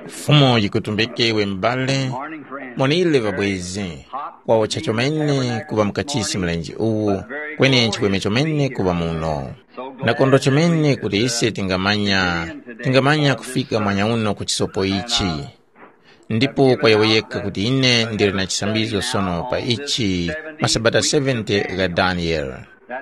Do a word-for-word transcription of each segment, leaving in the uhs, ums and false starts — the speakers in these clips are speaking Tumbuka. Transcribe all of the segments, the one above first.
Fumu yikutumbike iwe m'bale, monile ŵabwezi, kwawo chachomene kuŵa mukachisi mlenje uwu, kweni nchikweme chomene kuŵa muno. Ndakondwa chomene kuti ise tingamanya, tingamanya kufika mwanya uno ku chisopo ichi. Ndipo kwa yawe yekha kuti ine ndili na chisambizo sono pa ichi, masabata seventy gha Daniele.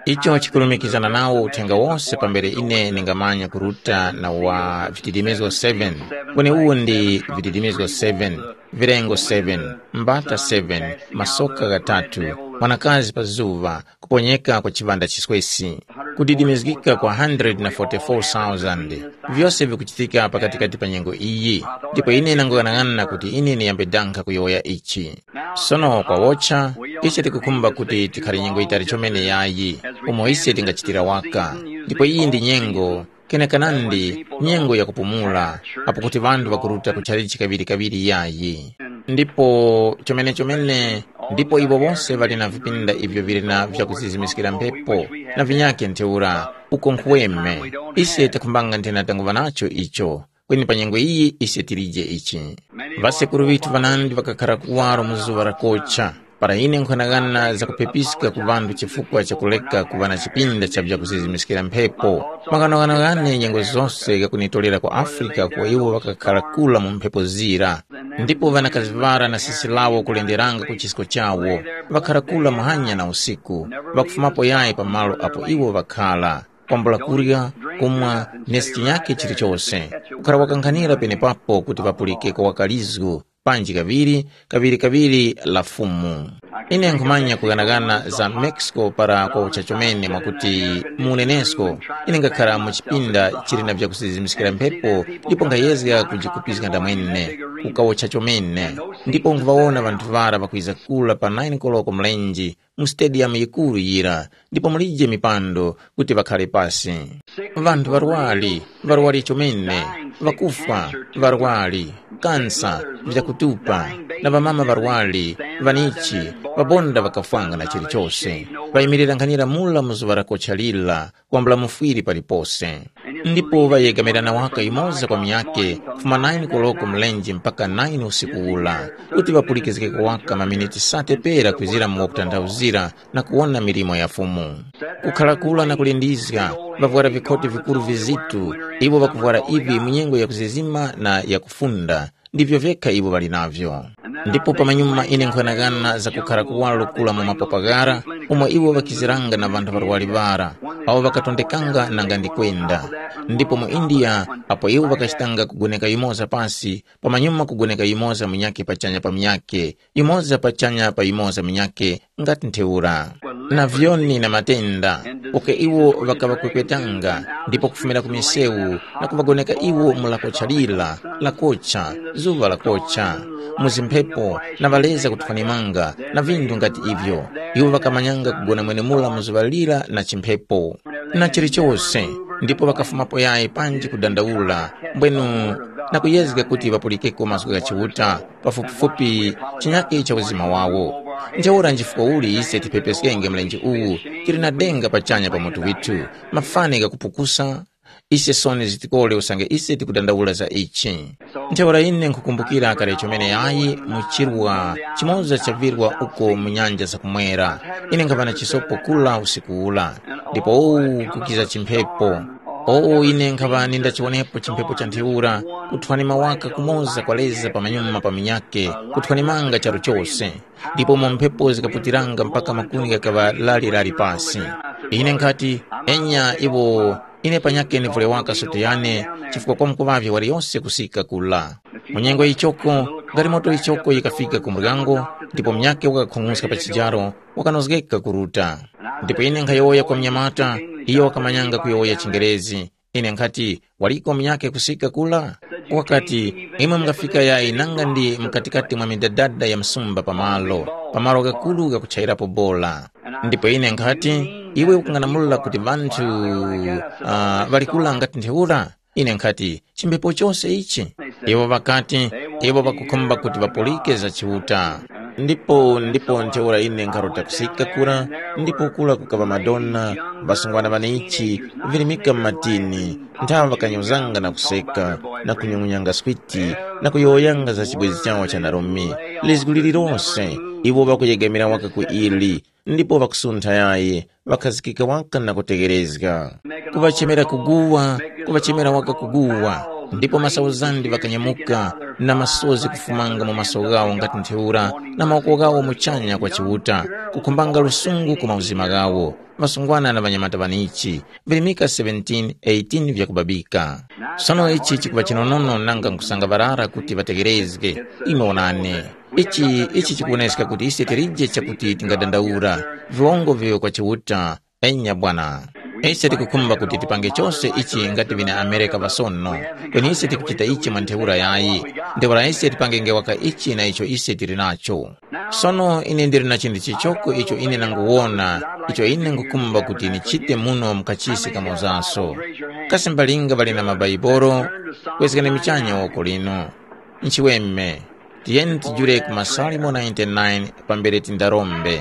Icho chikulumikizana nawo uthenga wose pambere ine ningamanya kuruta na wa vididimizo seven, kweni uwu ndi vididimizo seven, vilengo seven, mbata seven, masoka ghatatu, mwanakazi pa zuŵa, kuponyeka kwa chiŵanda chiswesi, kudidimizgika kwa hundred na forty-four thousand, vyose vikuchitika pakatikati pa nyengo iyi. Ndipo ine nanguyang'ana kuti ine niyambe danga kuyowoya ichi. Sono kwa wocha, ise tikukhumba kuti tikhale nyengo yitali chomene yayi, umo ise tingachitira waka. Ndipo iyi ndi nyengo, kenekanandi nyengo yakupumula, apo kuti ŵanthu ŵakuruta ku chalichi kaŵiri-kaŵiri yayi. Ndipo chomene-chomene, ndipo iwo wose ŵali na vipinda ivyo vili na vyakuzizimiskira mphepo, na vinyakhe ntheura, uko nkhweme. Ise takhumbanga nthena tanguŵa nacho icho, kweni pa nyengo iyi ise tilije ichi. Ŵasekuru ŵithu ŵanandi ŵakakhara kuwaro mu zuŵa lakocha, para ine nkhwanaghana zakuphepiska ku ŵanthu chifukwa cha kuleka kuŵa na chipinda cha vyakuzizimiskira mphepo. Maghanoghano ghane nyengo zose ghakunitolera ku Afrika uko iwo ŵakakhara kula mu mphepo zira. Ndipo ŵanakazi ŵara na sisi lawo kulenderanga ku chisko chawo, ŵakhara kula muhanya na usiku, ŵakufumapo yayi pa malo apo iwo ŵakhala, kwambula kurya, kumwa, nesi chinyakhe chilichose, kukhara wakankhanira penepapo kuti ŵapulike kwa wakalizgu, panji kaŵiri, kaŵiri kaŵiri la Fumu. Ine nkhumanya kughanaghana za Mexico para kwa uchachomene mwakuti mu unenesko, ine ngakhara mu chipinda chili na vyakusizimiskira mphepo ndipo nkhayezga kujikupiska ndamwene, kukawocha chomene. Ndipo nkhuŵawona ŵanthu ŵara ŵakwiza kula pa nine koloko mlenje mu stadium yikuru yira, ndipo mulije mipando kuti ŵakhare pasi. Ŵanthu ŵarwari, ŵarwari chomene, ŵakufwa, ŵarwari, kansa, vyakutupa, na ŵamama ŵarwari, ŵanichi, ŵabonda ŵakafwanga na chilichose, ŵayimirira nkhanira mula mu zuŵa la kocha lira, kwambula mufwiri palipose. Ndipo ŵayegamirana waka yumoza kwa munyakhe, kufuma nine koloko mlenje mpaka nine usiku ula, kuti ŵapulikizgeko waka maminiti sate pera kwizira mu wakutanthauzira, na kuwona milimo ya Fumu. Kukhala kura na kulindizga, ŵavwara vikhoti vikuru vizitu, iwo ŵakuvwara ivi mu nyengo ya kuzizima na ya kufunda, ndivyo vyekha iwo ŵali navyo. Ndipo pamanyuma ine nkhwanaghana za kukhala kuwaro kura mu mapopa ghara, umo iwo ŵakiziranga na ŵanthu ŵarwari ŵara, awo ŵakatondekanga nanga ndi kwenda. Ndipo mu India, apo iwo ŵakachitanga kugoneka yumoza pasi, pamanyuma kugoneka yumoza munyakhe pachanya pa munyakhe, yumoza pachanya pa yumoza munyakhe, ngati ntheura. Na vyoni na matenda, uke iwo ŵakaŵakwekwetanga, ndipo kufumira ku misewu, na kuŵagoneka iwo mu lakocha lira, lakocha, zuŵa lakocha, mu zimphepo, na ŵaleza kuthwanimanga, na vinthu ngati ivyo. Iwo ŵakamanyanga kugona mwenemura mu zuŵa lira na chimphepo, na chilichose, ndipo ŵakafumapo yayi panji kudandaula, mbwenu na kuyezga kuti ŵapulikeko mazgu gha Chiuta, pafupifupi chinyakhe cha uzima wawo. Ntheura nchifukwa uli ise tiphepeskenge mlenje uwu, tili na denga pachanya pa mutu withu, mafane ghakupukusa, ise soni zitikore usange ise tikudandaula za ichi. Ntheura ine nkhukumbukira kale chomene yayi mu chirwa chimoza chavirwa uko mu nyanja zakumwera. Ine nkhaŵa na chisopo kula usiku ula, ndipo uwu kukiza chimphepo. Owo ine nkhaŵa nindachiwonepo chimphepo cha ntheura, kuthwanima waka kumoza kwaleza pamanyuma pa minyakhe, kuthwanimanga charu chose. Ndipo mu mphepo zikaputiranga mpaka makuni ghakaŵa lalilali pasi. Ine nkhati, enya iwo, ine panyakhe nivule waka soto yane, chifukwa kwamkuŵavye waliyose kusika kula. Mu nyengo yichoko, galimoto yichoko yikafika ku muryango, ndipo munyakhe wakakhung'uska pa chijaro, wakanozgeka kuruta. Ndipo ine nkhayowoya kwa munyamata, iyo wakamanyanga kuyowoya chingerezi. Ine nkhati, waliko munyakhe kusika kula? Wakati, imwe mungafika yayi nanga ndi mkatikati mwa midadada ya msumba pamalo, pamalo ghakuru ghakuchayirapo bola. Ndipo ine nkhati, iwe ukung'anamula kuti ŵanthu uh, ŵali kula ngati ntheura? Ine nkhati, chimphepo chose ichi? Iwo ŵakati, iwo ŵakukhumba kuti ŵapulike za Chiuta. Ndipo ndipo ntheura ine nkharota kusika kura, ndipo kura kukaŵa madona, ŵasungwana ŵaneichi, virimika mu matini, nthawe ŵakanyozanga na kuseka, na kunyung'unyanga switi, na kuyowoyanga za chibwezi chawo cha narume. Lizgu lililose, iwo ŵakuyegamira waka ku ili, ndipo ŵakusuntha yayi, ŵakhazikika waka na kutegherezga. Kuŵachemera kuguwa, kuŵachemera waka kuguwa, ndipo masauzandi ŵakanyamuka, na masozi kufumanga mu maso ghawo ngati ntheura, na mawoko ghawo muchanya kwa Chiuta, kukhumbanga lusungu ku mauzima ghawo. Ŵasungwana na ŵanyamata ŵanichi, Virimika seventeen, eighteen vyakubabika. Sono ichi chikuŵa chinonono nanga nkusanga ŵarara kuti ŵategherezge. Imwe onani, ichi ichi chikuwoneska kuti ise tilije chakuti tingadandaula, viwongo vivyo kwa Chiuta. Enya bwana. Ise tikukhumba kuti tipange chose ichi ngati ŵina Amerika ŵasono. Kweni ise tikuchita ichi mwa ntheura yayi. Ntheura ise tipange ngewaka ichi na icho ise tili nacho. Sono ine ndili na chinthu chichoko icho ine nanguwona, icho ine ngukhumba kuti nichite muno mu kachisi kamozaso. Kasi mbalinga ŵali na mabhaibolo? Kwezgani michanya woko lino. Nchiweme, tiyeni tijule ku Masalimo ninety-nine pambere tindarombe.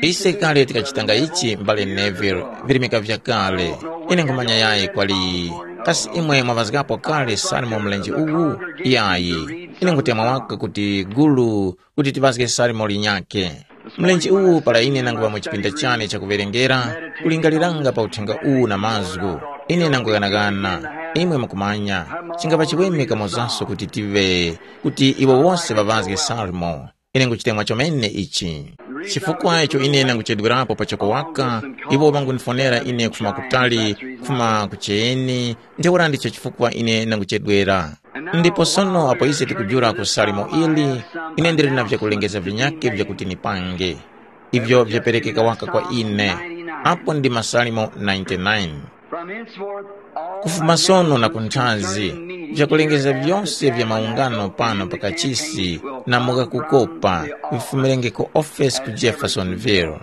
Ise kale tikachitanga ichi mbale Neville, virimika vyakale. Ine nkhumanya yayi kwali. Kasi imwe mwaŵazgapo kale Salimo mlenje uwu? Yayi. Ine nkutemwa waka kuti gulu kuti tiŵazge Salimo linyakhe. Mlenje uwu para ine nanguŵa mu chipinda chane chakuŵerengera, kulingaliranga pa uthenga uwu na mazgu, ine nanguyanaghana. Imwe mukumanya, chingaŵa chiweme kamozaso kuti tive, kuti iwo wose ŵaŵazge Salmo. Ine nguchitemwa chomene ichi. Chifukwa icho ine nanguchedwerapo pachoko waka, iwo ŵangundifonera ine kufuma kutali, kufuma kucheni, ntheura ndicho chifukwa ine nanguchedwera. Ndipo sono apo ise tikujula ku Salimo ili, ine ndili na vyakulengeza vinyakhe vyakuti nipange, ivyo vyaperekeka waka kwa ine. Apo ndi Masalimo ninety-nine. Kufuma sono na kunthazi, vyakulengeza vyose vya maungano pano pa kachisi na mukakukopa vifumirenge ku ofesi ku Jeffersonville.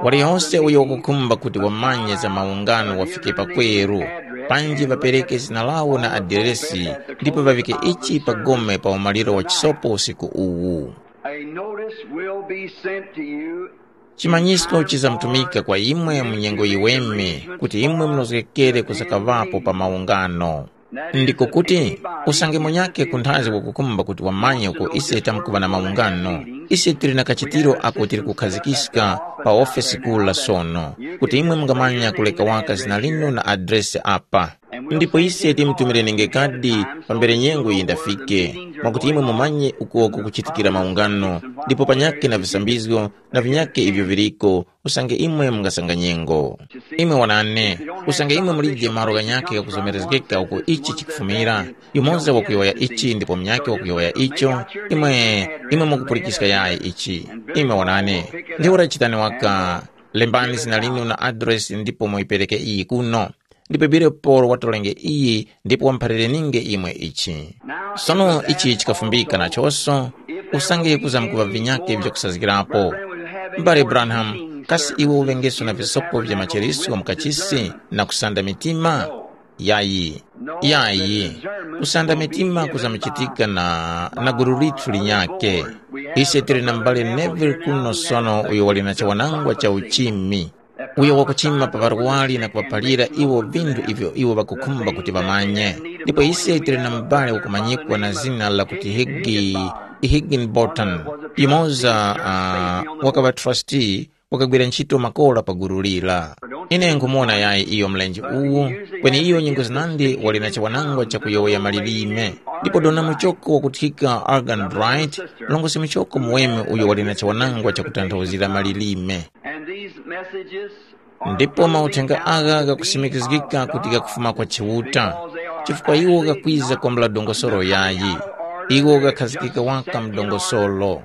Waliyonse uyo wakukhumba kuti wamanye za maungano wafike pakweru, panji ŵapereke zina lawo na adiresi, ndipo ŵavike ichi pa gome pa umaliro wa chisopo usiku uwu. A notice will be sent to you. Chimanyisko chizamutumika kwa imwe mu nyengo yiweme, kuti imwe munozgekere kuzakaŵapo pa maungano. Ndiko kuti, usange munyakhe kunthazi wakukhumba kuti wamanye uko ise tamkuŵa na maungano, ise tili na kachitiro ako tili kukhazikiska pa ofesi kuru la sono, kuti imwe mungamanya kuleka waka zina linu na adresi apa. Ndipo ise timutumirenge kadi pambere nyengo yindafike, mwakuti imwe mumanye uko kukuchitikira maungano, ndipo panyakhe na visambizgo na vinyakhe ivyo viriko, usange imwe mungasanga nyengo. Imwe wanane, usange imwe mulije malo ghanyakhe ghakuzomerezgeka uko ichi chikufumira, yumoza wakuyowoya ichi ndipo munyakhe wakuyowoya icho, imwe, imwe mukupulikiska yayi ichi. Imwe wanane, ntheura chitani waka, lembani zina linu na adresi ndipo muyipereke iyi kuno. Ndipo Bile Paulo watolenge iyi ndipo wamuphalirininge imwe ichi. Sono ichi chikafumbika nachonso, usange kuzamkuŵa vinyakhe vyakusazgirapo. M'bale Branham, kasi iwe uŵengeso na visopo vya macheriso mu kachisi na kusanda mitima? Yayi. Yayi. Kusanda mitima kuzamuchitika na, na gulu lithu linyakhe. Ise tili na m'bale Neville kuno sono uyo wali na chiwanangwa cha uchimi. Uyo wakuchima pa ŵarwari na kuŵaphalira iwo vinthu ivyo iwo ŵakukhumba kuti ŵamanye. Ndipo ise tili na mubali wakumanyikwa na zina lakuti Higgi-, Higginbottom, yumoza, uh, wakaŵa trustee, wakagwira ntchito makora pa gulu lira. Ine nkumuwona yayi iyo mlenje uwu, kweni iyo nyengo zinandi wali na chiwanangwa chakuyowoya malilime. Ndipo dona muchoko wakuthika Argan Bright, mlongosi muchoko muweme uyo wali na chiwanangwa chakutanthauzira malilime. And these messages are Ndipo mauthenga agha ghakusimikizgika kuti ghakufuma kwa Chiuta, chifukwa iwo ghakwiza kwambula dongosolo yayi. Iwo ghakhazikika waka mu dongosolo.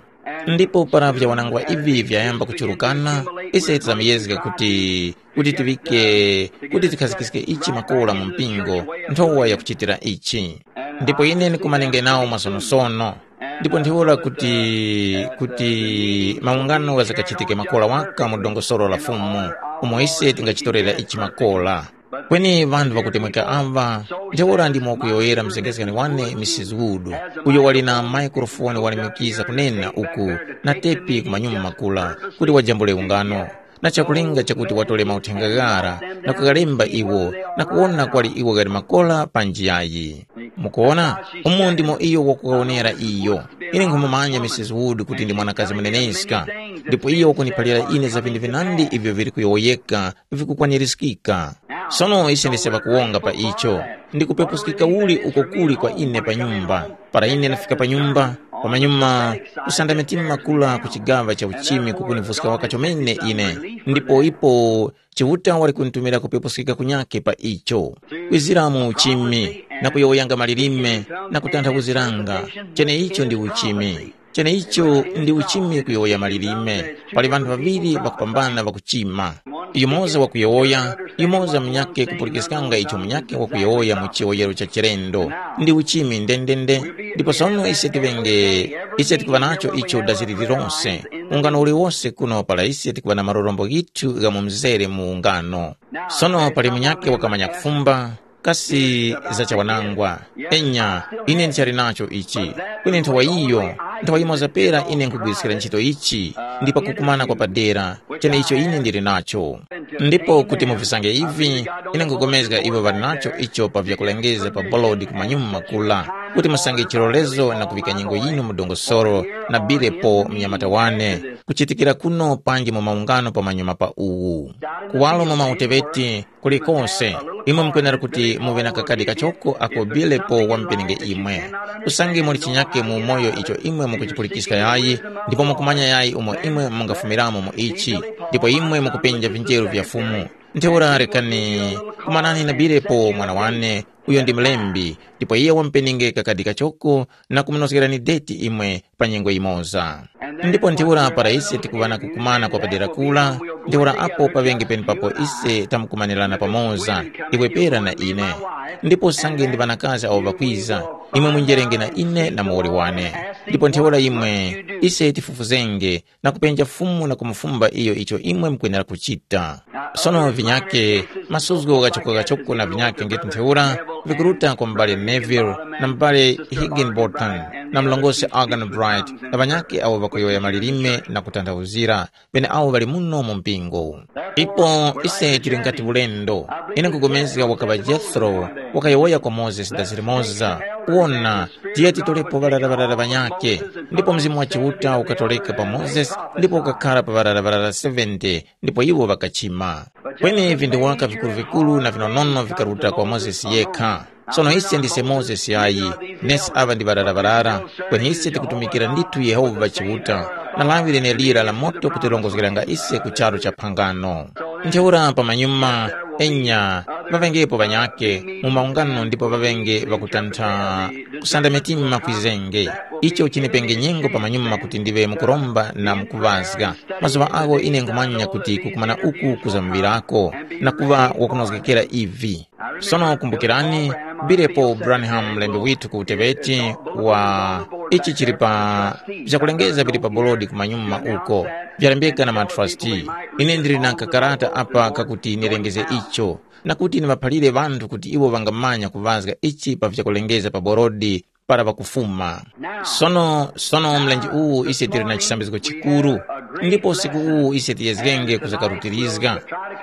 Ndipo para vyawanangwa ivi vyayamba kuchurukana, ise tizamuyezga kuti, kuti tiŵike, kuti tikhazikiske ichi makora mu mpingo, nthowa yakuchitira ichi. Ndipo ine ndikumanenge nawo mwasonosono. Ndipo ntheura kuti, kuti maungano ghazakachitike makora waka mu dongosolo la Fumu, umo ise tingachitorera ichi makora. Kweni ŵanthu ŵakutemweka aŵa, ntheura ndimo wakuyowoyera mzengeskani wane Misisi Wood, uyo wali na maikrofoni walemekiza kunena uku na tepi ku manyuma makula kuti wajambule ungano, na chakulinga chakuti watore mauthenga ghara na kughalemba iwo na kuwona kwali iwo ghali makora panji yayi. Mukuwona, umo ndimo iyo wakughawonera iyo. Ine nkhumumanya Misisi Wood kuti ndi mwanakazi muneneska, ndipo iyo wakuniphalira ine za vinthu vinandi ivyo vili kuyowoyeka vikukwanirizgika. Sono ise ndise ŵakuwonga pa icho, ndi kupepuskika uli uko kuli kwa ine pa nyumba. Para ine ndafika pa nyumba, pamanyuma kusanda mitima makula ku chigaŵa cha uchimi kukunivuska waka chomene ine, ndipo ipo Chiuta wali kuntumira kupepuskika kunyakhe pa icho, kwizira mu uchimi na kuyowoyanga malilime na kutanthauziranga. Cheneicho ndi uchimi. Cheneicho ndi uchimi kuyowoya malilime. Pali ŵanthu ŵaŵiri ŵakupambana ŵakuchima. Yumoza wakuyowoya, yumoza munyakhe kupulikiskanga icho munyakhe wakuyowoya mu chiyowoyero cha chilendo. Ndi uchimi ndendende. Ndipo sono ise tiŵenge, ise tikuŵa nacho icho daziri lilonse, ungano uliwose kuno para ise tikuŵa na marorombo ghithu gha mu mzere mu ungano. Sono pali munyakhe wakamanya kufumba, kasi zachawanangwa. Enya, ine ndichali nacho ichi. Kweni nthawa iyo, nthawa yimoza pera ine nkhugwiriskira ntchito ichi, ndi pakukumana kwa padera, cheneicho ine ndili nacho. Ndipo kuti muvisange ivi, ine nkupulikana iwo ŵali nacho icho pa vyakulengeza pa bolodi ku manyuma makula, kuti musange chilolezo na kuvika nyengo yinu mu dongosolo na Bilepo mnyamata wane, kuchitikira kuno panji mu maungano pamanyuma pa uwu. Kuwalo mu mauteŵeti, kulikose, imwe mukwenera kuti muŵe na kakadi kachoko ako Bilepo wamupinenge imwe. Usange muli chinyake mu umoyo icho imwe mukuchipulikiska yayi, ndipo mukumanya yayi umo imwe mungafumiramo mu ichi, ndipo imwe mukupenja vinjeru vya Fumu. Ntheura rekani, kumanani na Bilepo mwana wane, uyo ndi mlembi, ndipo iyo wamupinenge kakadi kachoko na kumunozgerani deti imwe pa nyengo yimoza. Ndipo ntheura para ise tikuŵa na kukumana kwa padera kula, ntheura apo paŵenge penepapo ise tamukumanirana pamoza, iwe pera na ine. Ndipo usange ndi ŵanakazi awo ŵakwiza, imwe munjerenge na ine na muwoli wane. Ndipo ntheura imwe, ise tifufuzenge, na kupenja Fumu na kumufumba iyo icho imwe mukwenera kuchita. Sono vinyake, masuzgo ghachoko-ghachoko na vinyake ngetu ntheura, vikuruta kwa m'bale Neville na m'bale Higginbotham na mlongosi Algan Bright na ŵanyake awo ŵakuyowoya malilime na kutanthauzira, peneawo ŵali muno mu mpingo. Ipo ise tili ngati ulendo. Ine nkupulikana wakaŵa Jethro wakayowoya kwa Mozesi dazirimoza, wona, tiye titolepo ŵarara-ŵarara ŵanyakhe, ndipo Mzimu wa Chiuta ukatoreka pa Mozesi ndipo ukakhara pa ŵarara-ŵarara seventy, ndipo iwo ŵakachima. Kweni vinthu waka vikuru-vikuru na vinonono vikaruta kwa Mozesi yekha. Sono ise ndise Mozesi ayi, nesi aŵa ndi ŵarara-ŵarara, kweni ise tikutumikira ndithu Yehova Chiuta, na lawi lenelira la moto kutirongozgeranga ise ku charu cha phangano. Ntheura pamanyuma, enya, ŵaŵengepo ŵanyakhe mu maungano ndipo ŵaŵenge ŵakutantha kusanda mitima kwizenge. Icho chinipenge nyengo pamanyuma kuti ndiŵe mukuromba na mukuŵazga. Mazuŵa agho ine nkhumanya kuti kukumana uku kuzamuŵirako na kuŵa wakunozgekera ivi. Sono kumbukirani, Bilepo Branham mlembi withu ku uteŵeti wa ichi chili pa vyakulengeza vili pa bolodi ku manyuma uko, vyalembeka na matrasti. Ine ndili na kakarata apa kakuti nilengeze icho, na kuti niŵaphalire ŵanthu kuti iwo ŵangamanya kuŵazga ichi pa vyakulengeza pa bolodi para ŵakufuma. Sono, sono mlenje uwu ise tili na chisambizgo chikuru, ndipo usiku uwu ise tiyezgenge kuzakarutirizga.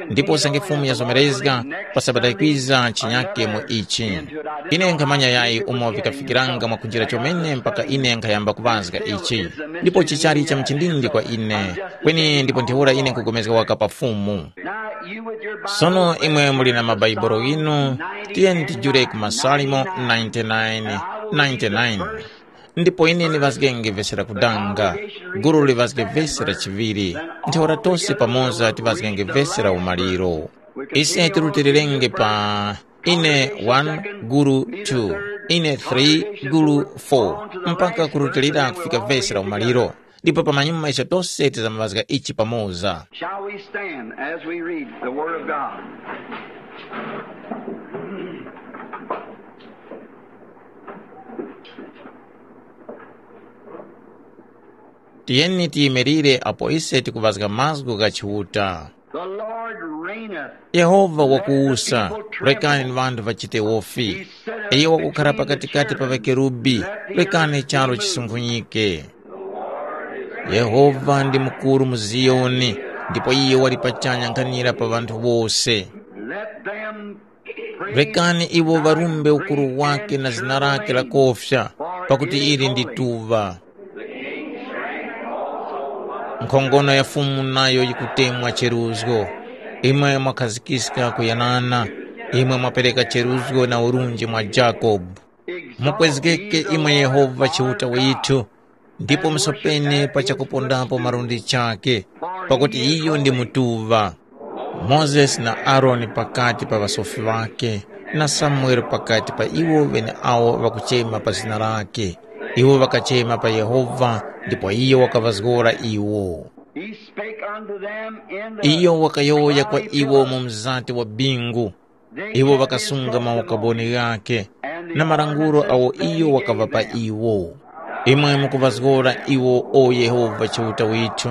Ndipo usange Fumu yazomerezga, pa Sabata yikwiza chinyake mu ichi. Ine nkhamanya yayi umo vikafikiranga mwakunjira chomene mpaka ine nkhayamba kuŵazga ichi. Ndipo chichali cha mchindindi kwa ine, kweni ndipo ntheura ine nkugomezga waka pa Fumu. Sono imwe muli na mabaibulo ghinu, tiyeni tijule ku Masalimo ninety-nine, ninety-nine. Ndipo ine ndiŵazgenge vesi la kudanga, gulu liŵazge vesi la chiŵiri, ntheura tose pamoza tiŵazgenge vesi la umaliro. Ise tirutilirenge pa ine one gulu two, ine three gulu four, mpaka kurutilira kufika vesi la umaliro. Ndipo pamanyuma icho tose tizamavazga ichi pamoza. Shall we stand as we read the Word of God? Tiyeni tiyimirire apo ise tikuvazga mazgu gha Chiuta. The Lord Yehova wakuwusa, rekani ŵanthu ŵachite wofi. Iyo wakukhara pakatikati pa ŵakerubi, rekani charu chisunkhunyike. Yehova ndi mukuru mu Ziyoni, ndipo iyo wali pachanya nkhanira pa ŵanthu wose. Let them rekani iwo ŵarumbe ukuru wake na zina lake lakofya, pakuti ili ndi tuŵa. Nkhongono ya Fumu nayo yikutemwa cheruzgo. Imwe mwakhazikiska kuyanana, imwe mwapereka cheruzgo na urunji mwa Jakobu. Mukwezgeke imwe Yehova Chiuta withu, ndipo musopene pa chakupondapo malundi chake, pakuti iyo ndi mutuŵa. Mozesi na Aroni pakati pa ŵasofi ŵakhe, na Samuele pakati pa iwo ŵeneawo ŵakuchema pa zina lakhe. Iwo ŵakachema pa Yehova, ndipo iyo wakaŵazgora iwo. He spake unto them in the Iyo wakayowoya kwa iwo mu mzati wa bingu. Iwo ŵakasunga maukaboni ghakhe na malangulo agho iyo wakaŵapa iwo. Imwe mukuŵazgora iwo, o Yehova Chiuta withu.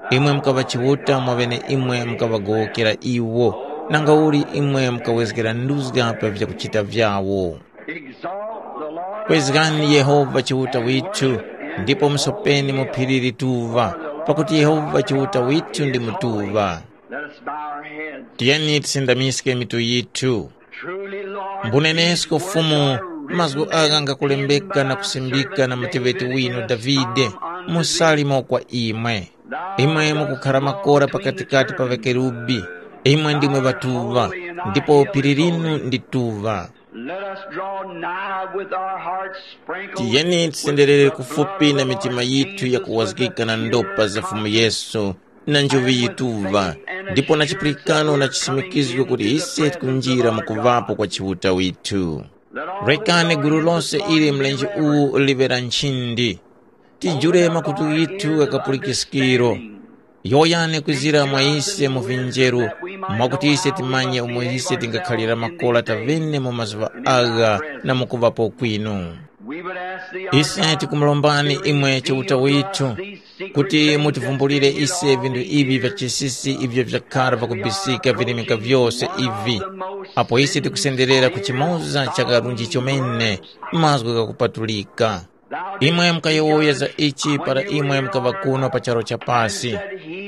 Imwe mukaŵa Chiuta mwaŵeneimwe mukaŵagowokera iwo, nangauli imwe mukawezgera nduzga pa vyakuchita vyawo. Exalt the Lord. Kwezgani Yehova Chiuta withu, ndipo musopeni mu phiri lituŵa, pakuti Yehova Chiuta withu ndi mutuŵa. Let us bow our heads. Tiyeni tisindamiske mitu yithu. Truly, Lord, mbunenesko these Fumu, words are mazgu written agha ngakulembeka na kusimbika na muteŵeti winu Davide, mu salimo kwa imwe. Imwe mukukhara makora pakatikati pa ŵakerubi, imwe ndimwe ŵatuŵa, ndipo phiri linu ndi tuŵa. Let us draw nigh with our hearts sprinkled. Tiyeni tisenderere kufupi na mitima yithu yakuwazgika na ndopa za Fumu Yesu na njuŵi yituŵa, ndipo na chipulikano na chisimikizgo kuti ise tikunjira mu kuŵapo kwa Chiuta withu. Rekani gulu lose ili mlenje uwu liŵe la nchindi. Tijule makutu ghithu gha kapulikiskiro. Yowoyani kwizira mwa ise mu vinjeru, mwakuti ise timanye umo ise tingakhalira makora taŵene mu mazuŵa agha na mu kuŵapo kwinu. Ise tikumulombani imwe Chiuta withu, kuti mutivumbulire ise vinthu ivi vya chisisi ivyo vyakhara vakubisika virimika vyose ivi, apo ise tikusenderera ku chimoza cha karunji chomene, mazgu ghakupatulika. Imwe mukayowoya za ichi para imwe mukaŵa kuno pa charu cha pasi.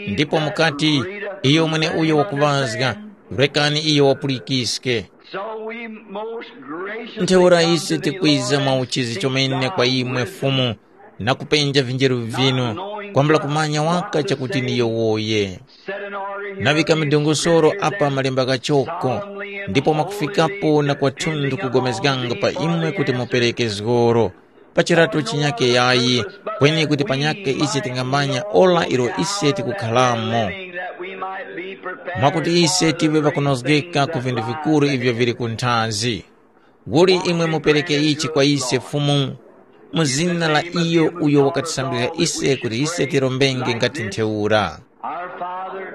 Ndipo mukati, iyo mweneuyo wakuŵazga, rekani iyo wapulikiske. So we most gracious Ntheura ise tikwiza mwa uchizi chomene kwa imwe Fumu, na kupenja vinjeru vinu, kwambula kumanya waka chakuti niyowoye. Set an order here. Naŵika midongosoro apa malemba ghachoko, ndipo mwakufikapo na kwathunthu kugomezganga pa imwe kuti mupereke zgoro. Pa chirato chinyake yayi, kweni kuti panyake ise tingamanya ora ilo ise tikukharamo, mwakuti ise tive ŵakunozgeka ku vinthu vikuru ivyo vili ku nthazi. Uli imwe mupereke ichi kwa ise Fumu, mu zina la iyo uyo wakatisambizga ise kuti ise tirombenge ngati ntheura. Our Father,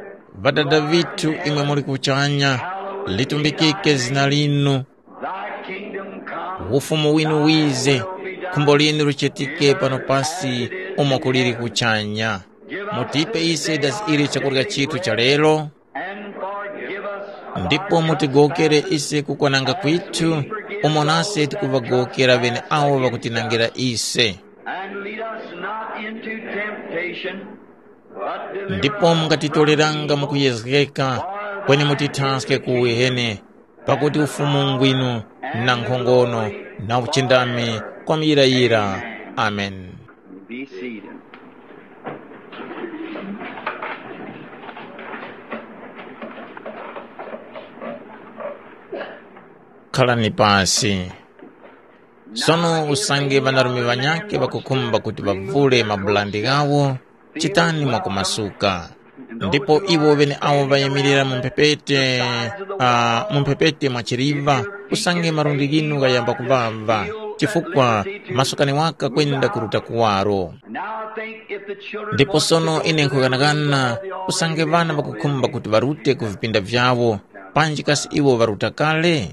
Ŵadada vithu imwe muli kuchanya, litumbikike zina linu. Thy kingdom come. Ufumu winu wize, khumbo linu lichitike pano pasi umo kuliri kuchanya. Mutipe ise dasi ili chakurya chithu cha lero, and forgive us. Ndipo mutigowokere ise kukwananga kwithu, umo nase tikuŵagowokera ŵeneawo ŵakutinangira ise. And lead us not into temptation, but deliver Ndipo us mukatitoleranga from mu evil. Kuyezgeka, kweni mutithaske ku uheni, pakuti ufumu ngwinu, na nkhongono, na uchindami, kwa muyirayira. Amen. Be seated. Khalani pasi. Sono usange ŵanarume ŵanyakhe ŵakukhumba kuti ŵavule mabulandi ghawo, chitani mwakumasuka. Ndipo iwo ŵeneawo ŵayimirira mu mphepete, ah, mu mphepete mwa chiliŵa, usange malundi ghinu ghayamba kuŵaŵa, chifukwa masukani waka kwenda kuruta kuwaro. Ndipo sono ine nkhughanaghana, usange ŵana ŵakukhumba kuti ŵarute ku vipinda vyawo, panji kasi iwo ŵaruta kale?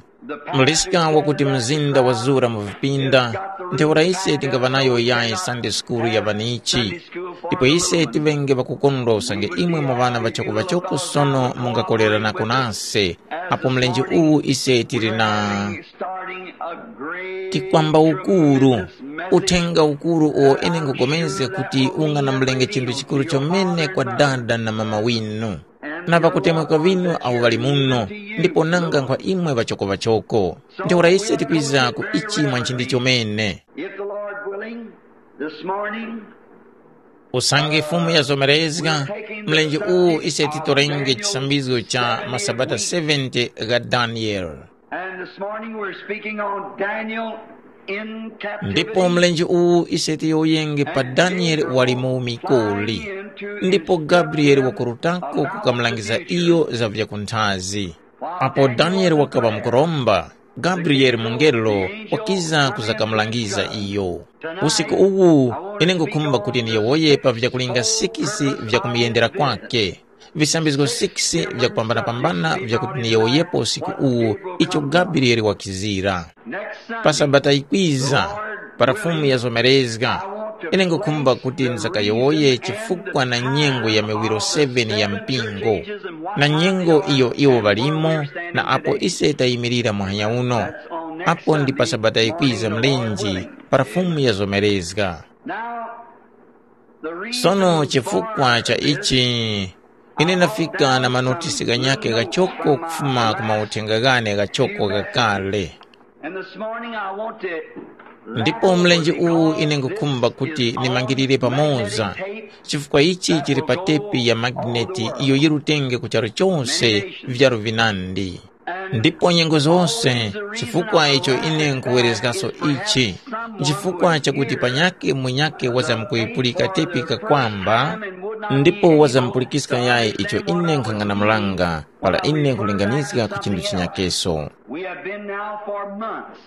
Muliska wakuti mzinda wazura mu vipinda, ntheura ise tingaŵa nayo yayi Sunday School ya ŵanichi. Ndipo ise tiŵenge ŵakukondwa usange imwe mwa ŵana ŵachoko-ŵachoko sono mungakoleranako nase, apo mlenje uwu ise tili na tikwamba ukuru, uthenga ukuru uwo ine nkhugomezga kuti unganamulenge chinthu chikuru chomene kwa dada na mama winu, na ŵakutemweka ŵinu awo ŵali muno, ndipo nanga nkhwa imwe ŵachoko-ŵachoko. Ntheura ise tikwiza ku ichi mwa nchindi chomene. If the Lord willing, this morning, usange Fumu yazomerezga, mlenje uwu ise titorenge chisambizgo cha masabata seventy gha Daniele. And this morning we're speaking on Daniel in captivity. Ndipo mlenje uwu ise tiyowoyenge pa Daniele wali mu mikoli. Ndipo Gabriele wakurutako kukamulangiza iyo za vyakunthazi. Apo Daniele wakaŵa mukuromba, Gabriele mungelo wakiza kuzakamulangiza iyo. Usiku uwu, ine ngukhumba kuti niyowoye pa vyakulinga sikisi vya kumuyendera kwake, visambizgo sikisi vyakupambana-pambana vyakuti niyowoyepo usiku uwu icho Gabriele wakizira. Pa Sabata yikwiza, para Fumu yazomerezga, ine ngukhumba kuti nzakayowoye chifukwa na nyengo ya miwiro seven ya mpingo, na nyengo iyo iwo ŵalimo, na apo ise tayimirira muhanya uno. Apo ndi pa Sabata yikwiza mlenje, para Fumu yazomerezga. Sono chifukwa cha ichi, ine ndafika na manotisi ghanyakhe ghachoko kufuma ku mauthenga ghane ghachoko ghakale. And this morning I want to ndipo mlenje uwu ine ngukhumba kuti nimangirire pamoza, chifukwa ichi chili pa tepi ya magneti iyo yirutenge ku charu chose vyaro vinandi. Ndipo nyengo zose, chifukwa icho ine nkuwerezgaso ichi, nchifukwa chakuti panyakhe munyakhe wazamkuyipulika tepi kakwamba, ndipo wazampulikiska yayi icho ine nkhanganamulanga, para ine nkulinganizga ku chinthu chinyakeso. We have been now for months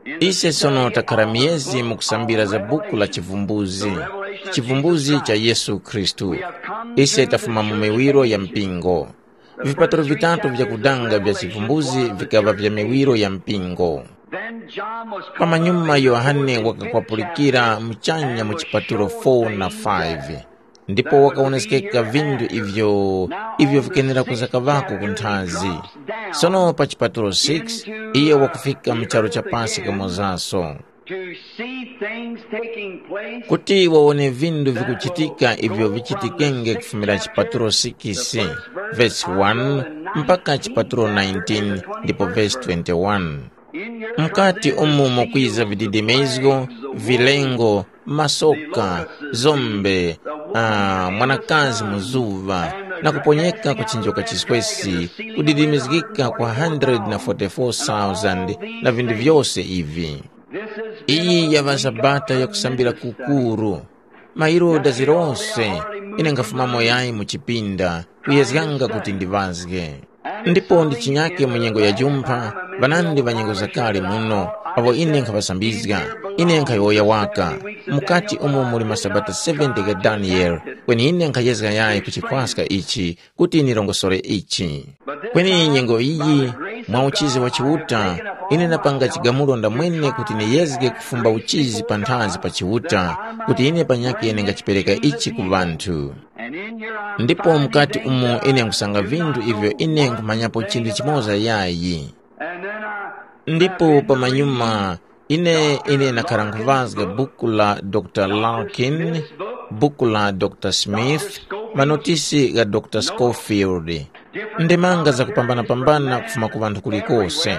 in the ise sono study takhala of miyezi the book mukusambira za called buku la Revelation, chivumbuzi, the Revelation of chivumbuzi Jesus cha Christ. Yesu Khristu. We have come ise to the tafuma mu church miwiro ya mpingo. Vipatalo vitatu vyakudanga vya chivumbuzi vikava vya miwiro ya mpingo. Pamanyuma Yohane wakakwapulikira muchanya mu chipatulo four na five, ndipo wakawoneskeka vinthu ivyo ivyo vikenera kuzakavako ku nthazi. Sono pa chipatulo six, iye wakufika mu charu cha pasi kamozaso. To see things taking place kuti wawone vinthu vikuchitika ivyo vichitikenge kufumira chipatulo six, vesi one, mpaka chipatulo nineteen ndipo vesi twenty-one. Mkati umu mukwiza vididimizgo, vilengo, masoka, zombe, ah, mwanakazi muzuva, na kuponyeka ku chinjoka chiswesi, kudidimizgika kwa hundred na forty-four thousand na vinthu vyose ivi. Iyi yaŵa Sabata yakusambira kukuru. Mairo dazirose, ine nkhafumamo yayi mu chipinda, kuyezganga kuti ndiŵazge. Ndipo ndi chinyake mu nyengo ya jumpha, ŵanandi ŵa nyengo zakale muno, awo ine nkhaŵasambizga, ine nkhayowoya waka. Mukati umo muli masabata seventy gha Daniele, kweni ine nkhayezga yayi ku chikhwaska ichi, kuti nirongosore ichi. Kweni nyengo iyi, mwa uchizi wa Chiuta, ine napanga chigamulo ndamwene kuti niyezge kufumba uchizi panthazi pa Chiuta, kuti ine panyakhe ningachipereka ichi ku ŵanthu. Ndipo mukati umo ine nkhusanga vinthu ivyo ine nkhumanyapo chinthu chimoza yayi. Ndipo pamanyuma, ine ine nakhara nkhuvazga buku la Dr Larkin, buku la Dr Smith, manotisi gha Dr Scofield, ndemanga zakupambana-pambana kufuma ku ŵanthu kulikose.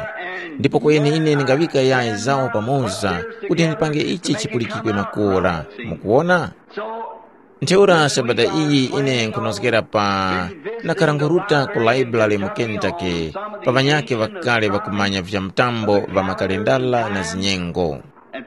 Ndipo kweni ine ndingaŵika yayi zawo pamoza, kuti ndipange ichi chipulikikwe makora. Mukuwona? Ntheura sabata iyi ine nkhunozgera pa, nakharanguruta ku library mu Kentucky, pa ŵanyakhe ŵakale ŵakumanya vya mtambo ŵa makalendala na zinyengo,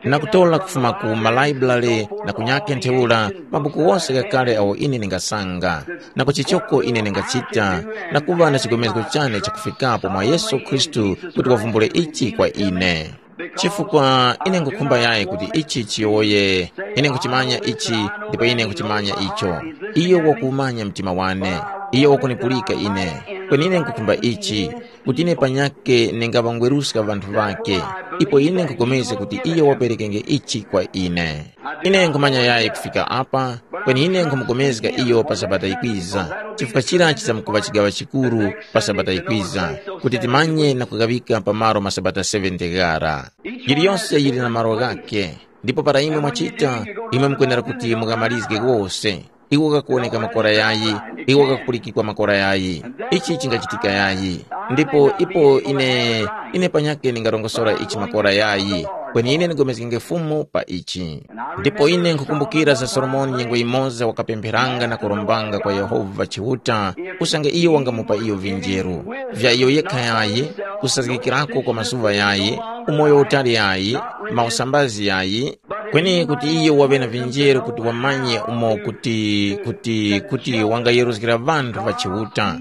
na kutora kufuma ku malaibulale na kunyakhe ntheura mabuku wose ghakale agho ine ndingasanga, na kuchichoko ine ndingachita, na kuŵa na chigomezgo chane chakufikapo mwa Yesu Khristu kuti wavumbule ichi kwa ine. Chifukwa ine nkhukhumba yayi kuti ichi chiyowoye, ine nkhuchimanya ichi, ndipo ine nkhuchimanya icho. Iyo wakuwumanya mtima wane. iyo wakunipulika ine. Kweni ine nkhukhumba ichi, kuti ine panyakhe ndingaŵangweruska ŵanthu ŵakhe, ipo ine nkhupulikana kuti iyo waperekenge ichi kwa ine. Ine nkhumanya yayi kufika apa, kweni ine nkhumupulikana iyo pa Sabata yikwiza, chifukwa chira chizamkuŵa chigaŵa chikuru pa Sabata yikwiza, kuti timanye na kugaŵika pa malo ma Sabata seventy ghara. Yiliyose yili na malo ghakhe, ndipo para imwe mwachita, imwe mukwenera kuti mughamalizge wose. Iwo ghakuwoneka makora yayi, iwo ghakupulikikwa makora yayi. Ichi chingachitika yayi. Ndipo ipo ine, ine panyakhe ndingarongosora ichi makora yayi, kweni ine ndigomezgenge Fumu pa ichi. Ndipo ine nkhukumbukira za Solomoni nyengo yimoza wakapempheranga na kurombanga kwa Yehova Chiuta, usange iyo wangamupa iyo vinjeru. Vya iyo yekha yayi, kusazgikirako kwa mazuŵa yayi, umoyo utali yayi, mausambazi yayi, kweni kuti iyo waŵe na vinjeru kuti wamanye umo kuti, kuti, kuti wangayeruzgira ŵanthu ŵa Chiuta.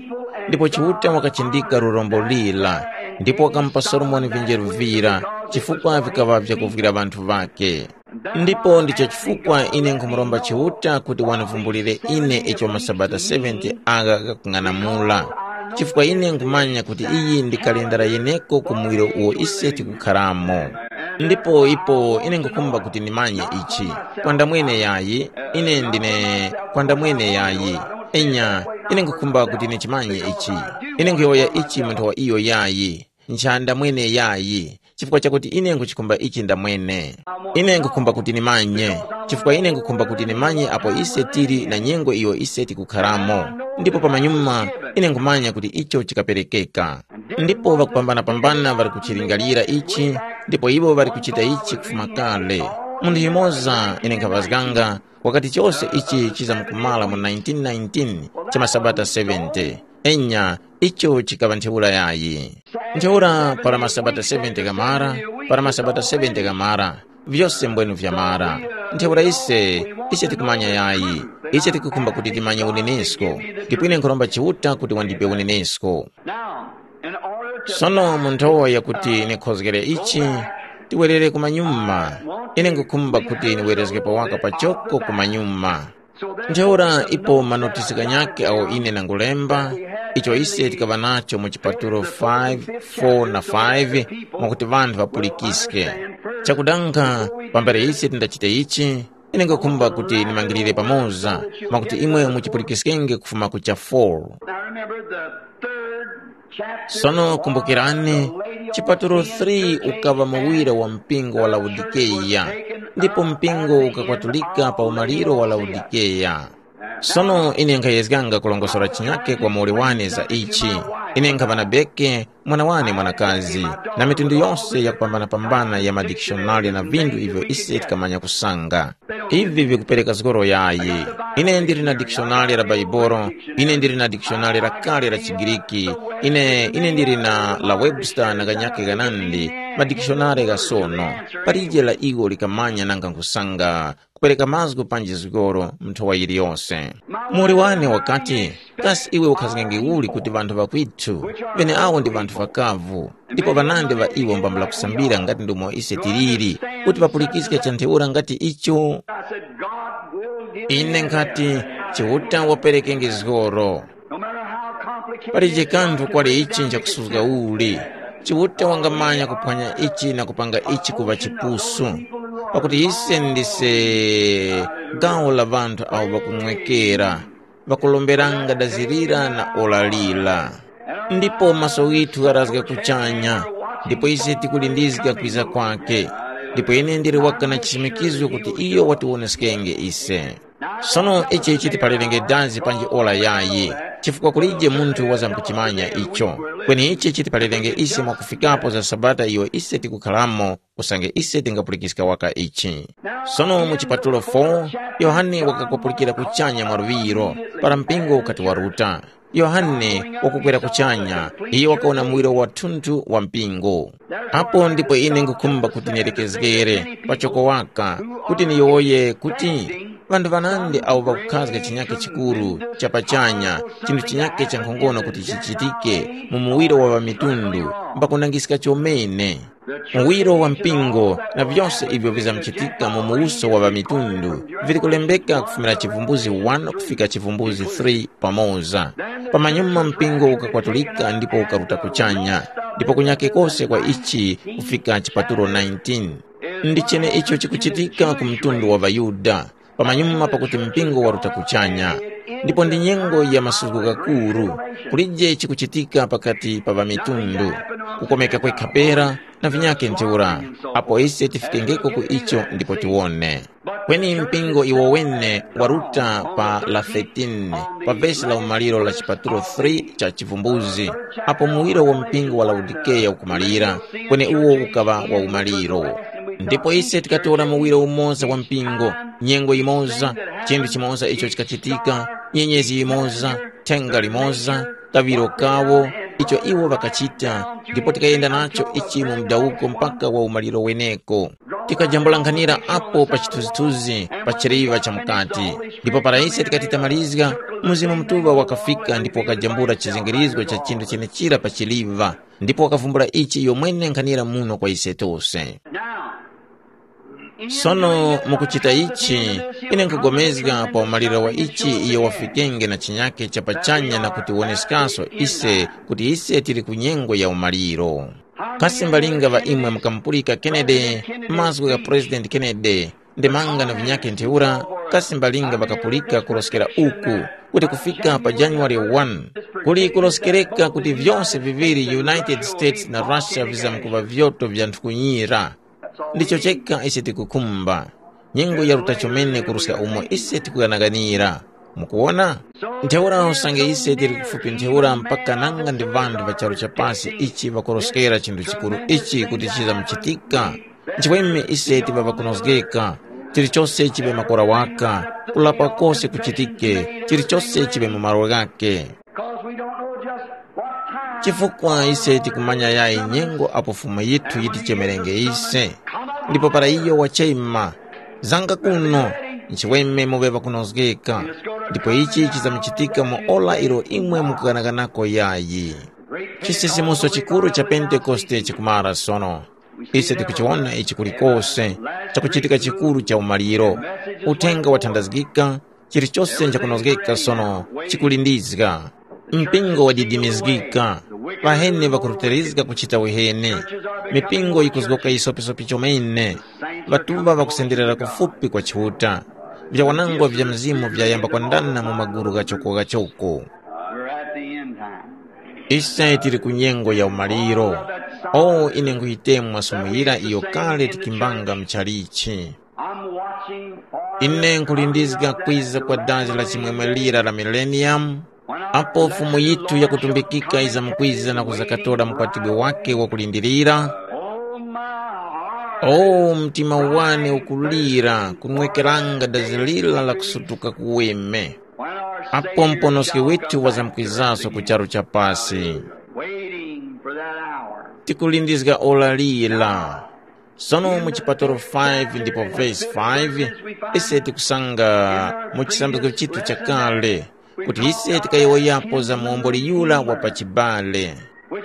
Ndipo Chiuta wakachindika lurombo lira, ndipo wakamupa Solomoni vinjeru vira, chifukwa vikaŵa vyakuvwira ŵanthu ŵakhe. Ndipo ndicho chifukwa ine nkhumuromba Chiuta kuti wanivumbulire ine icho masabata seventy agha ghakung'anamula. Chifukwa ine nkhumanya kuti iyi ndi kalendara yeneko ku muwiro uwo ise tikukharamo. Ndipo ipo ine nkhukhumba kuti ndimanye ichi. Kwandamwene yayi, ine ndine kwandamwene yayi. Enya, ine nkhukhumba kuti ndichimanye ichi. Ine nkhuyowoya ichi mu nthowa iyo yayi. Nchanda mwene yayi, chifukwa chakuti ine nkhuchikhumba ichi ndamwene. Ine nkhukhumba kuti ndimanye, chifukwa ine nkhukhumba kuti ndimanye apo ise tili na nyengo iyo ise tikukharamo. Ndipo pamanyuma, ine nkhumanya kuti icho chikaperekeka. Ndipo ŵakupambana-pambana ŵali kuchilingalira ichi, ndipo iwo ŵali kuchita ichi kufuma kale. Munthu yumoza ine nkhaŵazganga wakati chose ichi chizamkumala mu nineteen nineteen cha masabata seventy. Enya, icho chikaŵa ntheura yayi. Ntheura para masabata seventy ghamara, para masabata seventy ghamara, vyose mbwenu vyamara. Ntheura ise, ise tikumanya yayi, ise tikukhumba kuti timanye unenesko, ndipo ine nkhuromba Chiuta kuti wandipe unenesko. Now, in order to Sono mu nthowa yakuti nikhozgere ichi, tiwerere kumanyuma. Ine nkhukhumba kuti niwerezgepo waka pachoko kumanyuma. Ntheura ipo manotisi ghanyakhe agho ine nangulemba, icho ise tikaŵa nacho mu chipatulo five, four na five, mwakuti ŵanthu ŵapulikiske. Chakudanga, pambere ise tindachite ichi, ine nkhukhumba kuti nimangirire pamoza, mwakuti imwe muchipulikiskenge kufuma ku cha four. Now remember the third chapter. Sono kumbukirani, chipatulo three ukaŵa muwira wa mpingo wa Laodikeya, ndipo mpingo ukakwatulika pa umaliro wa Laodikeya. Sono ine nkhayezganga kulongosora chinyake kwa muwoli wane za ichi. Ine nkhaŵa na Beke, mwana wane mwanakazi, na mitundu yose yakupambana-pambana ya madikishonari na vinthu ivyo ise tikamanya kusanga. Ivi vikupereka zgoro yayi. Ine ndili na dikishonari la Baibolo, ine ndili na dikishonari la kale la Chigiriki, ine, ine ndili na la Webster na kanyake kanandi, madikishonari gha sono. Palije la iwo likamanya nanga nkhusanga kupereka mazgu panji zgoro mu nthowa yiliyose. Muwoli wane wakati, kasi iwe ukhazgenge uli kuti ŵanthu ŵakwithu, ŵeneawo ndi ŵanthu ŵakavu, ndipo ŵanandi ŵa iwo mbambula kusambira ngati ndumo ise tiliri, kuti ŵapulikiske cha ntheura ngati icho? I said, God will give you Ine nkhati, Chiuta waperekenge zgoro. No matter how complicated Palije kanthu kwali ichi nchakusuzga uli, Chiuta wangamanya kuphwanya ichi na kupanga ichi kuŵa chipusu, pakuti ise ndise gawo la ŵanthu awo ŵakumwekera, ŵakulomberanga dazi lira na ora lira. Ndipo maso ghithu gharazga kuchanya, ndipo ise tikulindizga kwiza kwake. Ndipo ine ndili waka na chishimikizo kuti iyo watiwoneskenge ise. Sono ichi chitiphalirenge dazi panji ora yayi, chifukwa kulije munthu wazamkuchimanya icho. Kweni ichi chitiphalirenge ise mwakufikapo za Sabata iyo ise tikukhalamo, usange ise tingapulikiska waka ichi. Sono mu chipatulo four, Yohane wakakwapulika kuchanya mwa luŵiro, para mpingo ukati waruta. Yohane wakukwera kuchanya, iyo wakawona muwiro wathunthu wa mpingo. Apo ndipo ine nkhukhumba kuti niyerekezgere pachoko waka, kuti niyowoye kuti Ŵanthu ŵanandi awo ŵakukhazga chinyake chikuru cha pachanya, chinthu chinyake chankhongono kuti chichitike mu muwiro wa ŵamitundu, mbakunangiska chomene. Muwiro wa mpingo na vyose ivyo vizamchitika mu muwuso wa ŵamitundu vili kulembeka kufumira chivumbuzi one kufika chivumbuzi three pamoza. Pamanyuma mpingo ukakwatulika ndipo ukaruta kuchanya, ndipo kunyake kose kwa ichi kufika chipatulo nineteen. Ndi chene icho chikuchitika ku mtundu wa ŵaYuda, pamanyuma pakuti mpingo waruta kuchanya. Ndipo ndi nyengo ya masuzgo ghakuru, kulije chikuchitika pakati pa ŵamitundu, kukomeka kwekha pera na vinyakhe ntheura, apo ise tifikengeko ku icho ndipo tiwone. Kweni mpingo iwo wene waruta pa la thirteen, pa vesi la umaliro la chipatulo three cha Chivumbuzi, apo muwiro wa mpingo wa Laodikeya ukumalira, kweni uwo ukaŵa wa umaliro. Ndipo ise tikatora muwiro umoza wa mpingo, nyengo yimoza, chinthu chimoza icho chikachitika, nyenyezi yimoza, thenga limoza, kaŵiro kawo, icho iwo ŵakachita, ndipo tikayenda nacho ichi mu mudawuko mpaka wa umaliro weneko. Tikajambula nkhanira apo pa chithunzithunzi pa chiliŵa cha mukati. Ndipo para ise tikati tamalizga, Mzimu Mutuŵa wakafika ndipo wakajambula chizingirizgo cha chinthu chenechira pa chiliŵa, ndipo wakavumbula ichi iyo mwene nkhanira muno kwa ise tose. Sono mukuchita ichi, ine nkhupulikana pa umaliro wa ichi iyo wafikenge na chinyake cha pachanya na kutiwoneskaso ise kuti ise tili ku nyengo ya umaliro. Kasi mbalinga ŵa imwe mukamupulika Kennedy, mazgu gha President Kennedy, ndemanga na vinyakhe ntheura, kasi mbalinga ŵakapulika kuroskera uku, kuti kufika pa January one, kuli kuroskereka kuti vyose viŵiri United States na Russia vizamkuŵa vyoto vya nthukunyira. Ndicho cheka ise tikukhumba. Nyengo yaruta chomene kuruska umo ise tikuganaganira. Mukuwona? Ntheura usange ise tili kufupi ntheura mpaka nanga ndi ŵanthu ŵa charu cha pasi ichi ŵakoroskera chinthu chikuru ichi kuti chizamuchitika, nchiweme ise tiŵa ŵakunozgeka, chilichose chiŵe makora waka, kulapa kose kuchitike, chilichose chiŵe mu malo ghake. Because we don't know just what time. Chifukwa ise tikumanya yayi nyengo apo Fumu yithu yitichemerenge ise. Ndipo para iyo wachema, zanga kuno, nchiweme muŵe ŵakunozgeka. Ndipo ichi chizamuchitika mu ora ilo imwe mukuganaganako yayi. Chisisimuso chikuru cha Pentekoste chikumara sono. Ise tikuchiwona ichi kulikose, chakuchitika chikuru cha umaliro. Uthenga wathandazgika, chilichose nchakunozgeka sono, chikulindizga. Mpingo wadidimizgika, ŵaheni ŵakurutilizga kuchita uheni. Mipingo yikuzgoka yisopisopi chomene. Ŵatuŵa ŵakusenderera kufupi kwa Chiuta. Vyawanangwa vya Mzimu vyayamba kwandana mu magulu ghachoko-ghachoko. We're at the end time. Ise tili ku nyengo ya umaliro. O, ine nkhuyitemwa sumuyira iyo kale tikimbanga mchalichi. I'm watching for ine nkhulindizga kwiza kwa dazi la chimwemwe lira la millennium, apo Fumu yithu yakutumbikika izamkwiza na kuzakatora mkwatibwi wake wakulindirira. Oh, my heart. O, mtima wane ukulira kunwekeranga dazi lira la kusutuka kuweme. Apo Muponoski withu wazamkwizaso ku charu cha pasi. Waiting for that hour. Tikulindizga ora lira. Sono mu chipatalo five ndipo vesi five, ise tikusanga mu chisambizgo chithu chakale kuti ise tikayowoyapo za muomboli yura wa pachibale.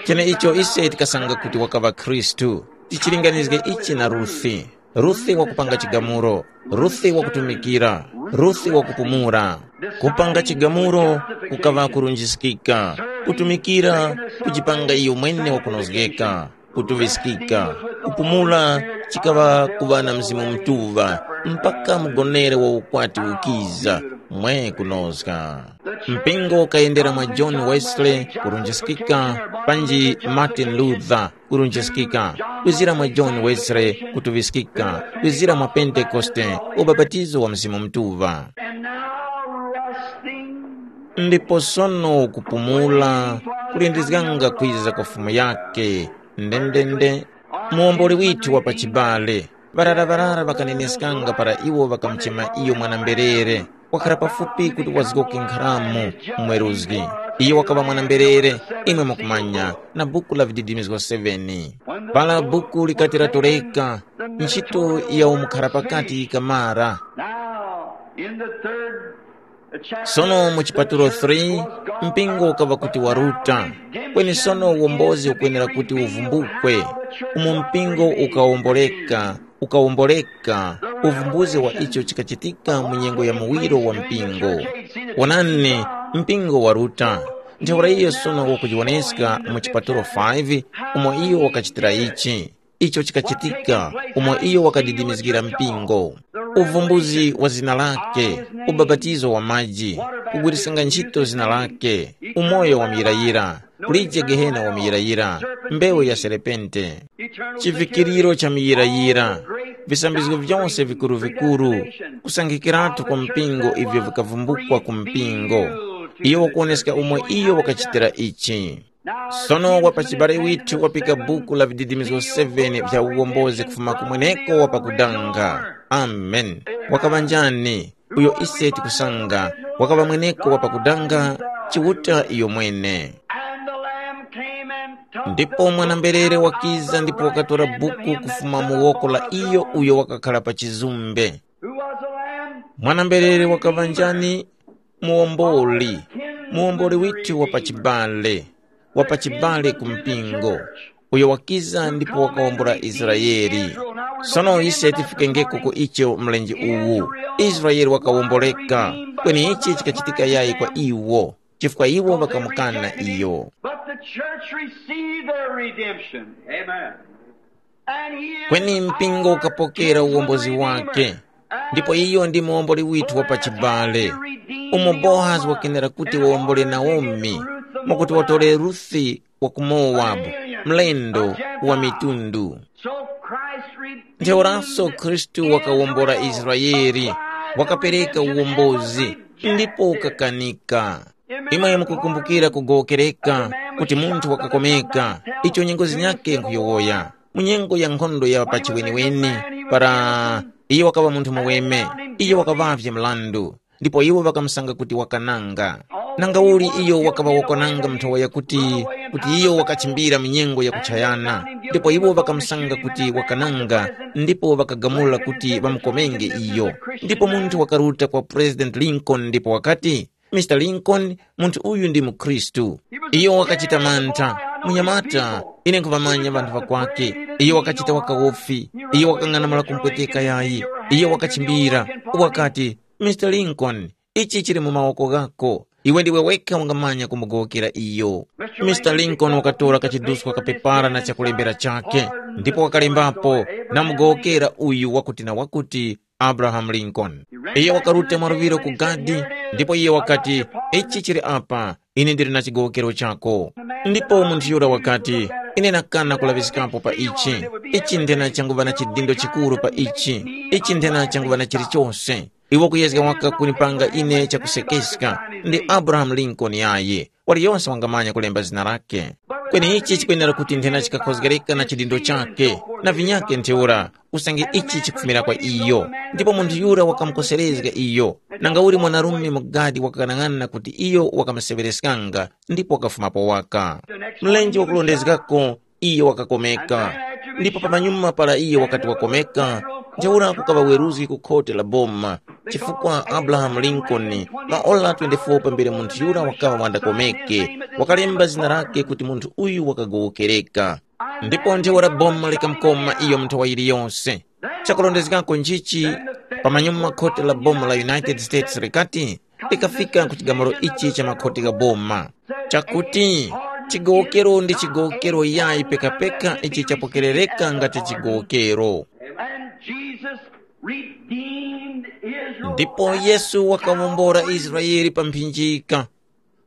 Cheneicho ise tikasanga kuti wakaŵa Khristu. Tichilinganizge ichi na Ruthi. Ruthi wakupanga chigamulo, Ruthi wakutumikira, Ruthi wakupumula. Kupanga chigamulo kukaŵa kurunjiskika, kutumikira kujipanga iyo mwene wakunozgeka, kutuŵiskika, kupumula chikaŵa kuŵa na Mzimu Mutuŵa mpaka mgonere wa ukwati ukiza mwe kunozga. Mpingo ukayendera mwa John Wesley kurunjiskika panji Martin Luther kurunjiskika, kwizira mwa John Wesley kutuŵiskika, kwizira mwa Pentekoste, ubapatizo wa Mzimu Mutuŵa. And now resting. Ndipo sono kupumula, kulindizganga kwiza kwa Fumu yake, ndendende, muwomboli withu wa pachibale, ŵarara-ŵarara ŵakaneneskanga para iwo ŵakamuchema iyo mwana-mberere, wakhala pafupi kuti wazgoke nkharamu mweruzgi. Iyo wakaŵa mwana-mberere, imwe mukumanya, na buku la vididimizgo seven. Para buku likati latoreka, ntchito ya umukharapakati yikamara. Now, In the third chapter, sono mu chipatulo three, mpingo ukaŵa kuti waruta. Kweni sono uwombozi ukwenera kuti uvumbukwe, umo mpingo ukawomboleka ukawomboleka uvumbuzi wa icho chikachitika mu nyengo ya muwiro wa mpingo. Wonani, mpingo waruta. Ntheura iyo sono wakujiwoneska mu chipatulo five, umo iyo wakachitira ichi. Icho chikachitika umo iyo wakadidimizgira mpingo, uvumbuzi wa zina lake, ubapatizo wa maji, kugwirisanga ntchito zina lake, umoyo wa muyirayira, kulije gehena wa muyirayira, mbewu ya serepente, chivikiriro cha muyirayira, visambizgo vyonse vikuru-vikuru, kusankhikiratu kwa mpingo ivyo vikavumbukwa ku mpingo. Iyo wakuwoneska umo iyo wakachitira ichi. Sono wa pachibale withu wapika buku la vididimizgo seven vya uwombozi kufuma ku mweneko wa pakudanga. Amen. Wakaŵa njani? Uyo ise tikusanga wakaŵa mweneko wa pakudanga, Chiuta iyo mwene. And the Lamb came and took ndipo the mwanamberere book out of wakiza the ndipo hand of wakatora him buku that kufuma sat mu woko la upon the iyo throne. Uyo wakakhala pa chizumbe. Who was the Lamb? Mwanamberere wakaŵa njani? Muwomboli, muwomboli withu wa pachibale, wa pachibale ku mpingo, uyo wakiza ndipo wakawombora Israeli. Sono ise tifikengeko ku icho mlenje uwu. Israeli wakawomboleka, kweni ichi chikachitika yayi kwa iwo, chifukwa iwo ŵakamukana iyo. But the church received their redemption. Amen. Kweni mpingo ukapokera uwombozi wake, ndipo iyo ndi muwomboli withu wa pachibale, umo Boazi wakenera kuti wawombole Naomi, mwakuti watore Ruthi wa ku Mowabu, mlendo wa mitundu. Ntheuraso Khristu wakawombora Israeli, wakapereka uwombozi, ndipo ukakanika. Imwe mukukumbukira kugowokereka kuti munthu wakakomeka, icho nyengo zinyakhe nkhuyowoya. Mu nyengo ya nkhondo ya pachiweniweni, para iyo wakaŵa munthu muweme, iyo wakaŵavye mrandu, ndipo iwo ŵakamusanga kuti wakananga. Nangauli iyo wakaŵa wakwananga mu nthowa yakuti, kuti iyo wakachimbira mu nyengo yakuchayana, ndipo iwo ŵakamusanga kuti wakananga, ndipo ŵakagamula kuti ŵamukomenge iyo. Ndipo munthu wakaruta kwa President Lincoln ndipo wakati, Mister Lincoln, munthu uyu ndi mukhristu. Iyo wakachita mantha. Munyamata, ine nkhuŵamanya ŵanthu ŵakwake. Iyo wakachita wakawofi. Iyo wakang'anamula kumpweteka yayi. Iyo wakachimbira. Wakati, Mister Lincoln, ichi chili mu mawoko ghako. Iwe ndiwe wekha ungamanya kumugowokera iyo. Mister Lincoln wakatora kachiduskwa kapepara na chakulembera chakhe, ndipo wakalembapo, namugowokera uyu wakuti na wakuti, Abraham Lincoln. Iyo wakaruta mwaluŵiro ku gadi, ndipo iyo wakati, ichi chili apa, ine ndili na chigowokero chako. Ndipo munthu yura wakati, ine nakana kulaŵiskapo pa ichi. Ichi nthena changuŵa na chidindo chikuru pa ichi. Ichi nthena changuŵa na chilichose. Iwe ukuyezga waka kunipanga ine chakusekeska. Ndi Abraham Lincoln yayi. Waliyonse wangamanya kulemba zina lake. Kweni ichi chikwenera kuti nthena chikakhozgereka na chidindo chake, na vinyakhe ntheura, usange ichi chikufumira kwa iyo. Ndipo munthu yura wakamukoserezga iyo. Nanga uli mwanarume mugadi wakakanang'ana kuti iyo wakamuseŵereskanga, ndipo wakafumapo waka. Mlenje wakulondezgako, iyo wakakomeka. Ndipo pamanyuma para iyo wakati wakomeka, ntheura kukaŵa weruzgi ku khoti la boma, chifukwa Abrahamu Lincoln, maora twenty-four pambere munthu yura wakaŵa wandakomeke, wakalemba zina lake kuti munthu uyu wakagowokereka. Ndipo ntheura boma likamukoma iyo mu nthawa yiliyose. Chakulondezgako nchichi, pamanyuma khoti la boma la United States likati, likafika ku chigamulo ichi cha makhoti gha boma, chakuti chigowokero ndi chigowokero yayi pekapeka ichi chapokerereka ngati chigowokero. And Jesus redeemed Israel. Ndipo Yesu wakawombora Israeli pa mphinjika.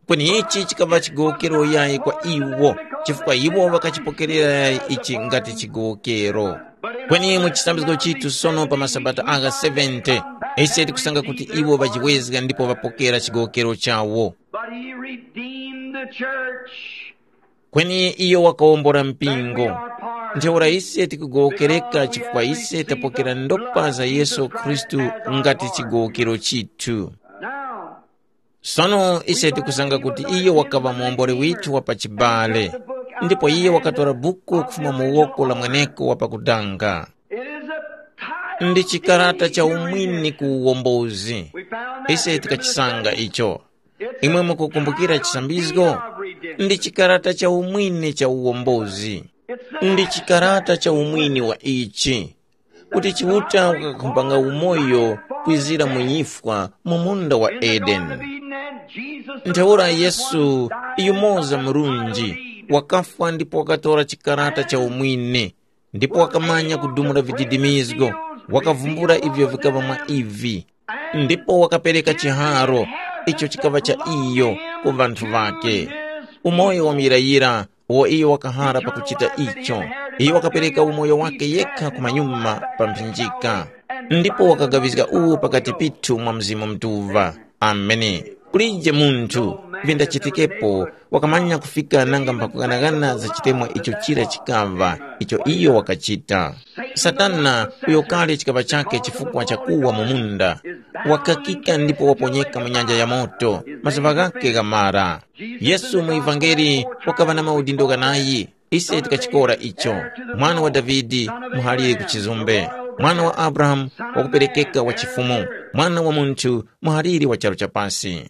Kweni ichi chikaŵa chigowokero yayi kwa iwo, chifukwa iwo ŵakachipokerera yayi ichi ngati chigowokero. Kweni mu chisambizgo chithu sono pa masabata agha seventy, ise tikusanga kuti iwo ŵajiwezga ndipo ŵapokera chigowokero chawo. But he redeemed the church. Kweni iyo wakawombora mpingo. Ntheura ise tikugowokereka chifukwa ise tapokera ndopa za Yesu Khristu ngati chigowokero chithu. Now, sono ise tikusanga kuti iyo wakaŵa muwomboli withu wa pachibale, ndipo iyo wakatora buku kufuma mu woko la mweneko wa pakudanga. It is a type Ndi chikarata cha umwini ku uwombozi. Ise tikachisanga icho. Imwe mukukumbukira chisambizgo? Ndi chikarata cha umwini cha uwombozi. Ndi chikarata cha umwini wa ichi, kuti Chiuta wakakhumbanga umoyo kwizira mu nyifwa mu munda wa Edeni. Ntheura Yesu, yumoza murunji, wakafwa ndipo wakatora chikarata cha umwine, ndipo wakamanya kudumula vididimizgo, wakavumbula ivyo vikaŵa mwa ivi, ndipo wakapereka chiharo icho chikaŵa cha iyo ku ŵanthu ŵake. Umoyo wa muyirayira uwo iyo wakahara pakuchita icho, iyo wakapereka umoyo wake yekha kumanyuma pa mphinjika, ndipo wakagaŵizga uwu pakati pithu mwa Mzimu Mutuŵa. Ameni. Kulije munthu vindachitikepo wakamanya kufika nanga mbakughanaghana za chitemwa icho chira chikaŵa icho iyo wakachita. Satana, uyo kale chikaŵa chake chifukwa cha kuwa mu munda, wakakika ndipo waponyeka mu nyanja ya moto, mazuŵa ghake ghamara. Yesu mu ivangeli wakaŵa na maudindo ghanayi. Ise tikachikora icho: Mwana wa Davide, muhaliri ku chizumbe, Mwana wa Abrahamu, wakuperekeka wa chifumu, Mwana wa munthu, muhaliri wa charu cha pasi,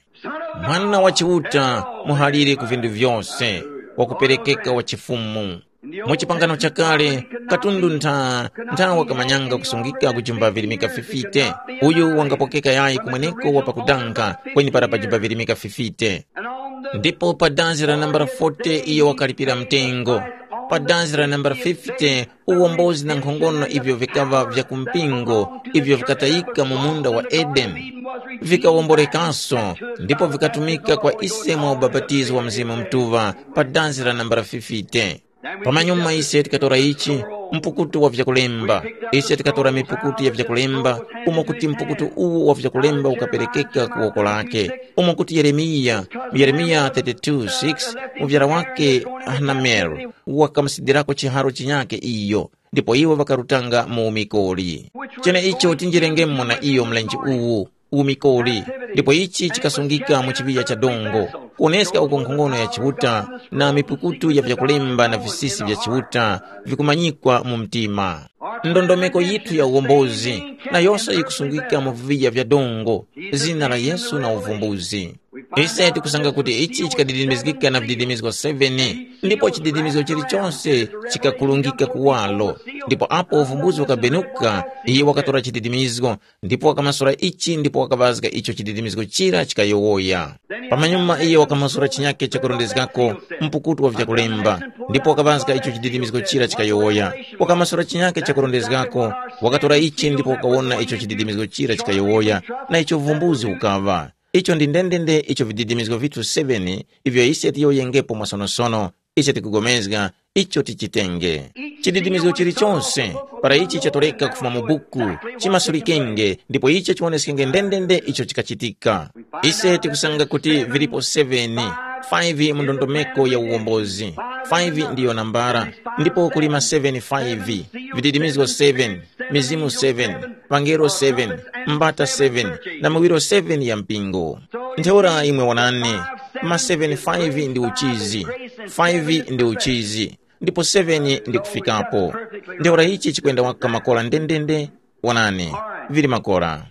Mwana wa Chiuta, muhaliri ku vindu vyose, wakuperekeka wa chifumu. Mu chipangano chakale, katundu ntha nthawa kamanyanga kusungika ku jumba virimika fifite, uyu wangapokeka yayi kumweneko wa pakudanga kweni para pa jumba virimika fifite. Ndipo pa dazi la nambala forty iyo wakalipira mtengo, pa dazi la nambala fifty uwombozi na nkhongono ivyo vikaŵa vya ku mpingo ivyo vikatayika mu munda wa Edeni vikawombolekanso, ndipo vikatumika kwa ise mwa ubapatizo wa Mzimu Mutuŵa pa dazi la nambala fifty. Pamanyuma ise tikatora ichi, mpukutu wa vyakulemba. Ise tikatora mipukutu ya vyakulemba, umo kuti mpukutu uwu wa vyakulemba ukaperekeka ku woko lake, umo kuti Yeremiya, mu Yeremiya thirty-two six, muvyara wake Hanameli wakamusidirako chiharo chinyakhe iyo, ndipo iwo ŵakarutanga mu umikoli. Cheneicho tinjirengemo na iyo mlenje uwu, umikoli, ndipo ichi chikasungika mu chiŵiya cha dongo, kuwoneska uko nkhongono ya Chiuta na mipukutu ya vyakulemba na visisi vya Chiuta vikumanyikwa mu mtima. Ndondomeko yithu ya uwombozi nayonso yikusungika mu viŵiya vya dongo, zina la Yesu na uvumbuzi. Ise tikusanga kuti ichi chikadidimizgika na vididimizgo seven, ndipo chididimizgo chilichonse chikakulungika kuwalo. Ndipo apo uvumbuzi wakabenuka, iye wakatora chididimizgo, ndipo wakamasula ichi ndipo wakaŵazga icho chididimizgo chira chikayowoya. Pamanyuma iye wakamasula chinyake chakurondezgako mpukutu wa vyakulemba, ndipo wakaŵazga icho chididimizgo chira chikayowoya. Wakamasula chinyake chakurondezgako, wakatora ichi ndipo wakawona icho chididimizgo chira chikayowoya, na icho uvumbuzi ukaŵa. Icho ndi ndendende icho vididimizgo vithu seven ivyo ise tiyowoyengepo mwasonosono, ise tikugomezga icho tichitenge. Chididimizgo chilichonse, para ichi chatoreka kufuma mu buku, chimasulikenge ndipo icho chiwoneskenge ndendende icho chikachitika. Ise tikusanga kuti vilipo seven, five mu ndondomeko ya uwombozi, five ndiyo nambala, ndipo kuli ma seven five, vididimizgo seven, mizimu seven, ŵangelo seven, mbata seven, na miwiro seven ya mpingo. Ntheura imwe wonani, ma seven five ndi uchizi, five ndi uchizi, ndipo seven ndi kufikapo. Ntheura ichi chikwenda waka makora ndendende. Wonani, vili makora.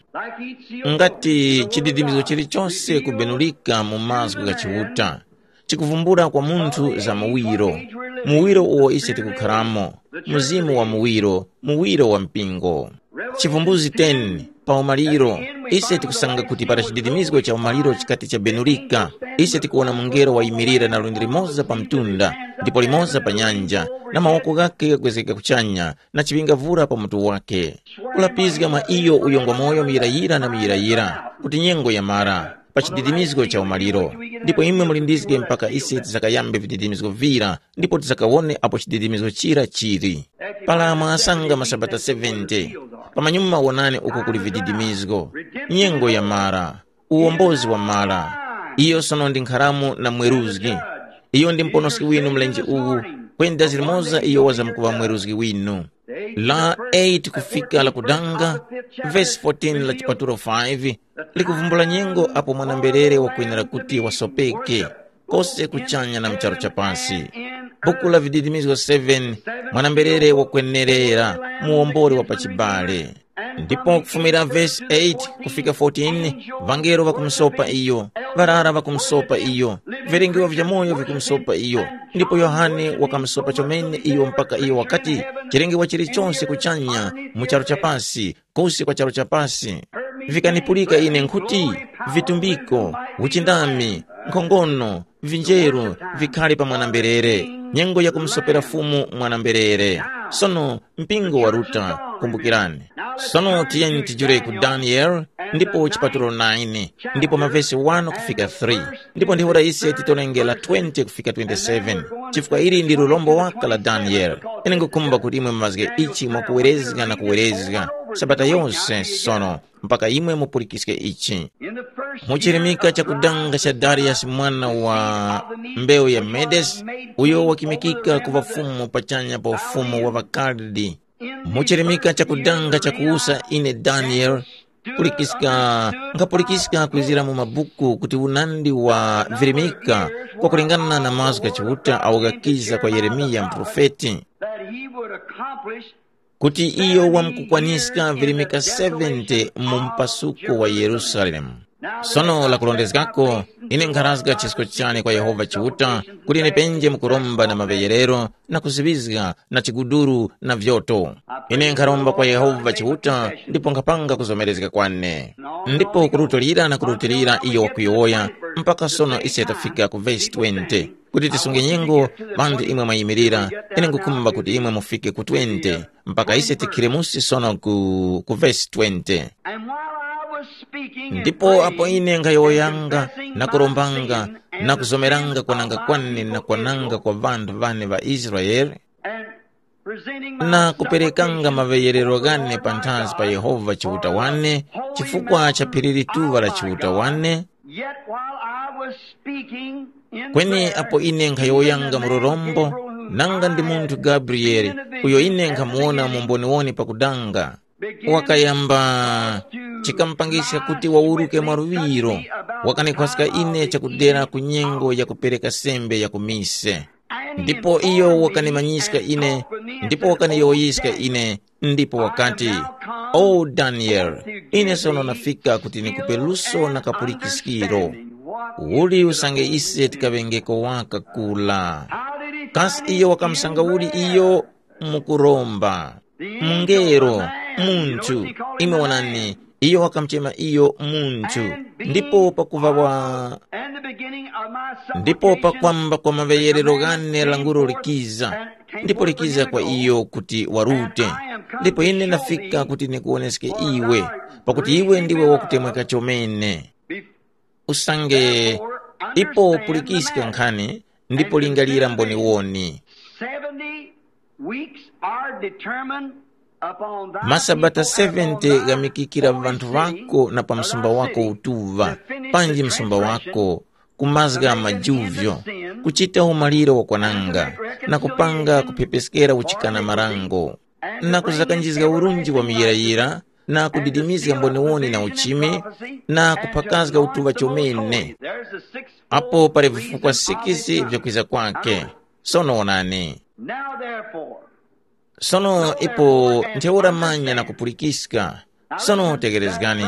Ngati chididimizo chilichonse kubenulika mu mazgu gha Chiuta, chikuvumbula kwa munthu za muwiro, muwiro uwo ise tikukharamo, mzimu wa muwiro, muwiro wa mpingo. Chivumbuzi ten, pa umaliro, ise tikusanga kuti para chididimizgo cha umaliro chikati chabenulika, ise tikuwona mungelo wayimirira na lundi limoza pa mtunda, ndipo limoza pa nyanja, na mawoko ghakhe ghakwezgeka kuchanya, na chiŵingavura pa mutu wakhe. Kulapizga mwa iyo uyo ngwamoyo muyirayira na muyirayira, kuti nyengo yamara, pa chididimizgo cha umaliro. Ndipo imwe mulindizge mpaka ise tisakayambe vididimizgo vira, ndipo tisakawone apo chididimizgo chira chili. Para mwasanga masabata seventy, pamanyuma wonani uko kuli vididimizgo. Nyengo yamara, uwombozi wamara. Iyo sono ndi nkharamu na mweruzgi. Iyo ndi muponoski winu mlenje uwu, kwenda zilimoza iyo wazamkuŵa mweruzgi winu. La eight kufika la kudanga, vesi fourteen la chipatulo five, likuvumbula nyengo apo mwana-mberere wakwenera kuti wasopeke. kose kuchanya na mu charu cha pasi. Buku la Vididimizgo seven, mwana-mberere wakwenerera, muwomboli wa pachibale. Ndipo kufumira vesi eight kufika fourteen, ŵangelo ŵakumusopa iyo, ŵarara ŵakumusopa iyo, vilengewa vyamoyo vikumusopa iyo. Ndipo Yohane wakamusopa chomene iyo mpaka iyo wakati, chilengewa chilichonse kuchanya, mu charu cha pasi, kusi kwa charu cha pasi, vikanipulika ine nkhuti, vitumbiko, uchindami, nkhongono, vinjeru, vikhale pa mwana-mberere, nyengo yakumusopera Fumu mwana-mberere. Sono mpingo wa Ruta, kumbukirani. Sono tiyeni tijule ku Danieli, ndipo chipatulo nine, ndipo mavesi one kufika three, ndipo ntheura ise titolenge la twenty kufika twenty-seven, chifukwa ili ndi lurombo waka la Danieli. Ine ngukhumba kuti imwe mumazge ichi mwakuwerezga na kuwerezga, sabata yose sono, mpaka imwe mupulikiske ichi. Mu chirimika chakudanga cha Dariyasi mwana wa mbewu ya Medesi, uyo wakimikika kuŵa fumu pachanya pa ufumu wa ŵaKaldi, mu chirimika chakudanga chakuwusa ine Danieli, pulikiska, nkhapulikiska kwizira mu mabuku kuti unandi wa virimika kwakulingana na mazgu gha Chiuta awo ghakiza kwa Yeremiya muprofeti, that he would accomplish kuti iyo wamkukwaniska virimika seventy mu mpasuko wa Yerusalemu. Sono lakulondezgako, ine nkharazga chisko chane kwa Yehova Chiuta kuti ine penje mukuromba na maŵeyerero na kuziŵizga na chiguduru na vyoto. Ine nkharomba kwa Yehova Chiuta ndipo nkhapanga kuzomerezga kwane. Ndipo kurutulira na kurutilira iyo wakuyowoya mpaka sono ise tafika ku vesi twenty. Kuti tisunge nyengo, ŵanthu imwe mwayimirira, ine ngukhumba kuti imwe mufike ku twenty, mpaka ise tikhire musi sono ku, ku vesi twenty. And while I was speaking and Ndipo apo praying ine nkhayowoyanga and confessing na my kurombanga sins na and kuzomeranga the sins kwananga of my kwane na people kwananga Israel, kwa ŵanthu wane ŵa Israele, and presenting na myself a kuperekanga case maŵeyerero before ghane the Lord pa my nthazi pa God, Yehova Chiuta for wane, holiness chifukwa cha phiri lituŵa la of my Chiuta God, wane, yet while I was speaking in kweni prayer, apo ine even nkhayowoyanga the mu man rurombo, Gabriel, whom nanga ndi I munthu had Gabriele, seen in a uyo vision ine as nkhamuwona mu mboniwoni pakudanga, began wakayamba to chikamupangiska kuti wawuruke mwa luŵiro, wakanikhwaska ine chakudera ku nyengo ya kupereka sembe ya ku mise. Ndipo iyo wakanimanyiska ine, ndipo wakaniyowoyiska ine, ndipo wakati, "O Daniele, ine sono nafika kuti nikupe luso na kapulikiskiro. Uli usange ise tikaŵengeko waka kula?" Kasi iyo wakamusanga uli iyo mukuromba? Mungelo, munthu, imwe wonani, iyo wakamuchema iyo munthu. Ndipo pakuva wa ndipo pakwamba kwa maŵeyerero ghane languro likiza, ndipo likiza kwa iyo kuti warute. Ndipo ine nafika kuti nikuwoneske iwe, pakuti iwe ndiwe wakutemweka chomene. Usange ipo pulikiska nkhani, ndipo lingalira mboniwoni. Seventy weeks are determined upon thy Masabata people and upon seventy thy ghamikikira ŵanthu ŵako na pa msumba wako utuŵa, panji msumba wako, ku mazga majuvyo, kuchita umaliro wakwananga, na kupanga kuphepeskera uchikana marango, na kuzakanjizga urunji wa muyirayira, na kudidimizga mboniwoni na uchimi, na kuphakazga utuŵa chomene. Apo pali vifukwa sikisi vyakwiza kwake. Sono wonani. Now therefore, Sono ipo ntheura manya na kupulikiska. Sono tegerezgani,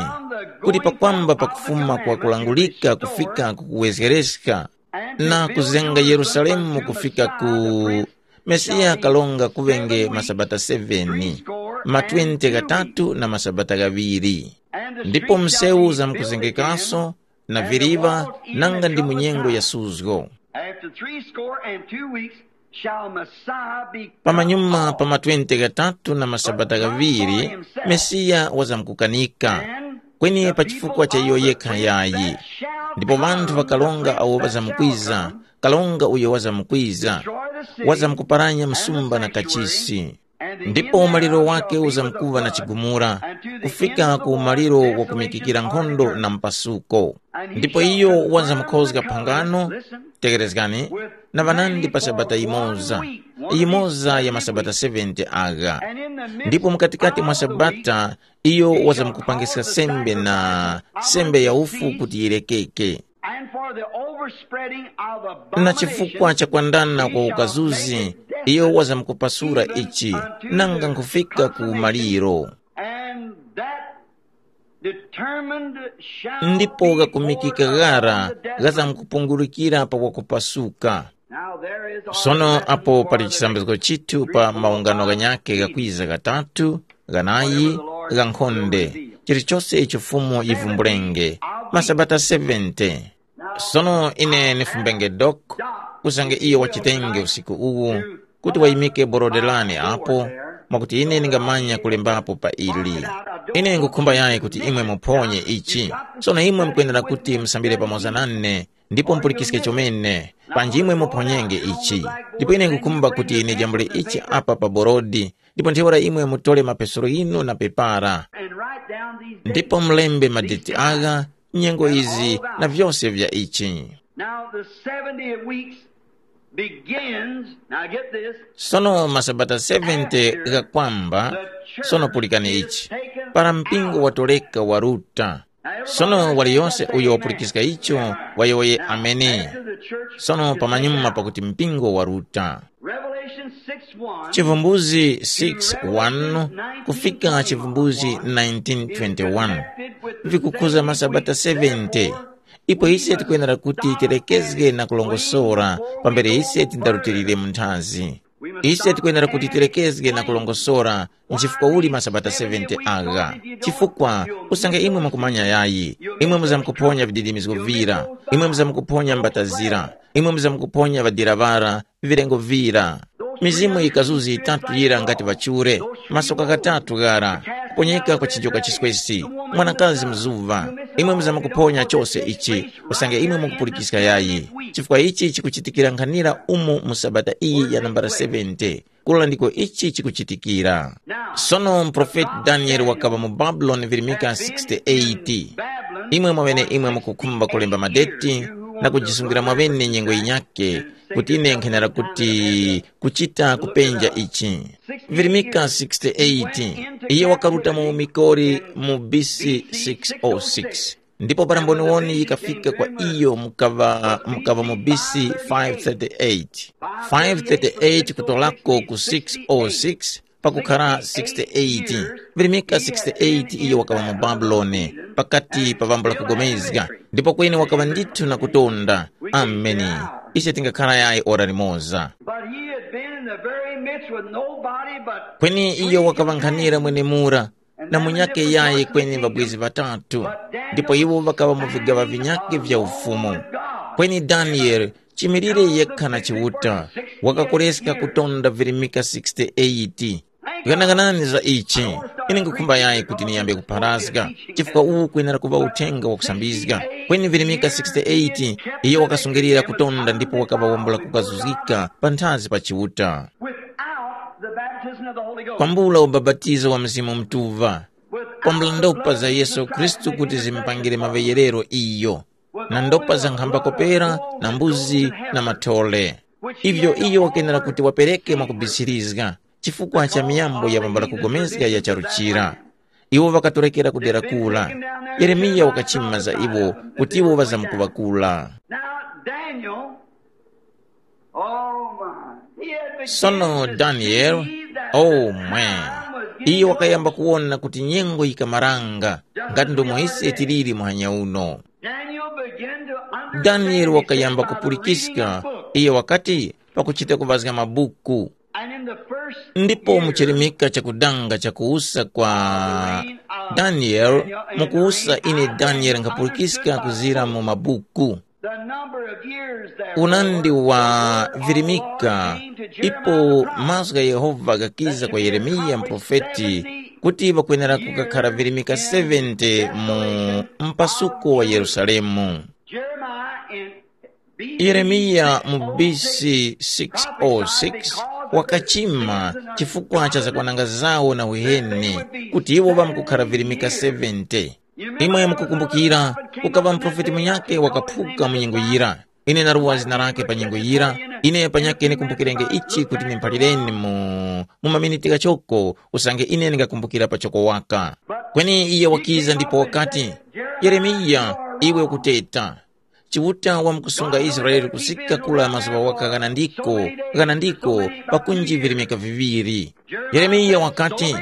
kuti pakwamba pakufuma kwa kulangulika kufika ku kuwezgereska, na kuzenga Yerusalemu kufika ku Mesiya kalonga kuŵenge masabata seven, ma twenty ghatatu na masabata ghaŵiri. Ndipo msewu zamkuzengekaso, na viriŵa, nanga ndi mu nyengo ya suzgo. After threescore and two weeks shall Messiah be Pamanyuma pa ma twenty ghatatu na masabata ghaŵiri, Mesiya wazamkukanika, kweni pa chifukwa cha iyo yekha yayi. Ndipo ŵanthu ŵakalonga awo ŵazamkwiza, kalonga uyo wazamkwiza, wazamkuparanya msumba na kachisi. Ndipo umaliro wake uzamkuŵa na chigumula, kufika ku umaliro wa kumikikira nkhondo na mpasuko. Ndipo iyo wazamkhozga phangano, tegerezgani, na ŵanandi pa sabata yimoza, yimoza ya masabata seventy agha. Ndipo mukatikati mwa sabata, iyo wazamkupangiska sembe na sembe ya ufu kuti yirekeke. And for the overspreading of na chifukwa abomination, cha kwandana kwa ukazuzi, iyo wazamkupasula ichi, nanga nkhufika ku maliro. And that determined shall Ndipo be ghakumikika poured ghara upon the deaf. Ghazamkupungurukira pa wakupasuka. Now there is Sono apo pali chisambizgo chithu pa maungano ghanyakhe ghakwiza ghatatu, ghanayi, gha nkhonde, chilichose icho Fumu yivumbulenge, masabata seventy. Sono ine nifumbenge Dok, usange iyo wachitenge usiku uwu, kuti wayimike borode lane apo, mwakuti ine ningamanya kulembapo pa ili. Ine ngukhumba yayi kuti imwe muphonye ichi. Sono imwe mukwenera kuti musambire pamoza nane, ndipo mupulikiske chomene, panji imwe muphonyenge ichi. Ndipo ine ngukhumba kuti nijambule ichi apa pa borodi, ndipo ntheura imwe mutole mapesuro inu na pepara, And write down these dates. Ndipo mulembe madeti agha, nyengo izi na vyose vya ichi. Now the seventy weeks begins, now get this, Sono masabata seventy ghakwamba. Sono pulikani ichi, para mpingo watoleka waruta. Sono waliyose uyo wapulikiska icho, wayowoye ameni. Sono pamanyuma pakuti mpingo waruta. Revelation six one. Chivumbuzi six one kufika Chivumbuzi nineteen twenty-one vikukhuza masabata seventy. Ipo ise tikwenera kuti tilekezge na kulongosora pambere ise tindarutilire mu nthazi. Ise tikwenera kuti tilekezge na kulongosora nchifukwa uli masabata seventy agha. Chifukwa usange imwe mwakumanya yayi, imwe muzamkuphonya vididimizgo vira, imwe muzamkuphonya mbatazira, imwe muzamkuphonya ŵadira ŵara, vilengo vira. Mizimu yikazuzi yitatu yira ngati ŵachure, masoka ghatatu ghara, kuponyeka kwa chijoka chiswesi, mwanakazi mzuva. Imwe muzamkuphonya chose ichi, usange imwe mukupulikiska yayi. Chifukwa ichi chikuchitikira nkhanira umu mu sabata iyi ya nambala seventy. Kula ndiko ichi chikuchitikira. Sono muprofeti Danieli wakaŵa mu Babuloni virimika sixty-eight. Imwe mwamene imwe mukukhumba kulemba madeti na kujisungira mwamene nyengo yinyakhe, kuti ine nkhenera kuti kuchita kupenja ichi. Virimika sixty-eight, iye wakaruta mu mikori mu B C six oh six. Ndipo para mboniwoni yikafika kwa iyo mukaŵa mukaŵa mu B C five thirty-eight. Five thirty-eight kutolako ku six oh six pakukhara sixty-eight. Virimika sixty-eight iyo wakaŵa mu Babuloni, pakati pa vambula kugomezga, ndipo kweni wakaŵa ndithu na kutonda. Ameni. Ise tingakhara yayi ora limoza. But he had been in the very midst with nobody but Kweni iyo wakaŵankhanira mwenemura na munyakhe yayi kweni ŵabwezi ŵatatu, ndipo iwo ŵakaŵa mu vigaŵa vinyakhe vya ufumu. Kweni Daniele, chimilire yekha na Chiuta, wakakoreska kutonda virimika sixty-eight. Ghanaghanani za ichi. Ine nkhukhumba yayi kuti niyambe kupharazga, chifukwa uwu kwenera kuŵa uthenga wakusambizga. Kweni virimika sixty-eight, iyo wakasungilira kutonda ndipo wakaŵa wambula kukazuzgika panthazi pa Chiuta. Without the baptism of the Holy Ghost. Kwambula ubapatizo wa Mzimu Mutuŵa, kwambula ndopa za Yesu Khristu kuti zimpangire maŵeyerero iyo, na ndopa za nkhamba kopera na mbuzi na mathole, ivyo iyo wakenera kuti wapereke mwakubisirizga chifukwa cha miyambo ya pambala kugomezga ya charu chira. Iwo ŵakatorekera ku dera kula. Yeremiya wakachima za iwo kuti iwo ŵazamkuŵa kula. Now, Daniel, oh my, he had begun Sono to Daniel, see that oh the mwe, time was getting iyo wakayamba kuwona kuti nyengo yikamaranga, ngati ndomwe ise tiliri muhanya uno. Daniel began to understand, Danieli he said, wakayamba by the reading kupulikiska, of books. Iyo wakati, pakuchita kuvazga mabuku. And in the first Ndipo year, muchirimika chakudanga chakuwusa kwa Daniel, mukuwusa ine Daniel nkhapulikiska kuzira mu mabuku. The number of years there unandi wa virimika, ipo mazgu gha Yehova ghakiza kwa Yeremiya muprofeti kuti ŵakwenera kukakhara virimika seventy mu mpasuko wa Yerusalemu. Jeremiah in Yeremiya mu B C six oh six wakachima chifukwa cha zakwananga zawo na uheni, kuti iwo ŵamkukhara virimika seventy. Imwe mukukumbukira, kukaŵa muprofeti munyakhe wakaphuka mu nyengo yira. Ine naruwa zina lakhe pa nyengo yira. Ine panyakhe nikumbukirenge ichi kuti nimphalireni mu, mu maminiti ghachoko, usange ine ndingakumbukira pachoko waka. Kweni iye wakiza ndipo wakati, Yeremiya, iwe ukuteta. Chiuta wamkusunga Israele kusika kula mazuŵa waka ghanandiko, ghanandiko pakunji virimika viŵiri. Yeremiya wakati,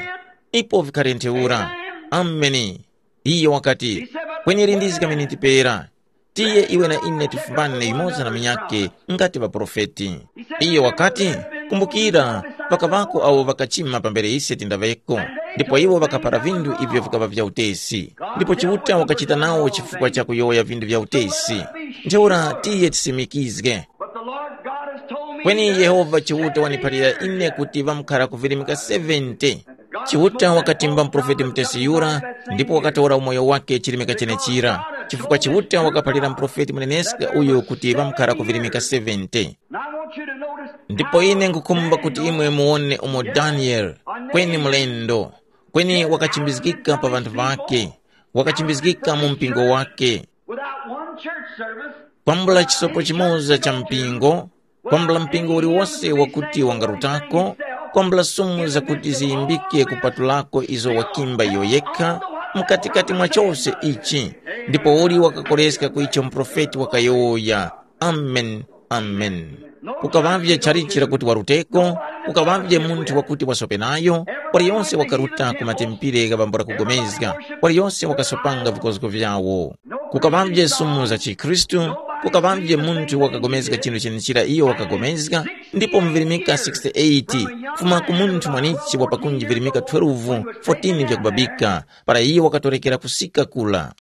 ipo vikhare ntheura. Ameni. Iye wakati, kweneri ndizga miniti pera. Tiye iwe na ine tifumbane yumoza na munyakhe ngati ŵaprofeti. Iye wakati, kumbukira, ŵakaŵako awo ŵakachima pambere ise tindaŵeko, ndipo iwo ŵakapara vinthu ivyo vikaŵa vya utesi. Ndipo Chiuta wakachita nawo chifukwa cha kuyowoya vinthu vya utesi. Ntheura tiye tisimikizge. But the Lord God has told me kweni this, Yehova Chiuta waniphalira ine kuti ŵamkhara kuvirimika seventy. Chiuta wakatimba muprofeti mutesi yura, ndipo wakatora umoyo wake chirimika chenechira, chifukwa Chiuta wakaphalira muprofeti muneneska uyu kuti ŵamkhara kuvirimika seventy. Now I want you to notice ndipo ine ngukhumba kuti imwe muwone umo Danieli, kweni mlendo, kweni wakachimbizgika pa ŵanthu ŵake, wakachimbizgika mu mpingo wake. Without one church service, kwambula chisopo chimoza cha mpingo, kwambula mpingo uliwose wakuti wangarutako, kwambula sumu zakuti ziyimbike kupatulako izo wakimba iyo yekha, mkatikati mwa chose ichi. Ndipo uli wakakoreska ku icho muprofeti wakayowoya. Amen. Amen. Kukaŵavye chalichi chakuti waruteko, kukaŵavye munthu wakuti wasope nayo, waliyonse wakaruta ku matempire gha bambula kugomezga, waliyonse wakasopanga vikozgo vyawo. Kukaŵavye sumu za chikhristu, kukaŵavye munthu wakagomezga chinthu chenechira iyo wakagomezga, ndipo muvirimika sixty-eight, kufuma ku munthu mwanichi wa pakunji virimika twelve, fourteen vyakubabika, para iyo wakatorekera kusika kula.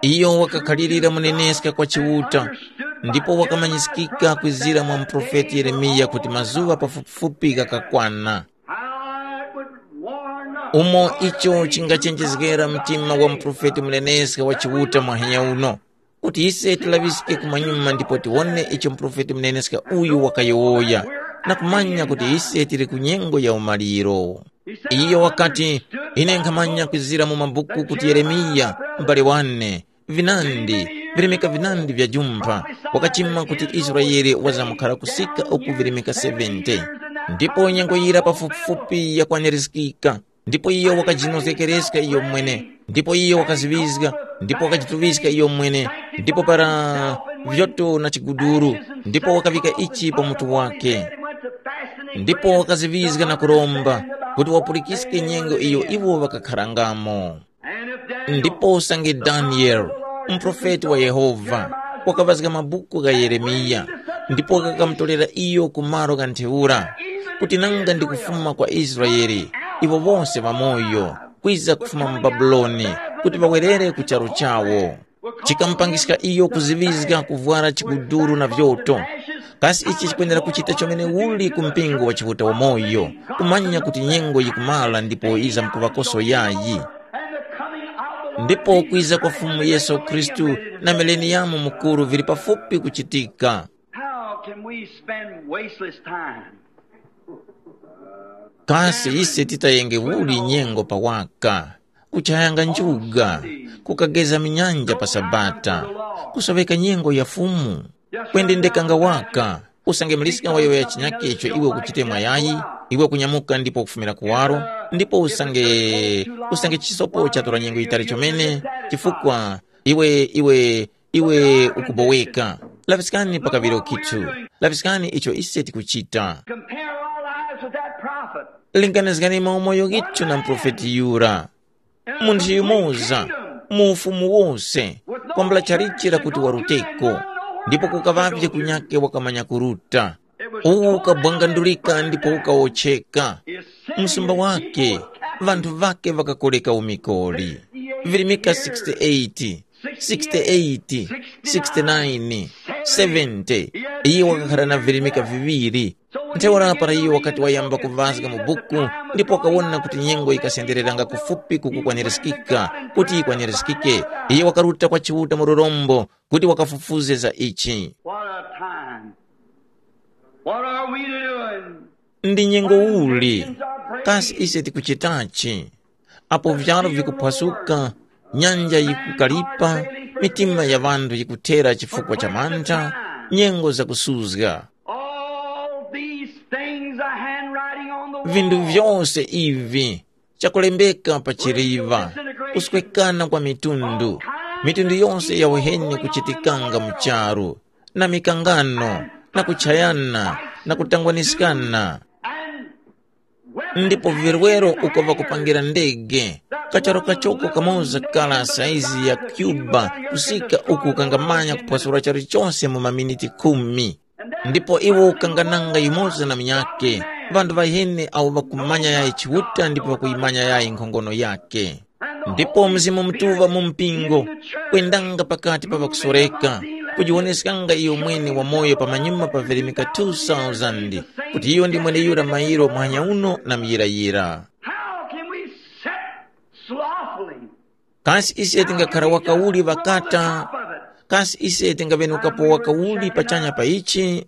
Iyo wakakhalirira muneneska kwa Chiuta, ndipo wakamanyiskika kwizira mwa muprofeti Yeremiya kuti mazuŵa pafupifupi ghakakwana. Umo icho chingachenjezgera mtima wa muprofeti muneneska wa Chiuta mwahenya uno, kuti ise tilaŵiske kumanyuma ndipo tiwone icho muprofeti muneneska uyu wakayowoya, na kumanya kuti ise tili ku nyengo ya umaliro. Iyo wakati, ine nkhamanya kwizira mu mabuku kuti Yeremiya, m'bale wane, vinandi, virimika vinandi vya jumpha, wakachima kuti Israele wazamkhala kusika uku virimika seventy. Ndipo nyengo yira pafupifupi yakwanirizgika, ndipo iyo wakajinozgekereska iyo mwene, ndipo iyo wakaziŵizga, ndipo wakajituŵiska iyo mwene, ndipo para vyoto na chiguduru, ndipo wakaŵika ichi pa mutu wake. Ndipo wakaziŵizga na kuromba kuti wapulikiske nyengo iyo iwo ŵakakharangamo. Ndipo usange Daniyele, muprofeti wa Yehova, wakaŵazga mabuku gha Yeremiya, ndipo wakakamutolera iyo ku malo gha ntheura, kuti nanga ndi kufuma kwa Israele, iwo wose ŵamoyo, kwiza kufuma mu Babuloni, kuti ŵawerere ku charu chawo. Chikamupangiska iyo kuziŵizga kuvwara chiguduru na vyoto. Kasi ichi chikwenera kuchita chomene uli ku mpingo wa Chiuta wamoyo, kumanya kuti nyengo yikumala ndipo yizamkuŵakoso yayi? Ndipo kwiza kwa Fumu Yesu Khristu na mileniyamu mukuru vili pafupi kuchitika. How can we spend wasteless time? Kasi ise titayenge uli nyengo pawaka, kuchayanga njuga, kukageza minyanja pa Sabata, kusoŵeka nyengo ya Fumu? Kwende ndekanga waka, usange mliska wayowoya chinyakecho iwe ukuchite mwayayi, iwe kunyamuka ndipo kufumira kuwaro, ndipo usange usange chisopo chatora nyengo yitali chomene, chifukwa iwe iwe iwe ukuboweka. Laŵiskani pa kaŵiro kithu. Laŵiskani icho ise tikuchita. Compare our lives with that prophet. Linganizgani maumoyo ghithu na muprofeti yura. Munthu yumoza mu ufumu wose, kwambula chalichi chakuti waruteko, ndipo kukaŵavye kunyake wakamanya kuruta. Uwu ukabwangandulika ndipo ukawotcheka. Msumba wake, ŵanthu ŵake ŵakakoleka umikoli. Virimika sixty-eight, sixty-eight, sixty-nine, seventy. Iye wakakhala na virimika viŵiri. Ntheura para iye wakati wayamba kuvazga mu buku, ndipo wakawona kuti nyengo yikasendereranga kufupi kukukwanirizgika, kuti yikwanirizgike, iye wakaruta kwa Chiuta mu lurombo kuti wakafufuze za ichi. What a time! What are we doing? Ndi nyengo uli? Kasi ise tikuchitachi? Apo vyaro vikuphwasuka, nyanja yikukalipa, mitima ya ŵanthu yikuthera chifukwa cha mantha, nyengo zakusuzga. All these things a handwriting on the wall. Vinthu vyose ivi, chakulembeka pa chiliva, kuswekana kwa mitundu, Mitundu yose ya uheni kuchitikanga mu charu, na mikangano, na kuchayana, na kutangwaniskana. Ndipo virwero ukava kupangira ndege, kacharo kachoko kamoza kala saizi ya Cuba, kusika uku kangamanya kuphwasula charu chose mu maminiti khumi. Ndipo iwo kangananga yumoza na munyakhe, ŵanthu ŵaheni awo ŵakumanya yayi Chiuta ndipo ŵakuyimanya yayi nkhongono yakhe. Ndipo Mzimu Mutuŵa mu mpingo, kwendanga pakati pa ŵakusoreka, kujiwoneskanga iyo mwene wamoyo pamanyuma pa virimika two thousand, kuti iyo ndi mweneyura mairo muhanya uno na muyirayira. How can we sit slothfully? Kasi ise tingakhara wakauli ŵakata? Kasi ise tingaŵenukapo wakauli pachanya pa ichi?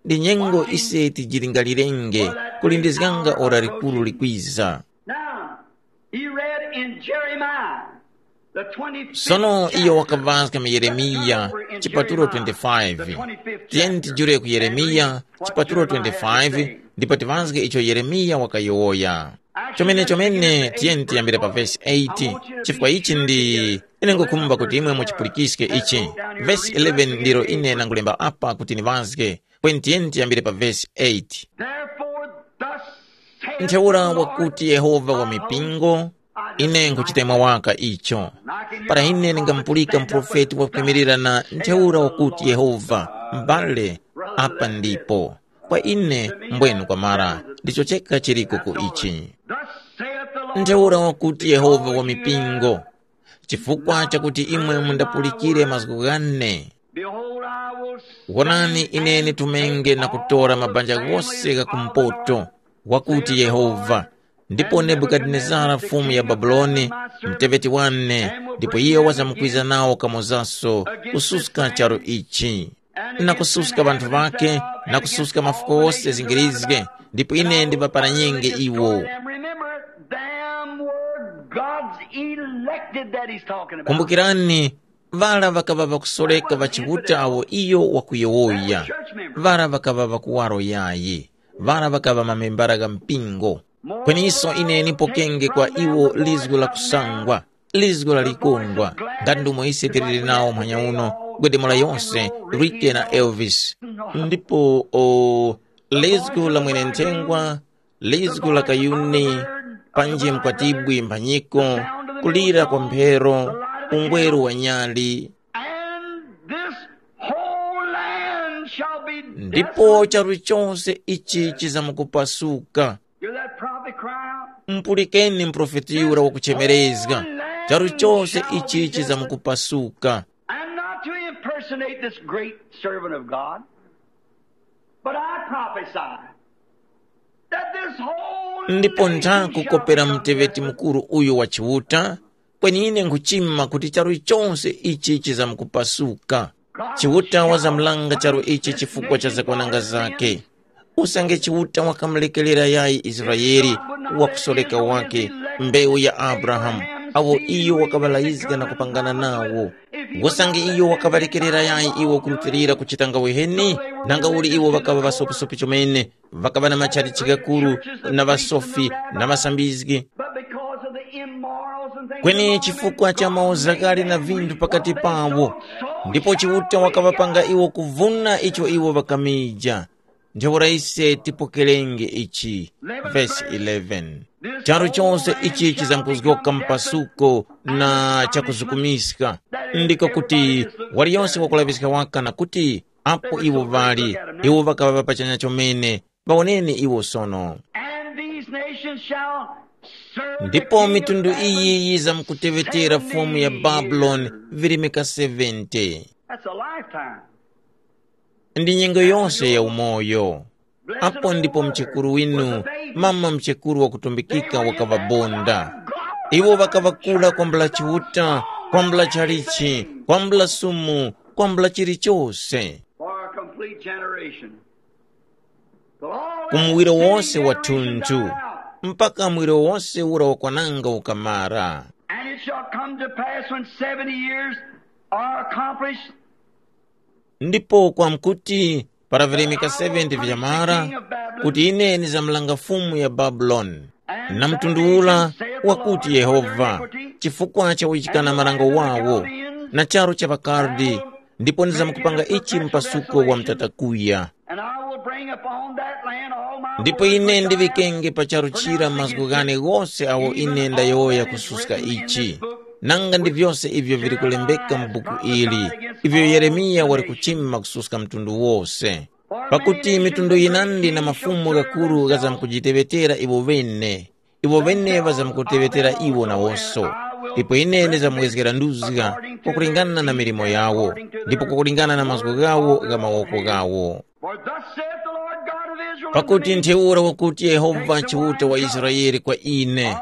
Ndi nyengo ise tijilingalirenge, kulindizganga ora likuru likwiza. Now, he read in Jeremiah, the twenty-fifth Sono iyo chapter. Wakavazga mu Yeremiya, chipatulo twenty-five. Tiyeni tijule ku Yeremiya, chipatulo twenty-five, ndipo tivazge icho Yeremiya wakayowoya. Chomene chomene, tiyeni tiyambire pa vesi eight, chifukwa ichi ndi, ine ngukhumba kuti imwe muchipulikiske ichi. Vesi eleven ndilo ine nangulemba apa kuti nivazge, kweni tiyeni tiyambire pa vesi eight. Therefore, thus saith Ntheura the Lord wakuti Yehova wa of mipingo, hosts, I ine nkuchitemwa waka icho. Para ine ningamupulika muprofeti wakwimirira na ntheura wakuti Yehova, m'bale, apa ndipo. Kwa ine, mbwenu kwamara, ndicho cheka chiriko ku ichi. Thus saith the Lord, Ntheura wakuti Yehova wa mipingo, chifukwa chakuti imwe mundapulikire mazgu ghane. Behold, I will Wonani, ine nitumenge na kutora mabanja ghose gha kumpoto, wakuti Yehova. Ndipo Nebukadinezara, fumu ya Babuloni, mteŵeti wane, ndipo iyo wazamkwiza nawo kamozaso kususka charu ichi, na kususka ŵanthu ŵakhe, na kususka mafuko ghose zingirizge, ndipo ine ndiŵaparanyenge iwo. Remember, them were God's elected that he's talking about. Kumbukirani, ŵara ŵakaŵa ŵakusoreka ŵa Chiuta awo iyo wakuyowoya. Ŵara ŵakaŵa ŵakuwaro yayi. Ŵara ŵakaŵa mamembara gha mpingo. Kweniso ine nipokenge kwa iwo lizgu la kusangwa, lizgu la likongwa, ngati ndumo ise tiliri nawo mphanya uno, gwedemola yose, Rike na Elvis. Ndipo o, lizgu la mwenenthengwa, lizgu la kayuni, panji mkwatibwi mphanyiko, kulira kwa mphero, ungweru wa nyali. And this whole land shall be Ndipo desolate. Charu chose ichi chizamkupasuka. Hear that prophet cry out? Mpulikeni mprofeti yura wakuchemerezga. Charu chose ichi chizamkupasuka. And not to impersonate this great servant of God, but I prophesy that this whole Ndipo nation nthakukopera shall become mteŵeti desolate. Mukuru uyu wa Chiuta, kweni ine nkhuchima kuti charu chose ichi chizamkupasuka. Chiuta wazamlanga charu ichi chifukwa cha zakwananga zake. Usange Chiuta wakamulekerera yayi Israele, wakusoreka wake, mbewu ya Abrahamu, awo iyo wakaŵalayizga na kupangana nawo. Usange iyo wakaŵalekerera yayi iwo kurutilira kuchitanga weheni, nanga uli iwo ŵakaŵa ŵasopisopi chomene, ŵakaŵa na matchalichi ghakuru, na ŵasofi, na ŵasambizgi. But because of the immorals and things Kweni among them, chifukwa cha God mauza made ghali na them vinthu pakati pawo, ndipo Chiuta wakaŵapanga iwo kuvuna icho iwo ŵakamija. Ntheura ise tipokerenge ichi. Verse eleven. Charu chose ichi chizamkuzgoka mpasuko na chakuzukumiska, ndiko kuti waliyonse wakulaŵiska waka na kuti apo iwo ŵali, iwo ŵakaŵa pachanya chomene, ŵawoneni iwo sono. And these nations shall serve the Ndipo king of mitundu Babylon iyi yizamkuteŵetera fumu ya Babuloni virimika seventy. That's a lifetime. Ndi nyengo yose ya umoyo. Apo ndipo mchekuru winu, mama mchekuru wakutumbikika wakaŵabonda. Iwo ŵakaŵakula kwambula Chiuta, kwambula chalichi, kwambula sumu, kwambula chilichose. For a complete generation. Ku muwiro wose wa thunthu, mpaka muwiro wose ura wakwananga ukamara. And it shall come to pass when seventy years are accomplished, Ndipo kwamkuti para vilemeka seventy vyamara, kuti ine nizamlanga fumu ya Babuloni, na mtundu ura wakuti Yehova, chifukwa cha uchikana marango wawo, na charu cha ŵaKaldi, ndipo ndizamkupanga ichi mpasuko wa mtatakuya. And I will bring upon that land all my Ndipo ine ndiŵikenge pa charu chira mazgu ghane ghose agho ine ndayowoya kususka ichi, nanga ndi vyose ivyo vili kulembeka mu buku ili, ivyo Yeremiya wali kuchima kususka mtundu wose. Pakuti mitundu yinandi na mafumu ghakuru ghazamkujiteŵetera iwo ŵene, iwo ŵene ŵazamkuteŵetera iwo nawonso. Ndipo ine ndizamwezgera nduzga kwakulingana na milimo yawo, ndipo kwakulingana na mazgu ghawo gha mawoko ghawo. For thus saith the Lord God of Israel unto Pakuti me, ntheura wakuti Yehova Chiuta wa Israele kwa ine,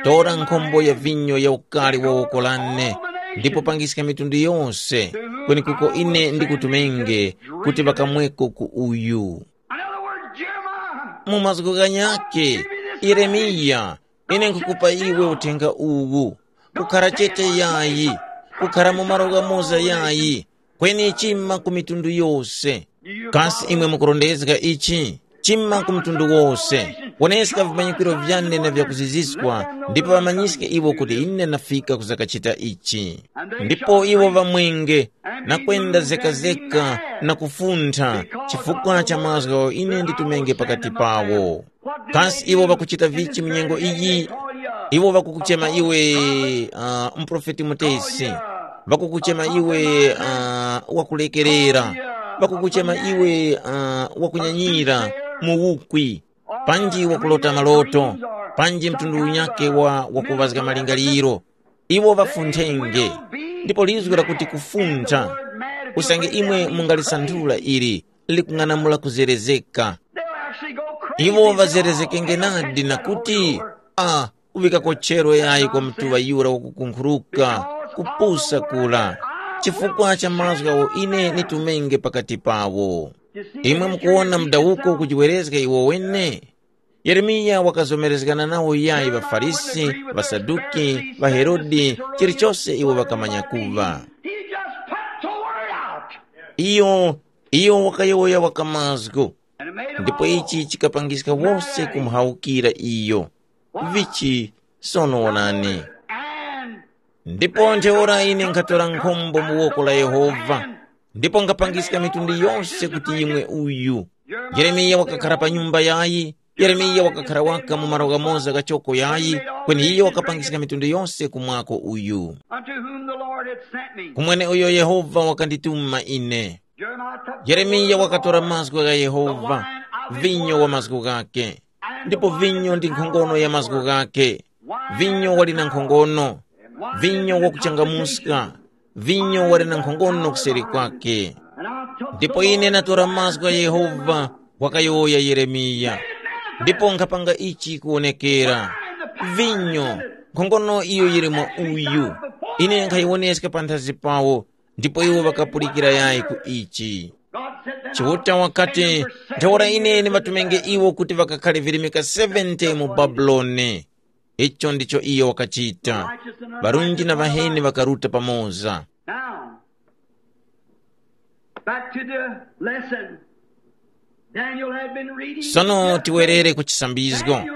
tora nkhombo ya vinyo ya ukali wa woko lane, ndipo pangiska mitundu yonse, kwenekuko ine ndikutumenge kuti ŵakamweko ku uyu. In other words, Jeremiah, Mu mazgu ghanyakhe, Yeremiya, ine nkukupa iwe uthenga uwu, kukhara chete yayi, kukhara mu malo ghamoza yayi, kweni chima ku mitundu yose. Kasi imwe mukurondezga ichi? Chima ku mtundu wose, woneska vimanyikiro vyane na vyakuziziskwa, ndipo ŵamanyiske iwo kuti ine nafika kuzakachita ichi. Ndipo iwo ŵamwenge na kwenda zekazeka na kufuntha chifukwa cha mazgu agho ine nditumenge pakati pawo. Kasi iwo ŵakuchita vichi mu nyengo iyi? Iwo ŵakukuchema iwe uh, muprofeti mutesi, ŵakukuchema iwe uh, wakulekerera, ŵakukuchema iwe uh, wakunyanyira, muwukwi, panji wakulota maloto, panji mtundu unyake wa wakuŵazga malingaliro. Iwo ŵafunthenge, ndipo lizgu lakuti kufuntha, usange imwe mungalisanthula ili, likung'anamula kuzerezeka. Iwo ŵazerezekenge nadi na kuti, a, kuŵikako chero yayi kwa mtuŵa yura wakukunkhuruka, kupusa kura, chifukwa cha mazgu agho ine nitumenge pakati pawo. Imwe mukuwona mdawuko kujiwerezga iwo wene? Yeremiya wakazomerezgana nawo yayi ŵaFarisi, ŵaSaduki, ŵaHerode, chilichose iwo ŵakamanya kuŵa. He just put the word out. Iyo, iyo wakayowoya waka mazgu, ndipo ichi chikapangiska wose kumuhawukira iyo. Vichi, sono wonani. And Ndipo ntheura ine nkhatora nkhombo mu woko la Yehova, ndipo nkhapangiska mitundu yose kuti yimwe uyu. Yeremiya wakakhara pa nyumba yayi, Yeremiya wakakhara waka mu malo ghamoza ghachoko yayi, kweni iyo wakapangiska mitundu yose kumwako uyu. Unto whom the Lord had sent me. Kumwene uyo Yehova wakandituma ine. Jeremiah took Yeremiya wakatora mazgu gha Yehova, vinyo wa mazgu ghake, ndipo vinyo ndi nkhongono ya mazgu ghake. Vinyo wali na nkhongono, vinyo wakuchangamuska, vinyo wali na nkhongono kuseri kwake. Ndipo ine natora mazgu gha Yehova wakayowoya Yeremiya, ndipo nkhapanga ichi kuwonekera. Vinyo, nkhongono iyo yili mwa uyu, ine nkhayiwoneska panthazi pawo, ndipo iwo ŵakapulikira yayi ku ichi. Chiuta wakati, ntheura ine ndiŵatumenge iwo kuti ŵakakhale virimika seventy mu Babuloni. Icho ndicho iyo wakachita. Ŵarunji na ŵaheni ŵakaruta pamoza. Now, back to the lesson. Daniel had been reading. Sono tiwerere ku chisambizgo. Daniel,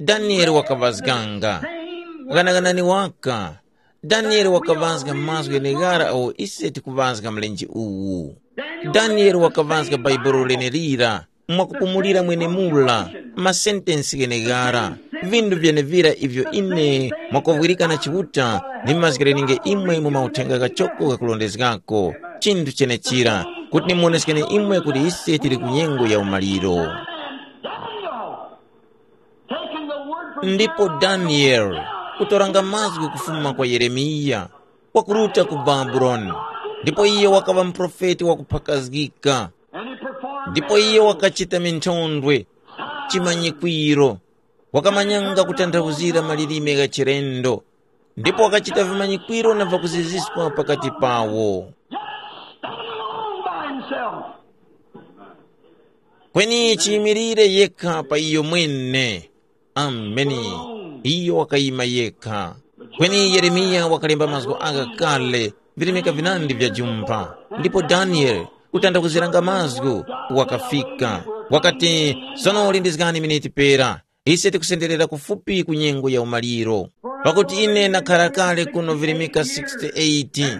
Daniel wakavazganga. Same word. Ghanaghanani waka. Daniel wakavazga mazgu gheneghara agho ise tikuŵazga mlenje uwu. Daniel wakavazga Bhaibuli lenelira, mwakupumulira mwenemura, masentensi gheneghara, vindu vyenevira ivyo ine mwakuvwirika na Chiuta, ndimazgireninge imwe mu mauthenga ghachoko ghakurondezgako, chinthu chenechira, kuti ndimuwoneskeni imwe kuti ise tili ku nyengo ya umaliro. Ndipo Daniel, kutoranga mazgu kufuma kwa Yeremiya, wakuruta ku Babuloni, ndipo iyo wakaŵa muprofeti wakuphakazgika. Ndipo iyo wakachita minthondwe, chimanyikwiro, wakamanyanga kutanthauzira malilime gha chilendo, ndipo wakachita vimanyikwiro na vakuziziskwa pakati pawo. Kweni chiyimirire yekha pa iyo mwene. Ameni. Iyo wakayima yekha. Kweni Yeremiya wakalemba mazgu agha kale, virimika vinandi vya jumpha. Ndipo Daniele, kutandakuziranga mazgu, wakafika. Wakati, sono lindizgani miniti pera. Ise tikusenderera kufupi ku nyengo ya umaliro. Pakuti ine nakhara kale kuno virimika sixty-eight.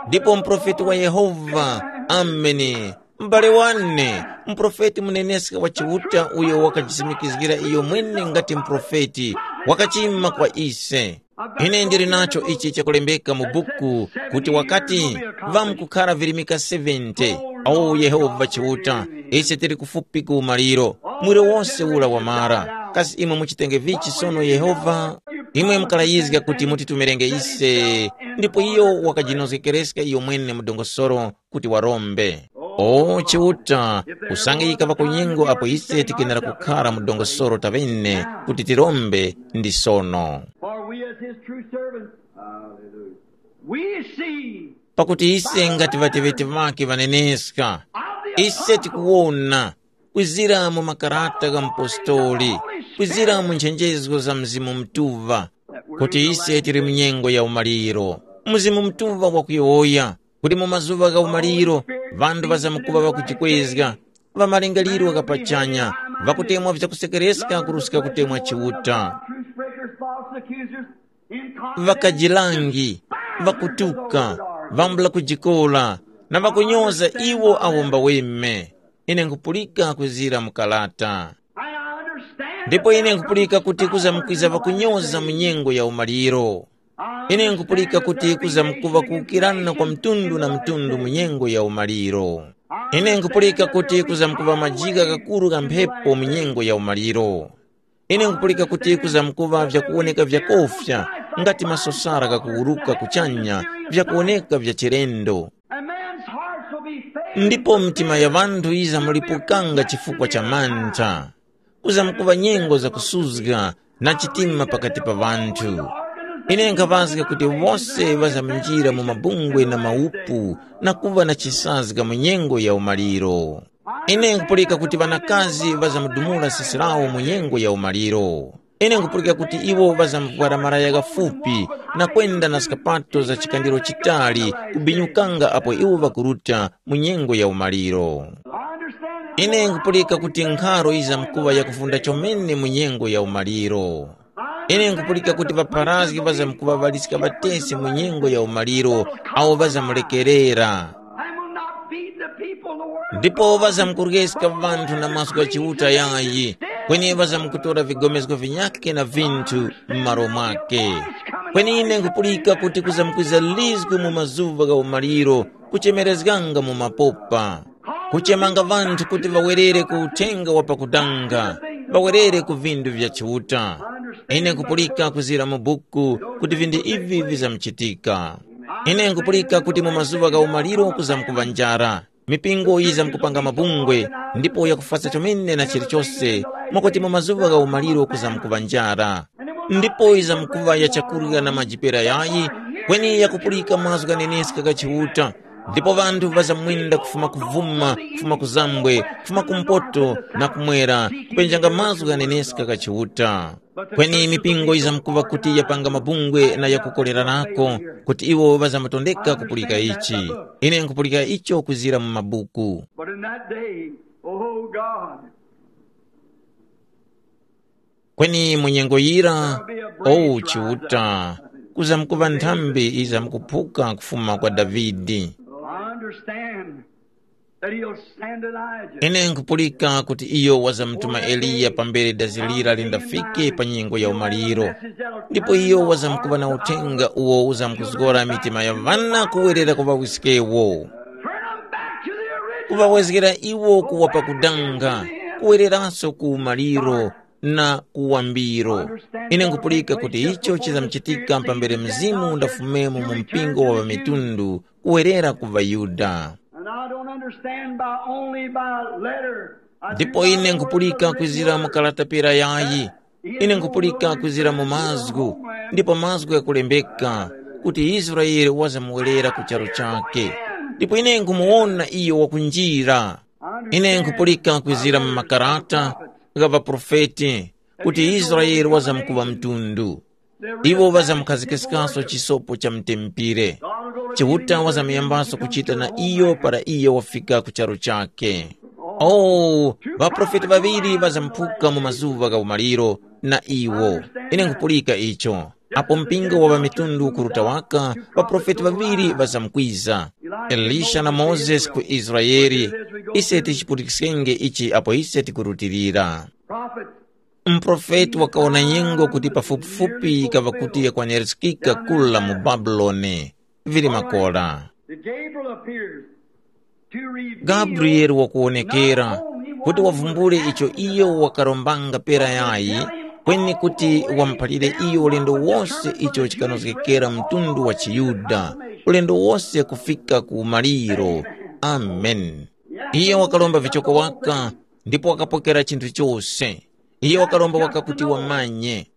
Ndipo muprofeti wa Yehova, amene, m'bale wane, muprofeti muneneska wa Chiuta uyo wakajisimikizgira iyo mwene ngati muprofeti, wakachima kwa ise. Ine ndili nacho ichi chakulembeka mu buku kuti wakati, ŵamkukhara virimika seventy. O Yehova Chiuta, ise tili kufupi ku umaliro, mwiro wose ula wamara. Kasi imwe muchitenge vichi sono Yehova? Imwe mukalayizga kuti mutitumirenge ise, ndipo iyo wakajinozgekereska iyo mwene mu dongosoro kuti warombe. O Chiuta, usange yikaŵa ku nyengo apo ise tikenera kukhara mu dongosoro taŵene kuti tirombe ndi sono. For we as his true servants, we see. Pakuti ise ngati ŵateŵeti ŵake ŵaneneska, ise tikuwona, kwizira mu makarata gha mupostoli, kwizira mu nchenjezgo za Mzimu Mutuŵa, kuti ise tili mu nyengo ya umaliro. Mzimu Mutuŵa wakuyowoya kuti mu mazuŵa gha umaliro, ŵanthu ŵazamkuŵa ŵakujikwezga, ŵa malingaliro gha pachanya, ŵakutemwa vyakusekereska kuruska kutemwa Chiuta, ŵakajilangi, ŵakutuka, ŵambula kujikola, na ŵakunyoza iwo awo mbaweme. Ine nkupulika kwizira mu kalata. Ndipo ine nkupulika kuti kuzamkwiza ŵakunyoza mu nyengo ya umaliro. Ine nkupulika kuti kuzamkuŵa kuwukirana kwa mtundu na mtundu mu nyengo ya umaliro. Ine nkupulika kuti kuzamkuŵa majigha ghakuru gha mphepo mu nyengo ya umaliro. Ine nkupulika kuti kuzamkuŵa vyakuwoneka vyakofya, ngati masosara ghakuwuruka kuchanya, vyakuwoneka vya chilendo. A man's heart will be fed. Ndipo mitima ya ŵanthu yizamulipukanga chifukwa cha mantha. Kuzamkuŵa nyengo zakusuzga na chitima pakati pa ŵanthu. Ine nkhaŵazga kuti wose ŵazamunjira mu mabungwe na mawupu na kuŵa na chisazga mu nyengo ya umaliro. Ine nkupulika kuti ŵanakazi ŵazamudumula sisi lawo mu nyengo ya umaliro. Ine nkupulika kuti iwo ŵazamvwara malaya ghafupi na kwenda na skapato za chikandiro chitali kubinyukanga apo iwo ŵakuruta mu nyengo ya umaliro. Ine nkupulika kuti nkharo yizamkuŵa yakuvunda chomene mu nyengo ya umaliro. Ine nkupulika kuti ŵapharazgi ŵazamkuŵa ŵaliska ŵatesi mu nyengo ya umaliro awo ŵazamulekerera. And will not feed the people the word of ndipo ŵazamkuryeska ŵanthu na mazgu gha Chiuta yayi, kweni ŵazamkutora vigomezgo vinyakhe na vinthu m'malo mwake. Kweni ine nkupulika kuti kuzamkwiza lizgu mu mazuŵa gha umaliro kuchemerezganga mu mapopa, kuchemanga ŵanthu kuti ŵawerere ku uthenga wa pakudanga, ŵawerere ku vindu vya Chiuta. Ine nkupulika kuzira mu buku kuti vindu ivi vizamuchitika. Ine nkupulika kuti mu mazuŵa gha umaliro kuzamkuŵa njara, mipingo yizamkupanga mabungwe, ndipo yakufwasa chomene na chilichose, mwakuti mu mazuŵa gha umaliro kuzamkuŵa njara. Ndipo yizamkuŵa ya chakurya na majipera yayi, kweni yakupulika mazgu ghaneneska gha Chiuta, ndipo ŵanthu ŵazamwenda kufuma kuvuma, kufuma kuzambwe, kufuma kumpoto na kumwera, kupenjanga mazgu ghaneneska gha Chiuta. Kweni mipingo yizamkuŵa kuti yapanga mabungwe na yakukorererako, kuti iwo ŵazamutondeka kupulika ichi. Ine nkupulika icho kuzira mu mabuku. But in that day, oh God, kweni mu nyengo yira, o Chiuta, kuzamkuŵa nthambi yizamkuphuka kufuma kwa Davide. I understand that he'll send Elijah. Ine nkupulika kuti iyo wazamtuma Eliya pambere dazi lira lindafike pa nyengo ya umaliro. Ndipo iyo wazamkuŵa na uthenga uwo uzamkuzgora mitima ya ŵana kuwerera ku ŵawiskewo. Turn 'em back to the original. Kuŵawezgera iwo kuwa pakudanga, kuwereranso ku umaliro na kuwambiro. Ine nkupulika kuti icho chizamuchitika pambere Mzimu undafumemo mu mpingo wa ŵamitundu kuwerera ku ŵaYuda. And I don't understand by only by letter. Ndipo ine nkupulika kwizira mu kalata pera yayi. Ine nkupulika kwizira mu mazgu, ndipo mazgu ghakulembeka kuti Israele wazamuwerera ku charu chake. Ndipo ine nkumuwona iyo wakunjira. Ine nkupulika kwizira mu makarata gha ŵaprofeti kuti Israele wazamkuŵa mtundu. Iwo ŵazamkhazikiskanso chisopo cha mutempere. Chiuta wazamuyambanso kuchita na iyo para iyo wafika ku charu chake. Oh, ŵaprofeti ŵaŵiri ŵazamphuka mu mazuŵa gha umaliro na iwo. Ine nkupulika icho. Apo mpingo wa ŵamitundu ukuruta waka, ŵaprofeti ŵaŵiri ŵazamkwiza, Elisha na Mozesi ku Israele. Ise tichipulikisenge ichi apo ise tikurutilira. Muprofeti wakawona nyengo kuti pafupifupi yikaŵa kuti yakwanirizikika kula mu Babuloni. Vili makora. The Gabriel appears to reveal Gabrieli wakuwonekera kuti wavumbule icho iyo wakarombanga pera yayi, kweni kuti wamuphalire iyo ulendo wose icho chikanozgekera mtundu wa chiYuda, ulendo wose kufika ku maliro. Amen. Iye wakaromba vichoko waka, ndipo wakapokera chinthu chose. Iye wakaromba waka kuti wamanye.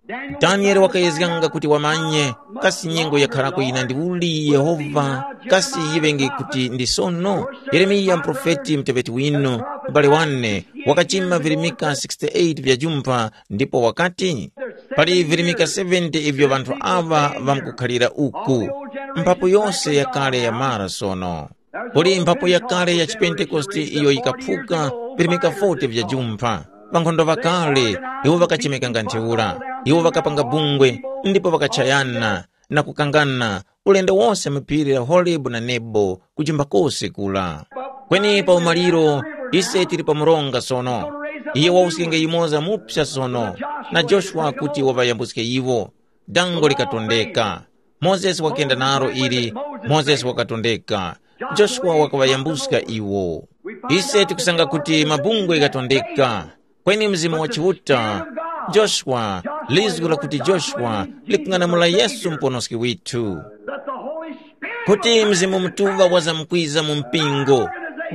Daniele wakayezganga kuti wamanye, kasi nyengo yakharako yina ndi uli Yehova, kasi yiŵenge kuti ndi sono? Yeremiya muprofeti muteŵeti winu, m'bale wane, wakachima virimika sixty-eight vya jumpha, ndipo wakati, pali virimika seventy ivyo ŵanthu aŵa ŵamkukhalira uku. Mphapu yose yakale yamara sono. Kuli mphapu yakale ya chipentekoste iyo yikaphuka, virimika forty vya jumpha. Ŵankhondo ŵakale, iwo ŵakachemekanga ntheura, iwo ŵakapanga bungwe, ndipo ŵakachayana na kukangana ulendo wose mu phiri la Horebu na Nebo kuchimba kose kula. Kweni pa umaliro, ise tili pa mronga sono. Iye wawuskenge yumoza mupsa sono, na Joshua kuti waŵayambuske iwo. Dango likatondeka. Mozesi wakenda nalo ili, Mozesi wakatondeka. Joshua wakaŵayambuska iwo. Ise tikusanga kuti mabungwe ghatondeka, kweni Mzimu wa Chiuta, Joshua, lizgu lakuti Joshua likung'anamula Yesu Muponoski withu. Kuti Mzimu Mutuŵa wazamkwiza mu mpingo,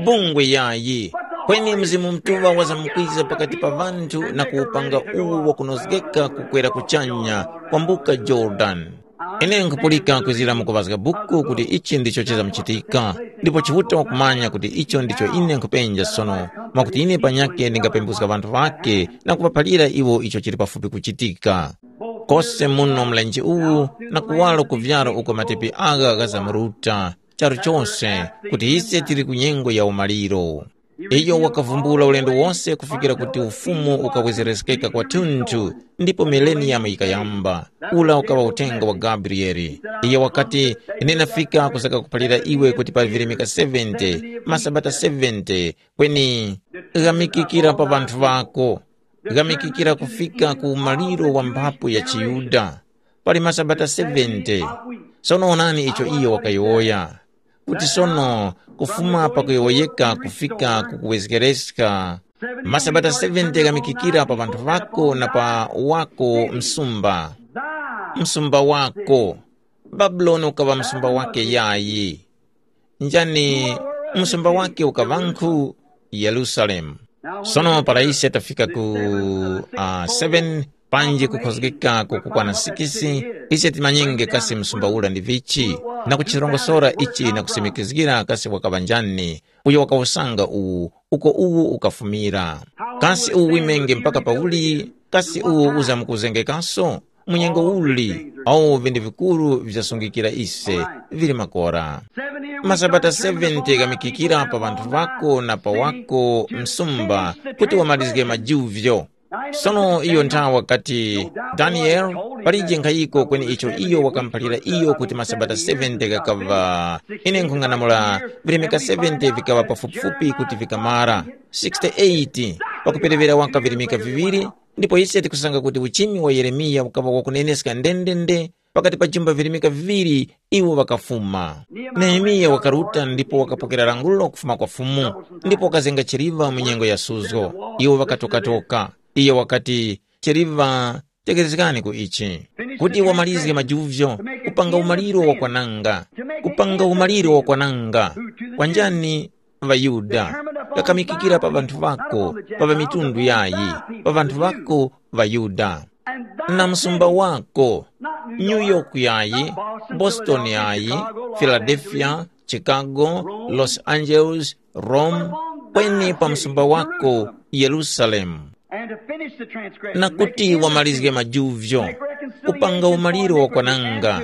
bungwe yayi, kweni Mzimu Mutuŵa wazamkwiza pakati pa ŵanthu na kuwupanga uwu wakunozgeka kukwera kuchanya kwambuka Yorodani. Ine nkhupulika kwizira mu kuŵazga buku kuti ichi ndicho chizamuchitika, ndipo Chiuta wakumanya kuti icho ndicho ine nkhupenja sono, mwakuti ine panyakhe ndingapembuska ŵanthu ŵakhe na kuŵaphalira iwo icho chili pafupi kuchitika. Kose muno mlenje uwu na kuwaro ku vyaro uko matepi agha ghazamuruta, charu chose, kuti ise tili ku nyengo ya umaliro. Iyo wakavumbula ulendo wose kufikira kuti Ufumu ukawezereskeka kwathunthu, ndipo mileniyamu yikayamba. Ula ukaŵa uthenga wa Gabrieli. Iye wakati, ine nafika kusaka kuphalira iwe kuti pa virimika seventy, masabata seventy, kweni ghamikikira pa ŵanthu ŵako, ghamikikira kufika ku umaliro wa mphapu ya chiYuda, pali masabata seventy. Sono onani icho iyo wakayowoya, kuti sono kufuma pakuyowoyeka kufika ku kuwezgereska, masabata seventy ghamikikira pa ŵanthu ŵako na pa wako msumba. Msumba wako, Babuloni ukaŵa msumba wake yayi. Njani msumba wake ukaŵankhu? Yerusalemu. Sono para ise tafika ku uh, seven, panji kukhozgeka kukukwana six, ise timanyenge kasi msumba ura ndi vichi, na kuchirongosora ichi na kusimikizgira kasi wakaŵa njani, uyo wakawusanga uwu, uko uwu ukafumira. Kasi uwu wimenge mpaka pauli? Kasi uwu uzamkuzengekaso? Munyengo uli, awo vinthu vikuru visasungikira ise, vili makora. Masabata seventy ghamikikira pa ŵanthu ŵako na pa wako msumba, kuti wamalizge majuvyo. Sono iyo nthawa wakati, Daniel, palije nkhayiko kweni icho iyo wakamuphalira iyo kuti masabata seventy ghakaŵa. Ine nkhung'anamula, virimika seventy vikaŵa pafupifupi kuti vikamara, sixty-eight, pakuperewera waka virimika viŵiri. Ndipo ise tikusanga kuti uchimi wa Yeremiya ukaŵa wakuneneska ndendende, pakati pa jumba virimika viŵiri iwo ŵakafuma. Nehemiya wakaruta ndipo wakapokera langulo kufuma kwa Fumu, ndipo wakazenga chiliŵa mu nyengo ya suzgo. Iwo ŵakatokatoka. Iye wakati, chiliŵa, tegherezgani ku ichi, kuti wamalizge majuvyo, kupanga umaliro wakwananga, kupanga umaliro wakwananga. Kwa njani? ޣaYuda, kakamikikira pa ŵanthu ŵako, pa ŵamitundu yayi, pa ŵanthu ŵako ŵaYuda. Na msumba wako, New York yayi, Boston yayi, Philadelphia, Chicago, Los Angeles, Rome, kweni pa msumba wako, Yerusalemu. Na kuti wamalizge majuvyo, kupanga umaliro wakwananga,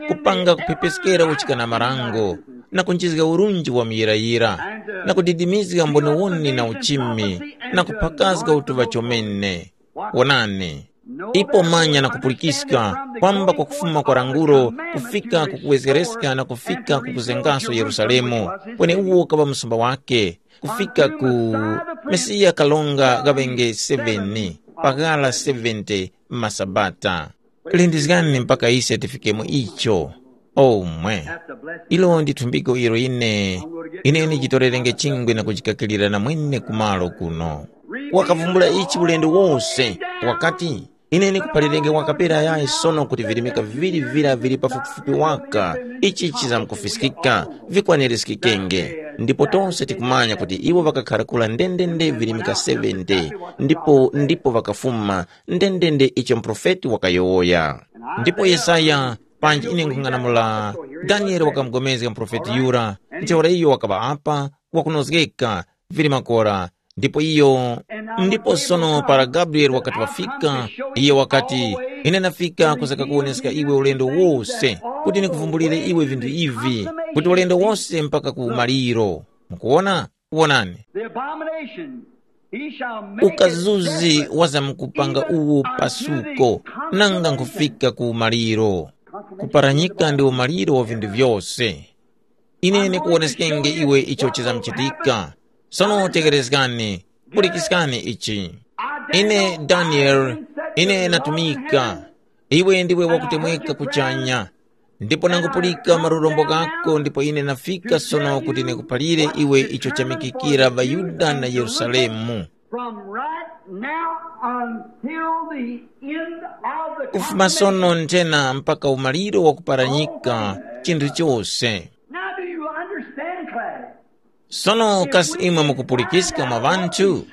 kupanga kuphepeskera uchikana marango, na kunjizga urunji wa muyirayira, na kudidimizga mboniwoni na uchimi, na kuphakazga utuŵa chomene. Wonani, Ipo manya na kupulikiska, kwamba kwa kufuma kwa languro, kufika ku kuwezgereska na kufika ku kuzengaso Yerusalemu, kweneuwo kaŵa msumba wake, kufika ku Mesiya kalonga ghaŵenge seveni, paghala seventi masabata. Lindizgani mpaka ise tifikemo icho. Omwe, ilo ndi thumbiko ilo ine ine ndichitorerenge chingwi na kuchikakilira na mwene kumalo kuno. Wakavumbula ichi ulendo wose, wakati, ine ndikuphalirenge wakapera yayi sono kuti virimika viŵiri vira vili pafupifupi waka, ichi chizamkufiskika, vikwanirizgikenge. Ndipo tose tikumanya kuti iwo ŵakakhara kula ndendende virimika seventi, ndipo ndipo ŵakafuma ndendende icho muprofeti wakayowoya. Ndipo Yesaya, panji ine nkhung'anamula, Daniele wakamugomezga muprofeti yura, ntheura iyo wakaŵa apa, wakunozgeka, vili makora, ndipo iyo ndipo sono para Gabriele wakati wafika, iyo wakati, ine nafika kusakakuwoneska iwe ulendo wose, kuti nikuvumbulire iwe vinthu ivi, kuti ulendo wose mpaka ku maliro. Mukuwona? Wonani. The abomination, he shall make it Ukazuzi desolate. Wazamkupanga uwu pasuko, nanga nkufika ku maliro. Kuparanyika ndi umaliro wa vinthu vyose. Ine ndikuwoneskenge iwe icho chizamchitika. Sono tekerezgani, pulikiskani ichi. Ine Daniel, ine natumika. Iwe ndiwe wakutemweka kuchanya. Ndipo nangupulika malurombo ghako, ndipo ine nafika sono kuti nikuphalire iwe icho chamikikira ŵaYuda na Yerusalemu. From right now until the end of the kufuma sono nthena mpaka umaliro wa kuparanyika chinthu chose. Now, do you understand, class? Sono kasi imwe mukupulikiska mwa ŵanthu?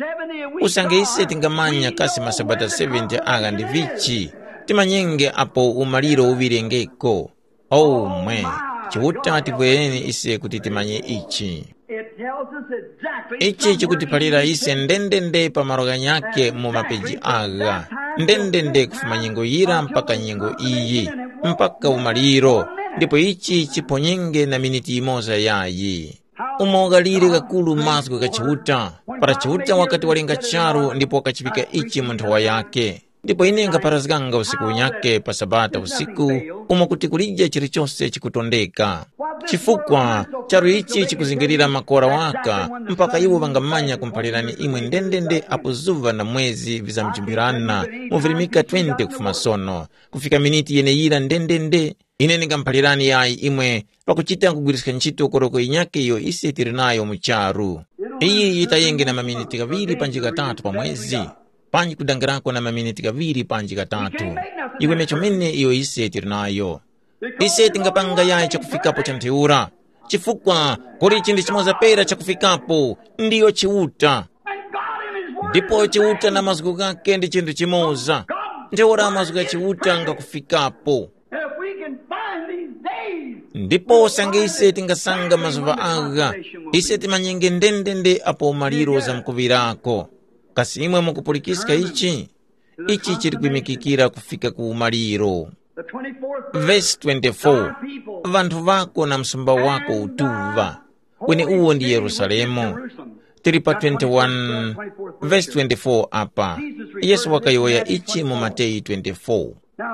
Usange ise tingamanya kasi masabata seventy agha ndi vichi, timanyenge apo umaliro uŵirengeko. Omwe, Chiuta tipwereni ise kuti timanye ichi. It tells us exactly ichi from chikutiphalira where ise ndendende pa malo ghanyakhe mu mapeji agha, ndendende kufuma nyengo yira mpaka nyengo iyi, mpaka umaliro. Ndipo ichi chiphonyenge na miniti yimoza yayi. Umo ghalire ghakulu mazgu gha Chiuta, para Chiuta wakati walenga charu ndipo wakachipika ichi mu nthowa yakhe. Ndipo ine nkhaparazganga usiku unyakhe pa Sabata usiku, umo kuti kulije chilichose chikutondeka. Chifukwa charu ichi chikuzingirira makora waka, mpaka iwo ŵangamanya kumphalirani imwe ndendende apo zuŵa na mwezi vizamjumbirana, mu virimika twenty kufuma sono, kufika miniti yeneyira ndendende, ine ndingamuphalirani yayi imwe pakuchita kugwiriska ntchito koroko yinyakhe iyo ise tili nayo mu charu. Iyi yitayenge na maminiti ghaŵiri panji ghatatu pa mwezi, panji kudangirako na maminiti ghaŵiri panji ghatatu. Iwe mechomene iyo ise tili nayo. Ise tingapanga yayi chakufikapo cha ntheura, chifukwa kuli chinthu chimoza pera chakufikapo, ndiyo Chiuta. Ndipo Chiuta na mazgu ghakhe ndi chinthu chimoza. Ntheura mazgu gha Chiuta ngakufikapo. If we can find these days, ndipo usange ise tingasanga mazuŵa agha, ise timanyenge ndendende apo maliro zamkuŵirako. Kasi imwe mukupulikiska ichi? Ichi chili kwimikikira kufika ku maliro. The twenty-fourth verse, vesi twenty-four, vanthu vako na msumba wako utuŵa, kweni uwo ndi Yerusalemu. Tili pa twenty-one, vesi twenty-four apa. Yesu wakayowoya ichi mu Mateyu twenty-four.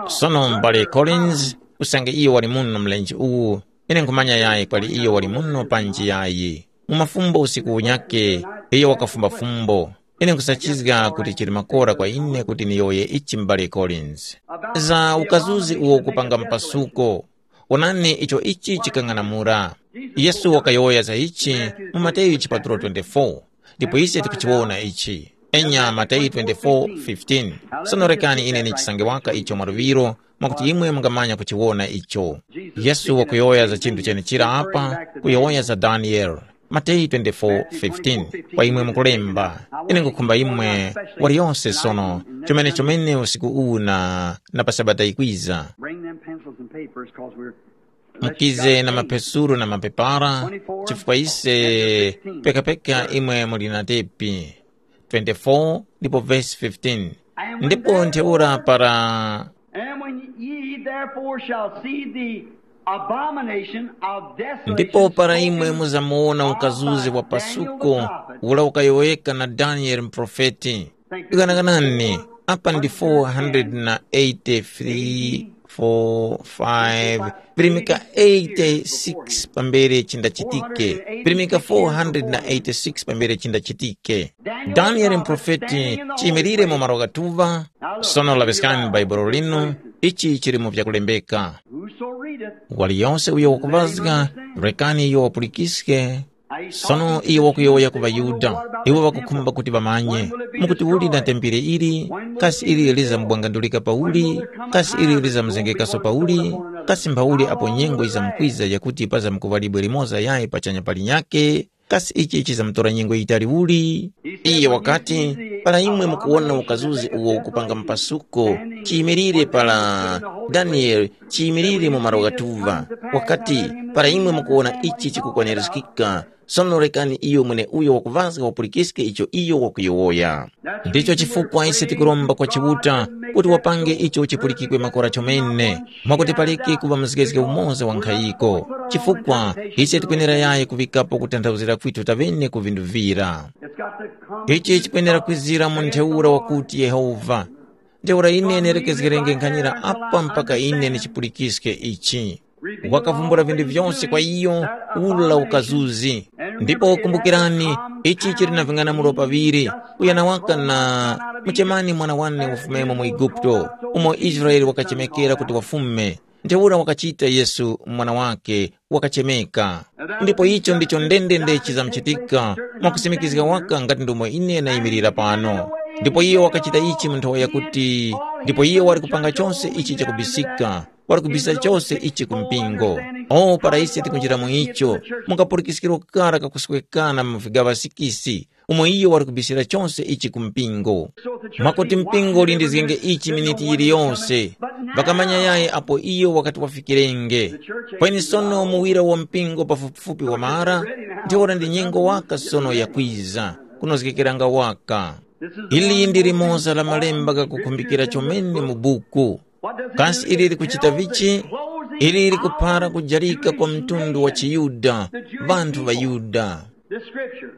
Sono m'bale Collins, usange iyo wali muno mlenje uwu, ine nkhumanya yayi kwali iyo wali muno panji yayi. Mu mafumbo usiku unyakhe, iyo wakafumba fumbo. Ine nkhusachizga kuti chili makora kwa ine kuti niyowoye ichi m'bale Collins. Za ukazuzi uwo kupanga mpasuko. Onani icho ichi chikang'anamula. Yesu wakayowoya za ichi mu Mateyu chipatulo twenty-four, ndipo ise tikuchiwona ichi. Enya Mateyu twenty-four fifteen. Sono rekani ine ndichisange waka icho mwaluŵiro, mwakuti imwe mungamanya kuchiwona icho. Yesu wakuyowoya za chinthu chenechira apa, kuyowoya za Daniele. Mateyu twenty-four fifteen. Kwa imwe mukulemba, ine ngukhumba imwe waliyonse sono, chomene chomene usiku uwu na, na pa Sabata yikwiza. Bring them pencils and papers, 'cause we're mukize na mapesuru na mapepara, chifukwa ise pekapeka imwe muli na tepi. Twenty-four ndipo vesi fifteen. Ndipo ntheura para And when ye therefore shall see the abomination of desolation ndipo para imwe spoken muzamuwona of ukazuzi by wa Daniel pasuko the prophet, ula ukayowoyeka na Danieli muprofeti. Ganaganani, Apa ndi four hundred eighty-three, four, five, pirimika eighty-six pambere chindachitike, pirimika four hundred eighty-six pambere chindachitike. Danieli mprofeti chiyimirire mu malo ghatuŵa. Sono laŵiskani Bhaibuli linu, ichi chili mu vyakulembeka. Whoso readeth, Waliyonse uyo wakuŵazga, rekani iyo wapulikiske. Sono iyo wakuyowoya ku ŵaYuda, iwo ŵakukhumba kuti ŵamanye, mukuti uli na tembere ili, kasi ili lizamubwangandulika pauli, kasi ili lizamuzengekaso pauli, kasi mphauli apo nyengo yizamkwiza yakuti pazamkuŵalibwe limoza yayi pachanya pa linyakhe, kasi ichi chizamutora nyengo yitali uli? Iye wakati, para imwe mukuwona ukazuzi uwo ukupanga mapasuko, chiyimirire para Daniele chiyimirire mu malo ghatuŵa. Wakati, para imwe mukuwona ichi chikukwanirizgika, sono rekani iyo mweneuyo wakuŵazga wapulikiske icho iyo wakuyowoya. Ndicho chifukwa ise tikuromba kwa Chiuta kuti wapange icho chipulikikwe makora chomene, mwakuti paleke kuŵa mzgezge umoza wa nkhayiko. Chifukwa ise tikwenera yayi kuŵikapo kutanthauzira kwitu taŵene ku vinthu vira. It's got to come. Ichi chikwenera kwizira mu ntheura wakuti Yehova. Ntheura ine nerekezgerenge nkhanira apa mpaka ine ndichipulikiske ichi. Wakavumbula vinthu vyonse kwa iyo, ula ukazuzi. Ndipo kumbukirani, ichi chili na ving'anamulo paŵiri, kuyana waka na muchemani mwana wane ufumemo mu Eguputo, umo Israele wakachemekera kuti wafume. Ntheura wakachita Yesu mwana wake, wakachemeka. Ndipo icho ndicho ndendende chizamuchitika, mwakusimikizga waka ngati ndomwe ine nayimirira pano. Ndipo iyo wakachita ichi mu nthowa yakuti, ndipo iyo wali kupanga chose ichi chakubisika, wali kubisa chose ichi ku mpingo. O para ise tikunjira mu icho, mukapulikiskiro kara kakuswekana mu vigaŵa sikisi, umo iyo wali kubisira chose ichi ku mpingo. Mwakuti mpingo ulindizgenge ichi miniti yiliyose, ŵakamanya yayi apo iyo wakati wafikirenge. Kweni sono muwira wa mpingo pafupifupi wamara, ntheura ndi nyengo waka sono yakwiza, kunozgekeranga waka. Ili ndi limoza la malemba ghakukhumbikira chomene mu buku. Kasi ili likuchita vichi? Ili likuphara kujarika kwa mtundu wa chiYuda, ŵanthu ŵa Yuda. This scripture,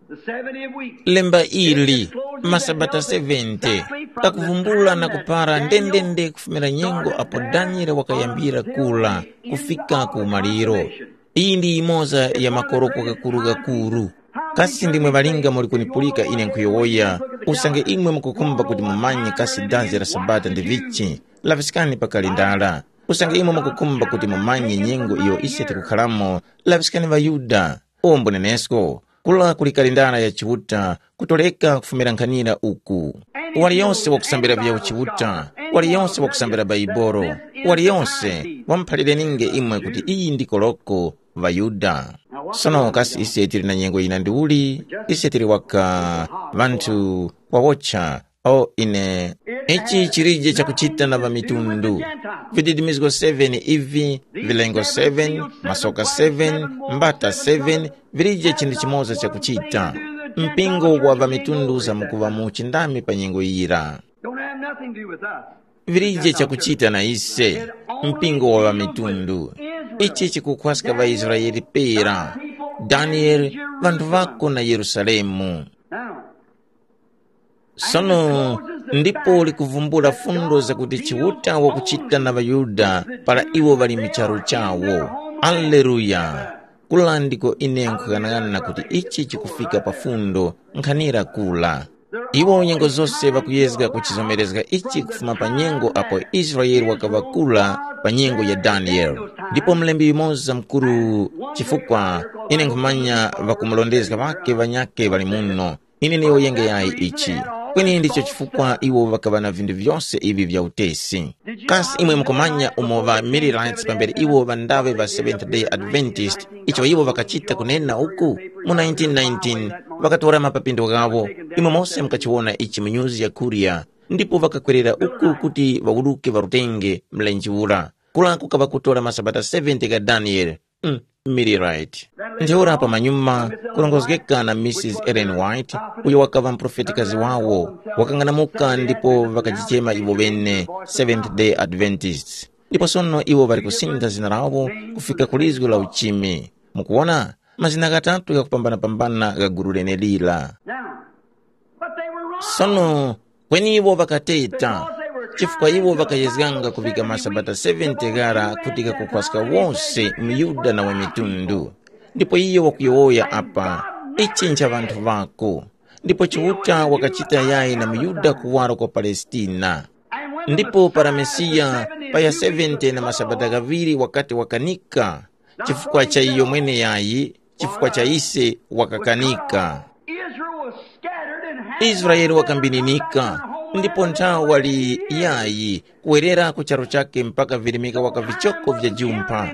the seventy of weeks, lemba ili, masabata seventy, kakuvumbula na kupara ndendende kufumira nyengo apo Daniele wakayambira kula kufika ku maliro. Iyi ndi yimoza ya makoroko ghakuru-ghakuru. Kasi ndimwe ŵalinga muli kunipulika ine nkhuyowoya, usange imwe mukukhumba kuti mumanye kasi dazi la Sabata ndi vichi, laŵiskani pa kalendala. Usange imwe mukukhumba kuti mumanye nyengo iyo ise tikukharamo, laŵiskani ŵaYuda. Umo mbunenesko, kula kuli kalendala ya Chiuta kutoleka kufumira nkhanira uku. Waliyonse wakusambira vya uchiuta, waliyonse wakusambira Baibolo, waliyonse wamuphalirenge imwe kuti iyi ndi koloko ŵaYuda. Sono kasi ise tili na nyengo yina ndiuli? Ise tili waka ŵanthu wawocha. O ine, ichi chilije chakuchita na ŵamitundu. Vididimizgo seven ivi, vilengo seven, masoka seven, mbata seven, vilije chinthu chimoza chakuchita. Mpingo wa ŵamitundu uzamkuŵa mu uchindami pa nyengo yira. Don't have nothing to do with us. Vilije chakuchita na ise, mpingo wa ŵamitundu. Ichi chikukhwaska ŵaIsraele pera. Daniele, ŵanthu ŵako na Yerusalemu. Now, sono ndipo likuvumbula fundo zakuti Chiuta wakuchita na ŵaYuda para iwo ŵali mu charu chawo. Aleluya! Kula ndiko ine nkhughanag'ana kuti ichi chikufika pa fundo nkhanira kula. Iwo nyengo zose ŵakuyezga kuchizomerezga ichi kufuma pa nyengo apo Israele wakaŵa kula pa nyengo ya Daniele. Ndipo mlembi yumoza mukuru, chifukwa ine nkhumanya ŵakumulondezga ŵake ŵanyakhe ŵali muno. Ine niyowoyenge yayi ichi. Kweni ndicho chifukwa iwo ŵakaŵa na vinthu vyose ivi vya utesi. Kasi imwe mukumanya umo ŵa Millerites pambere iwo ŵandaŵe ŵa Seventh Day Adventist, icho iwo ŵakachita kunena uku? Mu nineteen nineteen, ŵakatora mapapindo ghawo. Imwe mose mukachiwona ichi mu nyuzi ya Courier, ndipo ŵakakwerera uku kuti ŵawuruke ŵarutenge mlenje ura. Kula kukaŵa kutora masabata seventy gha Daniele. Mm, Millerites. Ntheura pamanyuma kulongozgeka na Missus Ellen White, uyo wakaŵa muprofetikazi wawo, wakang'anamuka ndipo ŵakajichema iwo ŵene Seventh Day Adventists. Ndipo sono iwo ŵali kusintha zina lawo kufika ku lizgu la uchimi. Mukuwona, mazina ghatatu ghakupambana-pambana gha gulu lenelira. Now, but they were wrong. Sono Kweni iwo ŵakateta, chifukwa iwo ŵakayezganga kuvika masabata seventy ghara kuti ghakukhwaska wose mYuda na wa mitundu. Ndipo iyo wakuyowoya apa, ichi ncha ŵanthu ŵako. Ndipo Chiuta wakachita yayi na mYuda kuwaro kwa Palestina. Ndipo para Mesiya paya seventy na masabata ghaŵiri wakati wakanika, chifukwa cha iyo mwene yayi, chifukwa cha ise wakakanika. Israel was scattered and had Israeli wakambininika, ndipo nthawi wali yayi kuwerera ku charu chakhe mpaka virimika waka vichoko vya jumpha.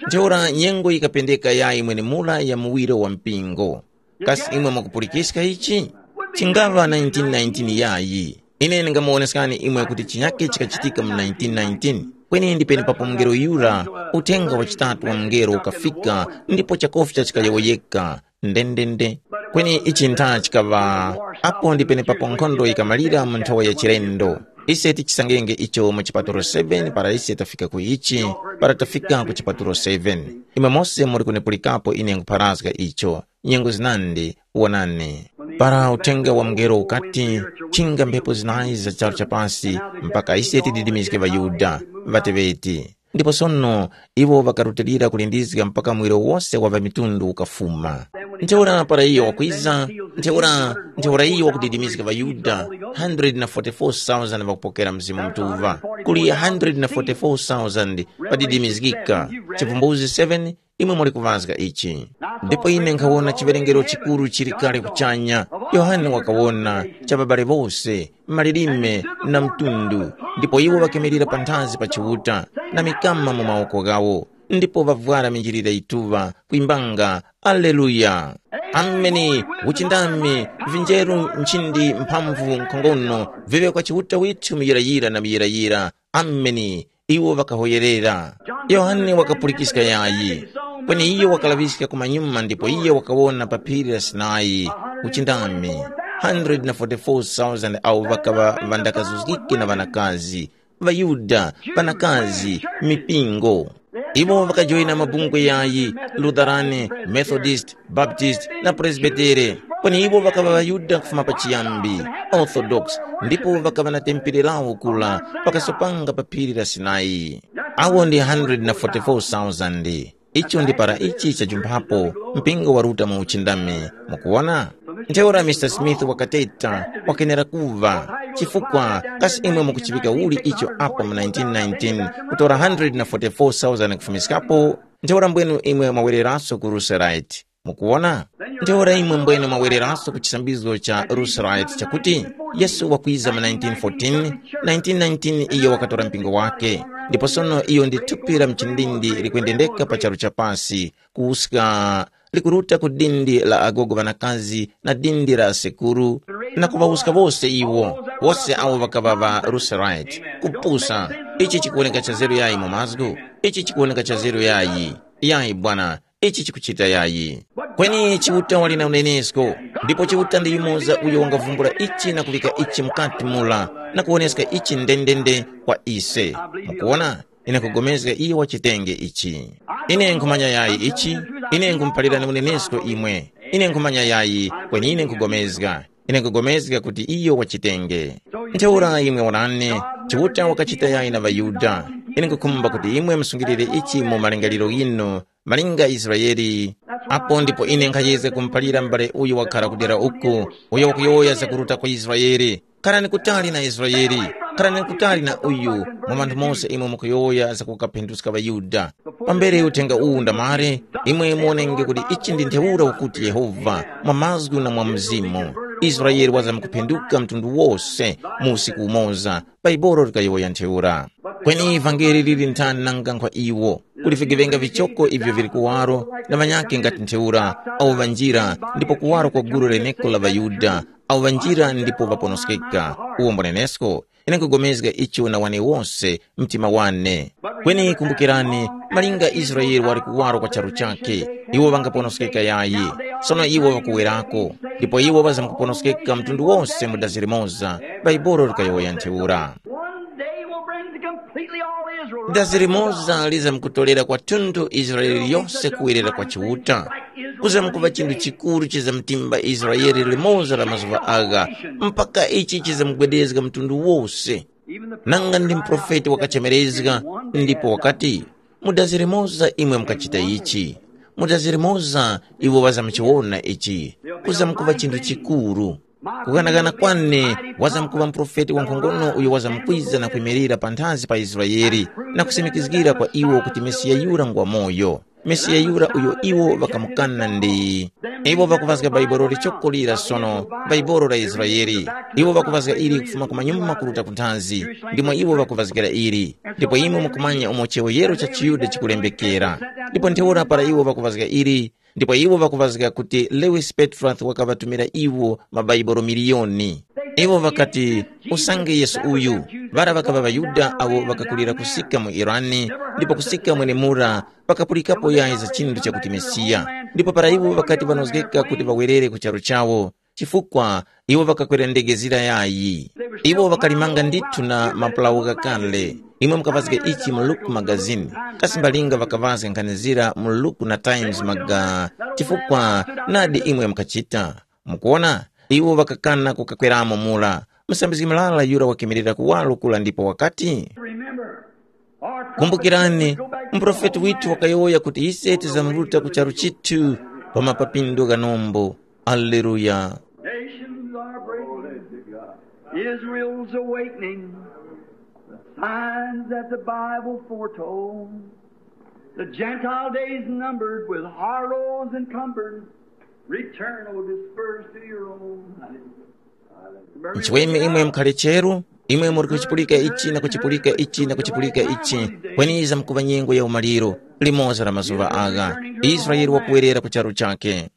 Ntheura nyengo yikapendeka yayi mwenemura ya muwiro wa mpingo. Kasi imwe mwakupulikiska ichi? Chingava nineteen nineteen yayi. Ine ndingamuwoneskani imwe kuti chinyake chikachitika mu nineteen nineteen. Kweni ndi penepapo mungelo yura, uthenga wachitatu wa mungelo ukafika, ndipo chakofya chikayowoyeka. Ndendende. Kweni ichi ntha chikaŵa apo ndi penepapo nkhondo yikamalira mu nthowa ya chilendo. Ise tichisangenge icho mu chipatulo seven para ise tafika ku ichi, para tafika ku chipatulo seven. Imwe mose muli kunepulikapo ine nkupharazga icho. Nyengo zinandi, wonani. Para uthenga wa mungelo ukati, chinga mphepo zinayi za charu cha pasi, mpaka ise tididimizge ŵaYuda, ŵateŵeti. Ndipo sono iwo ŵakarutilira kulindizga mpaka muwiro wose wa ŵamitundu ukafuma. Ntheura para iyo wakwiza, ntheura, ntheura iyo wakudidimizga ŵaYuda, one hundred forty-four thousand ŵakupokera Mzimu Mutuŵa. Kuli one hundred forty-four thousand ŵadidimizgika. Chivumbulutso seven, imwe muli kuŵazga ichi. Ndipo ine nkhawona chiwerengero chikuru chili kale kuchanya. Yohane wakawona cha ŵabale wose, malilime na mtundu, ndipo iwo ŵakemerera panthazi pa Chiuta na mikama mu mawoko ghawo, ndipo ŵavwara minjilira yituŵa, kwimbanga, Aleluya! Ameni! Uchindami, vinjeru, nchindi, mphamvu, nkhongono, viŵe kwa Chiuta withu muyirayira na muyirayira. Ameni. Iwo ŵakahoyerera. Yohane wakapulikiska yayi, kweni iyo wakalaŵiska kumanyuma ndipo iyo wakawona pa phiri la Sinai uchindami one hundred forty-four thousand awo ŵakaŵa ŵandakazuzgike na ŵanakazi, ŵaYuda, ŵanakazi, mipingo. Iwo ŵakajoyina mabungwe yayi, Lutherani, Methodist, Baptist na Presbitere. Kweni iwo ŵakaŵa ŵaYuda kufuma pachiyambi, Orthodox, ndipo ŵakaŵa na tempere lawo kula pakasopanga pa phiri la Sinai. Awo ndi one hundred forty-four thousand. Icho ndi para ichi chajumphapo mpingo waruta mu uchindami. Mukuwona? Ntheura Mister Smith wakateta, wakenera kuva. Chifukwa, kasi imwe mukuchiŵika uli icho apo mu nineteen nineteen, kutora one hundred forty-four thousand kufumiskapo? Ntheura mbwenu imwe mwawereraso ku Ruserite. Mukuwona? Ntheura imwe mbwene mwawereraso ku chisambizo cha Ruserite chakuti, Yesu wakwiza mu nineteen fourteen, nineteen nineteen iyo wakatora mpingo wake. Ndipo sono iyo ndi thupi la mchindindi likwendendeka pa charu cha pasi, kuwuska likuruta ku dindi la agogo ŵanakazi na dindi la asekuru, na kuŵawuska wose iwo, wose awo ŵakaŵa ŵa Ruserite. Kupusa, ichi chikuwoneka chazeru yayi mu mazgu, ichi chikuwoneka chazeru yayi. Yayi bwana, ichi chikuchita yayi. Kweni Chiuta wali na unenesko, ndipo Chiuta ndi yumoza uyo wangavumbula ichi na kuŵika ichi mukati mula, na kuwoneska ichi ndendende kwa ise. Mukuwona, ine nkugomezga iyo wachitenge ichi. Ine nkhumanya yayi ichi, ine nkhumuphalirani unenesko imwe. Ine nkhumanya yayi, kweni ine nkhugomezga. Ine nkugomezga kuti iyo wachitenge. Ntheura imwe wonani, Chiuta wakachita yayi na ŵaYuda. Ine nkhukhumba kuti imwe musungilire ichi mu malingaliro ghinu, malinga Israele. Apo ndipo ine nkhayezga kumuphalira m'bale uyo wakhala kudera uku, uyo wakuyowoya zakuruta kwa Israele. Kharani kutali na Israele, kharani kutali na uyu, mwa vanthu mose imwe mukuyowoya zakukaphenduska ŵaYuda. Pambere uthenga uwu ndamare, imwe muwonenge kuti ichi ndi ntheura ukuti Yehova, mwa mazgu na mwa mzimu, Israele wazamkuphenduka mtundu wose mu usiku umoza, Baibolo likayowoya ntheura. Kweni vangeli lili nthani nanga nkhwa iwo, kuli vigeŵenga vichoko ivyo vili kuwaro na ŵanyakhe ngati ntheura, awo ŵanjira ndipo kuwaro kwa gulu leneko la ŵaYuda, awo ŵanjira ndipo ŵaponoskeka. Uwo mbonenesko, ine nkugomezga icho na wane wose mtima wane. Kweni kumbukirani, malinga Israele wali kuwaro kwa charu chakhe, iwo ŵangaponoskeka yayi. Sono iwo ŵakuwerako, ndipo iwo ŵazamkuponoskeka mtundu wose mu dazi limoza, Baibolo likayowoya ntheura. One day will bring completely all Israel. Dazi limoza lizamkutolera kwathunthu Israele yose kuwerera kwa Chiuta. Kuzamkuŵa chinthu chikuru chizamtimba Israele limoza la mazuŵa agha, mpaka ichi chizamgwedezga mtundu wose. Nanga ndi muprofeti wakachemerezga, ndipo wakati, mu dazi limoza imwe mukachita ichi, mu dazi limoza iwo ŵazamuchiwona ichi, kuzamkuŵa chinthu chikuru. Kughanagana kwane, wazamkuŵa muprofeti wankhongono uyo wazamkwiza na kwimirira panthazi pa Israele, na kusimikizgira kwa iwo kuti Mesiya yura ngwamoyo. Mesiya yura uyo iwo ŵakamukana ndi. Iwo ŵakuŵazga Baibolo lichoko lira sono, Baibolo la Israele. Iwo ŵakuŵazga ili kufuma kumanyuma kuruta kunthazi, ndimo iwo ŵakuŵazgira ili. Ndipo imwe mukumanya umo chiyoyero cha chiYuda chikulembekera. Ndipo ntheura para iwo ŵakuŵazga ili, ndipo iwo ŵakuŵazga kuti Lewis Petrath wakaŵatumira iwo maBaibolo miliyoni. Iwo ŵakati, usange Yesu uyu, ŵara ŵakaŵa ŵaYuda awo ŵakakulira kusika mu Irani, ndipo kusika mwenemura ŵakapulikapo yayi za chinthu chakuti Mesiya. Ndipo para iwo ŵakati ŵanozgeka kuti ŵawerere ku charu chawo, chifukwa iwo ŵakakwera ndege zira yayi. Iwo ŵakalimanga ndithu na mapulawo ghakale. Imwe mukapazga ichi mu Look magazini, kasi mbalinga ŵakapazga nkhani zira mu Look na Times maga, chifukwa nadi imwe mukachita. Mukuona, iwo ŵakakana kukakweramo mura. Musambizgi murara yura wakimirira kuwaro kula ndipo wakati, Remember, our prophet kumbukirani, said, "Go back to muprofeti the withu homeland." Wakayowoya kuti ise tizamruta ku charu chithu pa mapapindo gha nombo. Aleluya. Nations are breaking. Israel's awakening. The signs that the Bible foretold. The Gentile days numbered with horrors encumbered. Return, O dispersed to your own. Nchiweme imwe mukhale cheru, imwe muri kuchipulika ichi na kuchipulika ichi na kuchipulika ichi, kweni iza mkuva nyengo ya umaliro, limoza la mazuŵa agha, Israele wakuwerera ku charu chakhe.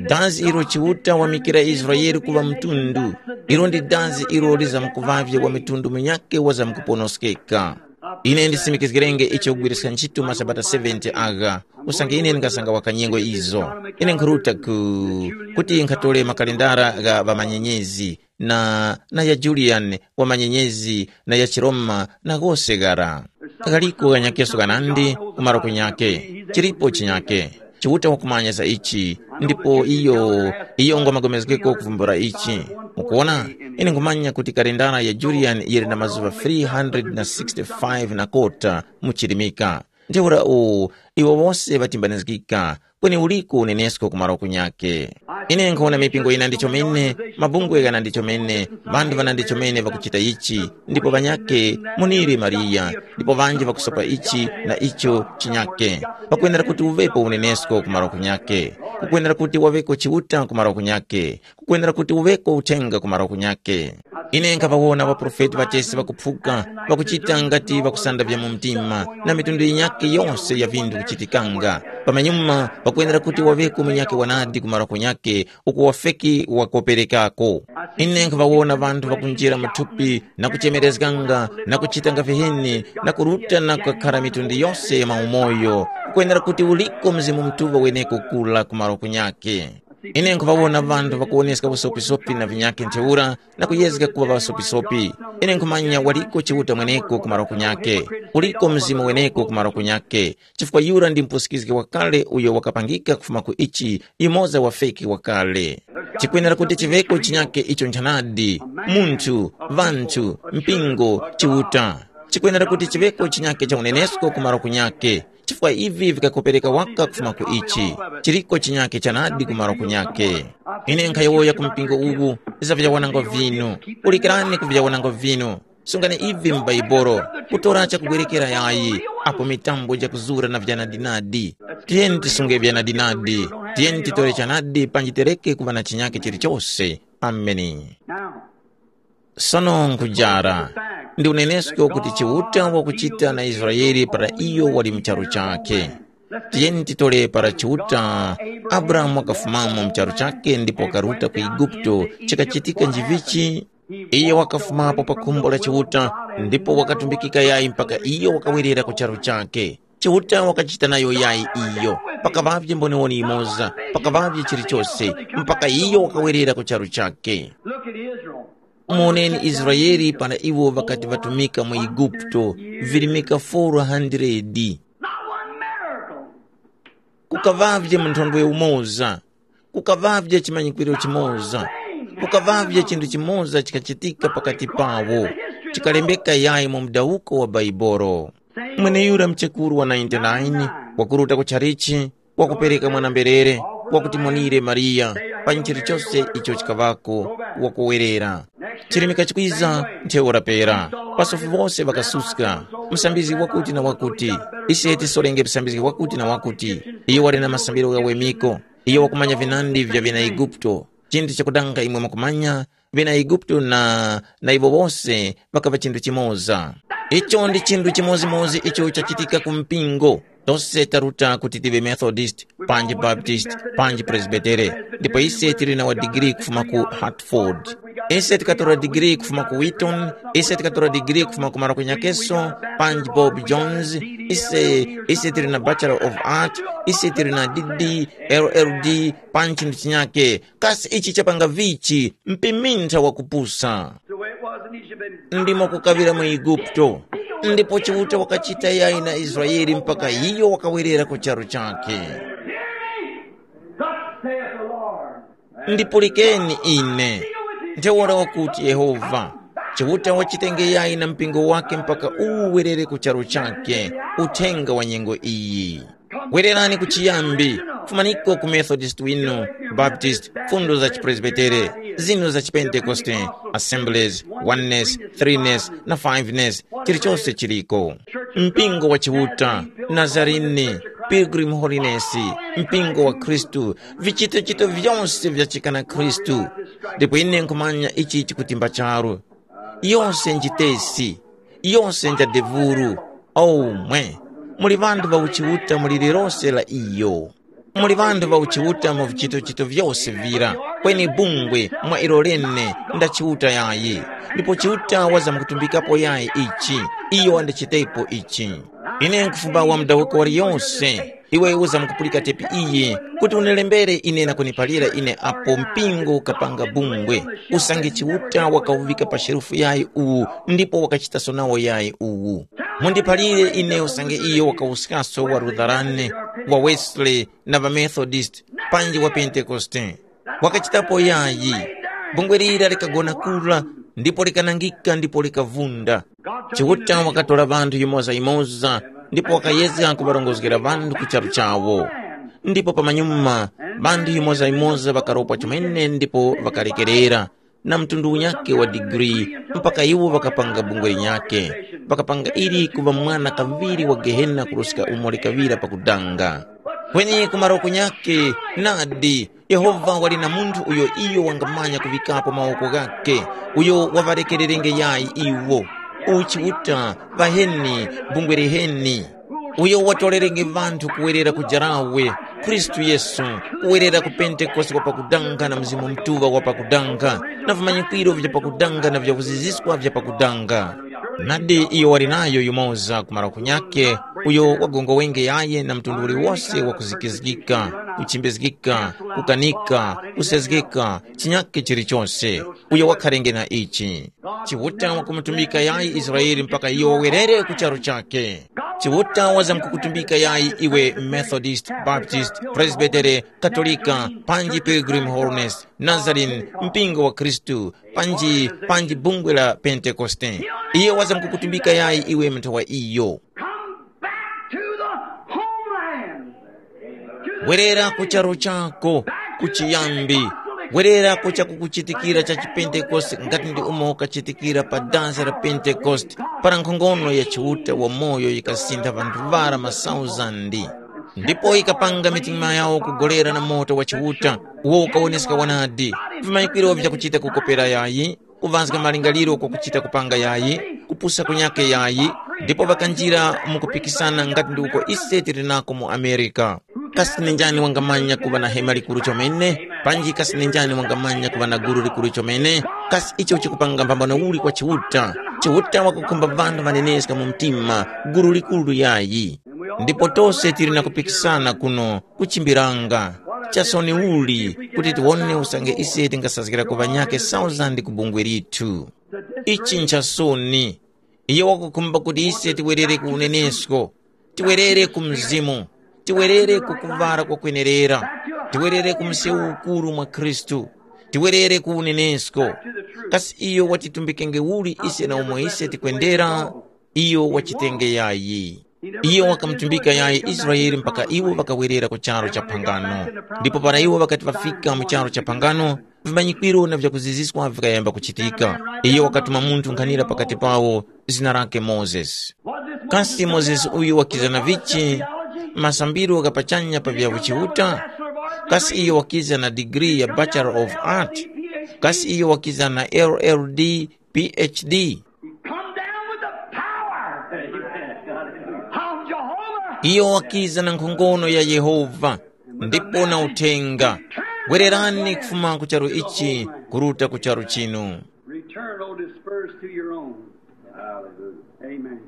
Dazi ilo Chiuta wamikira Israele kuŵa mtundu, ilo ndi dazi ilo lizamkuvavye wa mitundu minyakhe wazamkuponoskeka. Ine ndisimikizgirenge icho kugwiriska ntchito masabata seventy agha, usange ine ndingasanga wakanyengo izo. Ine nkhuruta ku, kuti nkhatole makalendara gha ŵamanyenyezi, na, na ya Julian wa manyenyezi, na ya Chiroma, na ghose ghara. Kakaliko kanyakeso kanandi kumaro kunyake, chilipo chinyake. Chiuta wakumanya za ichi, ndipo iyo, iyo ngwamagomezgeko kuvumbula ichi. Mukuona, ine nkhumanya kuti kalendara ya Julian yili na mazuŵa three hundred na sixty-five na kota mu chilimika. Ntheura uwu, iwo wose ŵatimbanizgika, kweni uliko unenesko kumaro kunyake. Ine nkhawona mipingo yina ndi chomene, mabungwe ghana ndi chomene, ŵanthu ŵana ndi chomene ŵakuchita ichi, ndipo ŵanyake muniri Mariya, ndipo ŵanji ŵakusopa ichi na icho chinyake. Pakwenera kuti uŵepo unenesko kumaro kunyake, kukwenera kuti waŵeko Chiuta kumaro kunyake, kukwenera kuti uŵeko uthenga kumaro kunyake. Ine nkhaŵawona ŵaprofeti ŵachesi ŵakuphuka, ŵakuchita ngati ŵakusanda vya mu mtima, na mitundu yinyakhe yose ya vinthu kuchitikanga. Pamanyuma pakwenera kuti waŵeko munyakhe wanadi kumaro kunyake, uko wafeki wakoperekako. Ine nkhaŵawona ŵanthu ŵakunjira mu thupi na kuchemerezganga na kuchitanga viheni na kuruta na kukakhara mitundu yose ya maumoyo. Kukwenera kuti uliko Mzimu Mutuŵa weneko kula kumaro kunyake. Ine nkhuŵawona ŵanthu ŵakuwoneska usopisopi na vinyakhe ntheura na kuyezga kuŵa ŵasopisopi. Ine nkhumanya waliko Chiuta mweneko ku malo kunyakhe, kuliko Mzimu weneko ku malo kunyakhe, chifukwa yura ndi mupusikizgi wakale uyo wakapangika kufuma ku ichi, yumoza wa feki wakale. Chikwenera kuti chiŵeko chinyakhe icho nchanadi, munthu, ŵanthu, mpingo, Chiuta. Chikwenera kuti chiŵeko chinyakhe cha unenesko ku malo kunyakhe, chifukwa ivi vikakopereka waka kufuma ku ichi, chiliko chinyakhe chanadi ku malo kunyakhe. Ine nkhayowoya ku mpingo uwu, za vyawanangwa vinu, ulikirani ku vyawanangwa vinu, sungani ivi m'Baibolo, kutora chakubwerekera yayi, apo mitambo jakuzura na vyanadinadi. Tiyeni tisunge vyanadinadi, tiyeni titore chanadi panji tereke kuŵa na chinyakhe chilichose. Ameni. Sono nkujara, ndi unenesko kuti Chiuta wakuchita na Israele para iyo wali mu charu chakhe. Tiyeni titole para Chiuta Abrahamu wakafumamo mu charu chakhe ndipo wakaruta ku Eguputo, chikachitika njivichi? Iye wakafumapo pa khumbo la Chiuta, ndipo wakatumbikika yayi mpaka iyo wakawerera ku charu chakhe. Chiuta wakachita nayo yayi iyo, pakaŵavye mboniwoni yimoza, pakaŵavye chilichose, mpaka iyo wakawerera ku charu chakhe. Look at Israel. Muoneni Israeli para iwo ŵakati ŵatumika mu Eguputo, virimika four hundred. Not one miracle. Kukaŵavye munthondwe umoza, kukaŵavye chimanyikwiro chimoza, kukaŵavye chinthu chimoza chikachitika pakati pawo, chikalembeka yayi mu mudawuko wa Baibolo. Mweneyura mchekuru wa ninety-nine wakuruta ku chalichi, wakupereka mwana-mberere, wakutimonire Mariya pa chinthu chilichose icho chikaŵako, wakuwerera. Chirimika chikwiza, ntheura pera. Pasofi wose ŵakasuska, msambizgi wakuti na wakuti, ise tisorenge msambizgi wakuti na wakuti. Iyo wali na masambiro ghawemiko. Iyo wakumanya vinandi vya ŵena Eguputo. Chinthu chakudanga imwe mwakumanya, ŵena Eguputo na, na iwo wose ŵakaŵa chinthu chimoza. Icho ndi chinthu chimodzimodzi icho chachitika ku mpingo. Tose taruta kuti tive Methodist, panji Baptist, panji Presbytere, ndipo ise tili na wa digiri kufuma ku Hartford. Ise tikatora digiri kufuma ku Wheaton, ise tikatora digiri kufuma ku Maroko Nyakeso, panji Bob Jones, ise, ise tili na Bachelor of Art, ise tili na D D, L L D, panji chinthu chinyake. Kasi ichi chapanga vichi mpimintha wakupusa? The way it was in Egypt. Ndimo kukaŵira mu Eguputo, ndipo Chiuta wakachita yayi na Israele mpaka iyo wakawerera ku charu chakhe. Hear me, thus saith the Lord. Ndipulikeni ine, ntheura wakuti Yehova, Chiuta wachitenge yayi na mpingo wake mpaka uwu werere ku charu chakhe, uthenga wa nyengo iyi. Wererani ku chiyambi, fumaniko ku Methodist winu, Baptist, fundo za chipresbitere, zinu za chipentekoste, Assemblies, Oneness, Threeness na Fiveness, chilichose chiliko. Mpingo wa Chiuta, Nazarene, Pilgrim Holiness, mpingo wa Khristu, vichitochito vyose vya chikana Khristu. Ndipo ine nkhumanya ichi chikutimba charu. Yose njitesi, yose nja devuru. Omwe, muli ŵanthu ŵa uchiuta mu liri lose la iyo. Muli ŵanthu ŵa uchiuta mu vichitochito vyose vira, kweni bungwe mwa ilo lene nda Chiuta yayi. Ndipo Chiuta wazamkutumbikapo yayi ichi, iyo wandachitepo ichi. Ine nkhufumba wa mudawuko waliyose, iwe uzamkupulika tepi iyi, kuti unilembere ine na kuniphalira ine apo mpingo ukapanga bungwe, usange Chiuta wakawuvika pa sherufu yayi uwu ndipo wakachitaso nawo yayi uwu. Mundiphalire ine usange iyo wakawuskaso wa Lutherane, wa Wesley na wa Methodist, panji wa Pentekoste. Wakachitapo yayi. Bungwe lira likagona kura, ndipo likanangika ndipo likavunda. Chiuta wakatora ŵanthu yimoza-yimoza, ndipo wakayezga kuŵarongozgera ŵanthu ku charu chawo. Ndipo pamanyuma, ŵanthu yimoza-yimoza ŵakaropwa chomene ndipo ŵakalekerera, na mtundu unyakhe wa digiri, mpaka iwo ŵakapanga bungwe linyakhe. Ŵakapanga ili kuŵa mwana kaŵiri wa Gehena kuruska umo likaŵira pakudanga. Kweni ku maroko nyakhe, nadi, Yehova wali na munthu uyo iyo wangamanya kuŵikapo mawoko ghakhe, uyo waŵalekererenge yayi iwo. Uchi uta, ŵaheni, bungwe liheni. Uyo watorerenge ŵanthu kuwerera ku jarawe, Khristu Yesu, kuwerera ku Pentekoste wa pakudanga na Mzimu Mutuŵa wa pakudanga, na vimanyikwiro vya pakudanga na vya viziziskwa vya pakudanga. Nadi iyo wali nayo yumoza ku marakho nyakhe, uyo wagongowenge yaye na mtundu uliwose wa kuzikizgika, kuchimbizgika, kukanika, kusezgeka, chinyakhe chilichose, uyo wakharenge na ichi. Chiuta wakumutumika yayi Israele mpaka iyo wawerere ku charu chakhe. Chiuta wazamkukutumika yayi iwe Methodist, Baptist, Presbytere, Katolika, panji Pilgrim Holiness, Nazarene, mpingo wa Khristu, panji, panji bungwe la Pentekoste. Iyo wazamkukutumika yayi iwe munthu wa iyo. Come back to the homeland. Werera ku charo chako, ku chiyambi. Werera ku chakukuchitikira cha chipentekoste ngati ndi umo kachitikira pa danza la Pentekoste, para nkhongono ya Chiuta wamoyo yikasintha ŵanthu ŵara masauzandi. Ndipo yikapanga mitima yawo kugolera na moto wa Chiuta, uwo ukawoneska wanadi. Vimayikwiro vyakuchita kukopera yayi, kuŵazga malingaliro kwakuchita kupanga yayi, kupusa kunyakhe yayi, ndipo ŵakanjira mu kupikisana ngati ndi uko ise tili nako mu Amerika. Kasi ndi njani wangamanya kuŵa na hema likuru chomene? Panji kasi ndi njani wangamanya kuŵa na gulu likuru chomene? Kasi icho chikupanga mphambano uli kwa Chiuta? Chiuta wakukhumba ŵanthu ŵaneneska mu mtima, gulu likuru yayi. Ndipo tose tili na kupikisana kuno kuchimbiranga. Chasoni uli kuti tiwone usange ise tingasazgira ku ŵanyakhe sauzandi ku bungwe lithu. Ichi nchasoni. Iyo wakukhumba kuti ise tiwerere ku unenesko, tiwerere ku Mzimu, Tiwerere ku kuŵala kwakwenerera. Tiwerere ku msewu ukuru mwa Khristu. Tiwerere ku unenesko. Kasi iyo watitumbikenge uli ise na umo ise tikwendera? Iyo wachitenge yayi. Iyo wakamutumbika yayi Israele mpaka iwo ŵakawerera ku charu cha phangano. Ndipo para iwo ŵakati ŵafika mu charu cha phangano, vimanyikwiro na vyakuziziswa vikayamba kuchitika. Iyo wakatuma munthu nkhanira pakati pawo, zina lake Mozesi. Kasi Mozesi uyu wakiza na vichi? Masambiro gha pachanya pa vya Chiuta? Kasi iyo wakiza na digiri ya Bachelor of Art? Kasi iyo wakiza na L L D, P H D? Come down with the power of Jehovah. Iyo wakiza na nkhongono ya Yehova, ndipo na uthenga. Gwererani kufuma ku charu ichi kuruta ku charu chinu. Return, O dispersed, to your own. Hallelujah. Amen.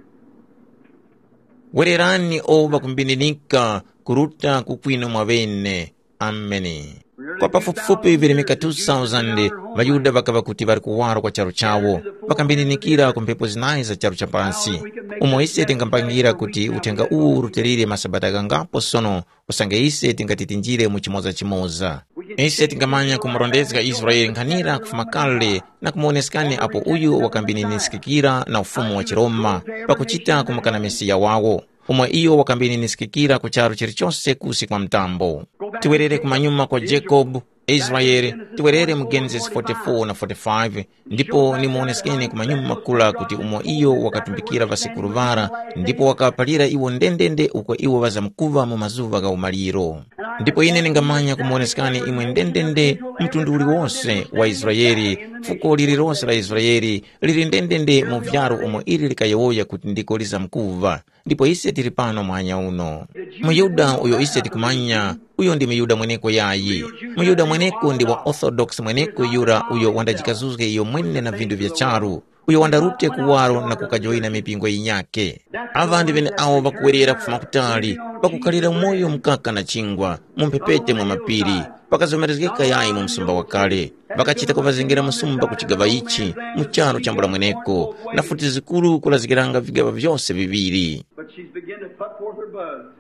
Gwererani, o ŵakumbininika, kuruta ku kwinu mwaŵene. Ameni. Kwa pafupifupi virimika two thousand, ŵaYuda ŵakaŵa kuti ŵali kuwaro kwa charu chawo, ŵakambininikira ku mphepo zinayi za charu cha pasi. Umo ise tingampangira kuti uthenga uwu urutilire masabata ghangapo sono, usange ise tingati tinjire mu chimoza chimoza. Ise tingamanya kumurondezga Israele nkhanira kufuma kale na kumuwoneskani apo uyu wakambininiskikira na ufumu wa chiRoma, pakuchita kumukana Mesiya wawo, umo iyo wakambininiskikira ku charu chilichose kusi kwa mtambo. Tiwerere kumanyuma kwa Jacob, Israele, tiwerere mu Genesis forty-four na forty-five, ndipo nimuwoneskeni kumanyuma kula kuti umo iyo wakatumbikira ŵasekuru ŵara, ndipo wakaŵaphalira iwo ndendende uko iwo ŵazamkuŵa mu mazuŵa gha umaliro. Ndipo ine ningamanya kumuwoneskani imwe ndendende mtundu uliwose wa Israele, fuko lililose la Israele, lili ndendende mu vyaro umo ili likayowoya kuti ndiko lizamkuŵa. Ndipo ise tili pano mwanya uno. MuYuda uyo ise tikumanya, uyo ndi muYuda mweneko yayi. MuYuda mweneko ndi wa Orthodox mweneko yura uyo wandajikazuzga iyo mwene na vindu vya charu, uyo wandarute kuwaro na kukajoyina mipingo yinyakhe. Aŵa ndi ŵeneawo ŵakuwerera kufuma kutali, ŵakukhalira umoyo mkaka na chingwa, mu mphepete mwa mapiri, pakazomerezgeka yayi mu msumba wakale. Ŵakachita kuvazengera msumba ku chigaŵa ichi, mu charu chambula mweneko, na futi zikuru kulazgiranga vigaŵa vyose viŵiri. But she's beginning to put forth her buds.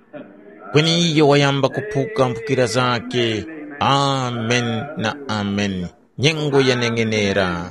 Kweni iyo wayamba kuphuka mphukira zake. Amen na amen. Nyengo yaneng'enera.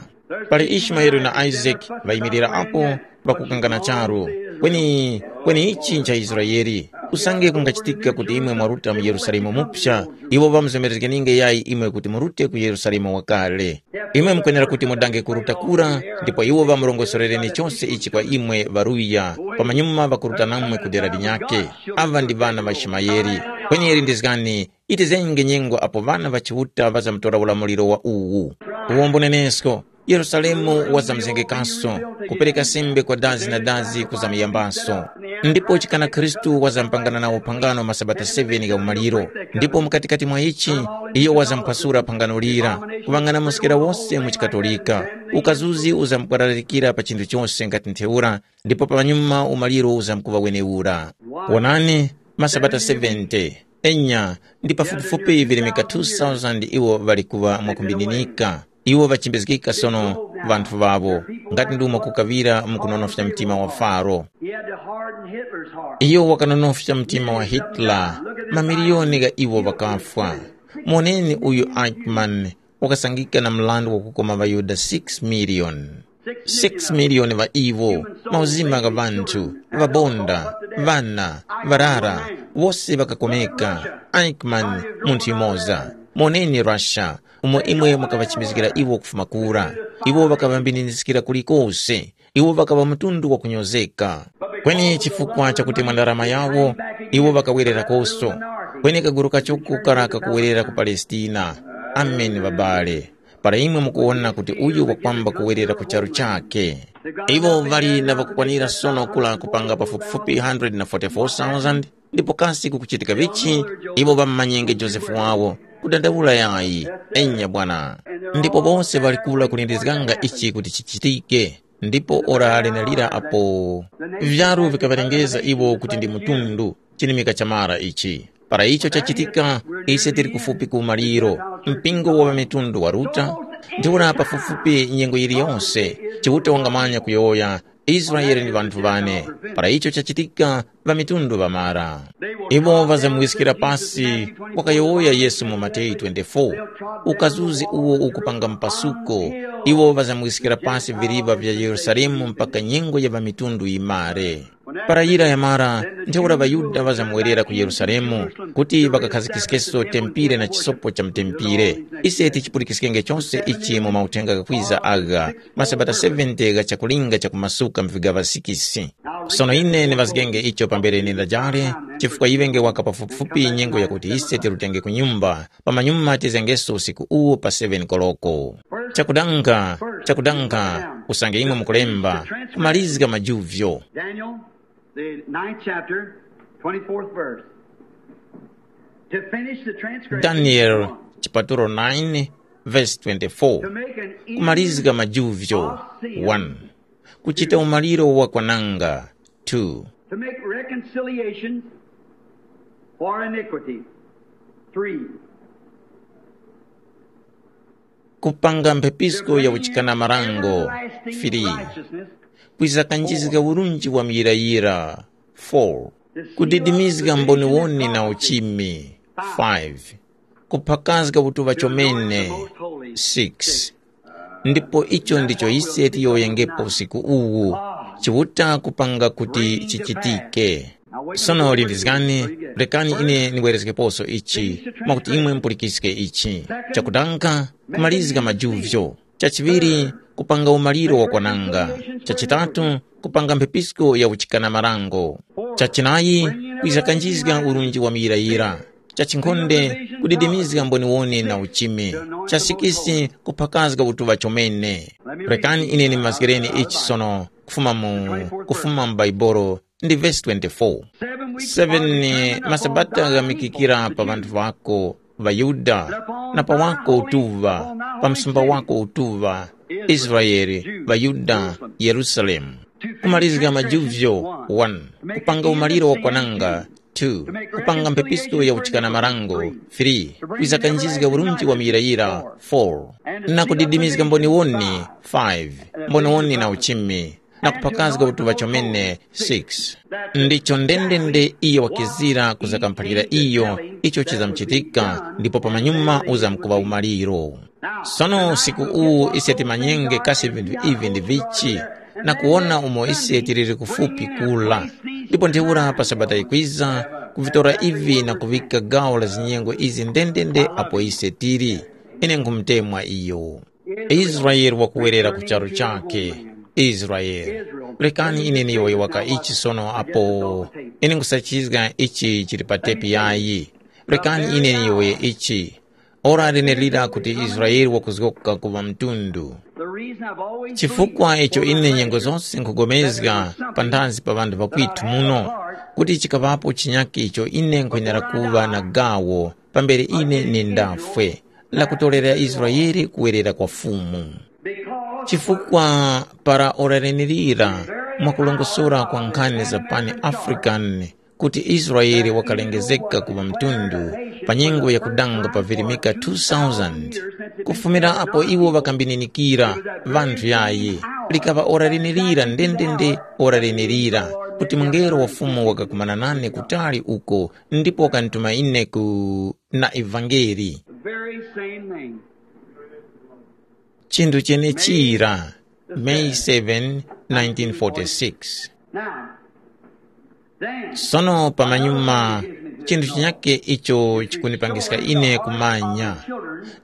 Pali Ismaele na Isaac ŵayimirira apo, ŵakukangana charu. Kweni, kweni ichi ncha Israele. Usange kungachitika kuti imwe mwaruta mu Yerusalemu mupsa, iwo ŵamuzemerezgeninge yayi imwe kuti murute ku Yerusalemu wakale. Imwe mukwenera kuti mudange kuruta kura, ndipo iwo ŵamurongozgereni chose ichi kwa imwe ŵaruya, pamanyuma ŵakuruta namwe ku dera linyakhe. Aŵa ndi ŵana ŵa Ishimayeli. Kweni lindizgani, itizenge nyengo apo ŵana ŵa Chiuta ŵazamutora ulamuliro wa uwu. Uwombo nenesko, Yerusalemu wazamuzengekaso, kupereka sembe kwa dazi na dazi kuzamuyambaso. Ndipo chikana Khristu wazamupangana nawo phangano masabata seven gha umaliro, ndipo mukatikati mwa ichi, iyo wazamphwasula phangano lira, kuŵangana muskera wose mu chikatolika. Ukazuzi uzamupwaralikira pa chinthu chose ngati ntheura, ndipo panyuma umaliro uzamkuŵa wenewura. Wonani, masabata seventy, enya, ndi pafupifupi virimika two thousand iwo ŵali kuŵa mwakumbininika. Iwo ŵachimbizgika sono ŵanthu ŵawo, ngati ndi umo kukaŵira mu kunonofya mtima wa Faro. He had to harden Hitler's heart. Iyo wakanonofya mtima wa Hitler, mamiliyoni gha iwo ŵakafwa. Moneni uyu Eichmann wakasangika na mrandu wakukoma ŵaYuda six million. Six million ŵa iwo, mauzima gha ŵanthu, ŵabonda, ŵana, ŵarara, wose ŵakakomeka. Eichmann, munthu yumoza. Moneni Russia, umo imwe mukaŵachimizgira iwo kufuma kura. Iwo ŵakaŵambininiskira kulikose. Iwo ŵakaŵa mtundu wakunyozeka. Kweni chifukwa chakuti mwa ndarama yawo, iwo ŵakawererakoso. Kweni kaguru kachoko kara kakuwerera ku Palestina. Ameni, ŵabale. Para imwe mukuwona kuti uyu wakwamba kuwerera ku charu chakhe. Iwo ŵali na ŵakukwanira sono kula kupanga pafupifupi one hundred forty-four thousand, ndipo kasi kukuchitika vichi? Iwo ŵammanyenge Josefe wawo, kudandaula yayi, enya bwana. Ndipo bose ŵali kula kulindizganga ichi kuti chichitike. Ndipo ora lenelira apo, vyaru vikaŵalengeza iwo kuti ndi mtundu, chinimika chamara ichi. Para icho chachitika, ise tili kufupi ku maliro, mpingo wa ŵamitundu waruta. Ntheura pafupifupi nyengo yiliyonse, Chiuta wangamanya kuyowoya Israele ndi ŵanthu ŵane. Para icho chachitika, ŵamitundu ŵamara. Iwo ŵazamwiskira pasi, wakayowoya Yesu mu Mateyu twenty-four. Ukazuzi uwo ukupanga mpasuko, iwo ŵazamwiskira pasi viriva vya Yerusalemu mpaka nyengo ya ŵamitundu yimare. Para yira yamara, ntheura ŵaYuda ŵazamwerera ku Yerusalemu, kuti ŵakakhazikiskeso tempire na chisopo cha mutempire. Ise tichipulikiskenge chose ichi mu mauthenga ghakwiza agha, masabata seventy gha chakulinga chakumasuka mu vigaŵa sikisi. Sono ine ndiŵazgenge icho pambere nenda jale, chifukwa yiŵenge waka pafupifupi nyengo yakuti ise tirutenge ku nyumba, pamanyuma tizengeso usiku uwu pa seven koloko. Chakudanga, chakudanga, usange imwe mukulemba, kumalizga majuvyo. Daniel, the ninth chapter, twenty-fourth verse. To finish the transgression, Daniel one. Chipatulo nine, verse twenty-four. To make an end Kumalizga majuvyo, of sin. One. Kuchita umaliro wa kwananga, two. To make reconciliation for iniquity, three. Kupanga mphepisko ya uchikana marango, three. Kwiza kanjizga urunji wa muyirayira, four. Kudidimizga mboniwoni na uchimi, five. Kuphakazga utuŵa chomene, six. Ndipo icho ndicho ise tiyowoyengepo usiku uwu, chiwuta kupanga kuti chichitike. Sono lindizgani, rekani ine ndiwerezgeposo ichi, mwakuti imwe mupulikiske ichi. Chakudanga, kumalizga majuvyo. Chachiŵiri, kupanga umaliro wakwananga. Chachitatu, kupanga mphepisko ya uchikana marango. Chachinayi, kwiza kanjizga urunji wa muyirayira. Chachinkhonde, kudidimizga mboniwoni na uchimi. Cha sikisi, kuphakazga utuŵa chomene. Rekani ine ndimazgireni ichi sono kufuma mu, kufuma mu Baibolo ndi vesi twenty-four. Seven masabata ghamikikira pa ŵanthu ŵako ŵaYuda, na pa wako utuŵa, pa msumba wako utuŵa, Israele, ŵaYuda, Yerusalemu. Kumalizga majuvyo, one. Kupanga umaliro wakwananga, two. Kupanga mphepisko ya kuchikana marango, three. Kwiza kanjizga urunji wa muyirayira, four. Na kudidimizga mboniwoni, five. Mboniwoni na uchimi, na kuphakazga utuŵa chomene, six. Ndicho ndendende iyo wakizira kuzakamuphalira iyo icho chizamuchitika, ndipo pamanyuma uzamkuŵa umaliro. Sono usiku uwu ise timanyenge kasi vinthu ivi ndi vichi, na kuwona umo ise tiliri kufupi kula. Ndipo ntheura pa Sabata yikwiza, kuvitora ivi na kuŵika gawo la zinyengo izi ndendende apo ise tili. Ine nkhumutemwa iyo. Israele wakuwerera ku charu chakhe. Israele, rekani ine niyowoye waka ichi sono apo. Ine nkhusachizga ichi chili pa tepi yayi. Rekani ine niyowoye ichi. Ora lenelira kuti Israele wakuzgoka kuŵa mtundu. Chifukwa icho ine nyengo zose nkhugomezga panthazi pa ŵanthu ŵakwitu muno, kuti chikaŵapo chinyakhe icho ine nkhwenera kuŵa na gawo pambere ine nindafwe, la kutorera Israele kuwerera kwa Fumu. Chifukwa para ora lenelira mwakulongosora kwa nkhani za Pan-African kuti Israele wakalengezeka kuŵa mtundu pa nyengo ya kudanga pa virimika two thousand, kufumira apo iwo ŵakambininikira ŵanthu yayi, likaŵa ora lenelira ndendende ora lenelira kuti mungelo wa Fumu wakakumana nane kutali uko ndipo wakandituma ine ku na ivangeli. The very same thing. Chinthu chenechira, May seven, nineteen forty-six. Now, then, sono pamanyuma, chinthu chinyake icho chikunipangiska ine kumanya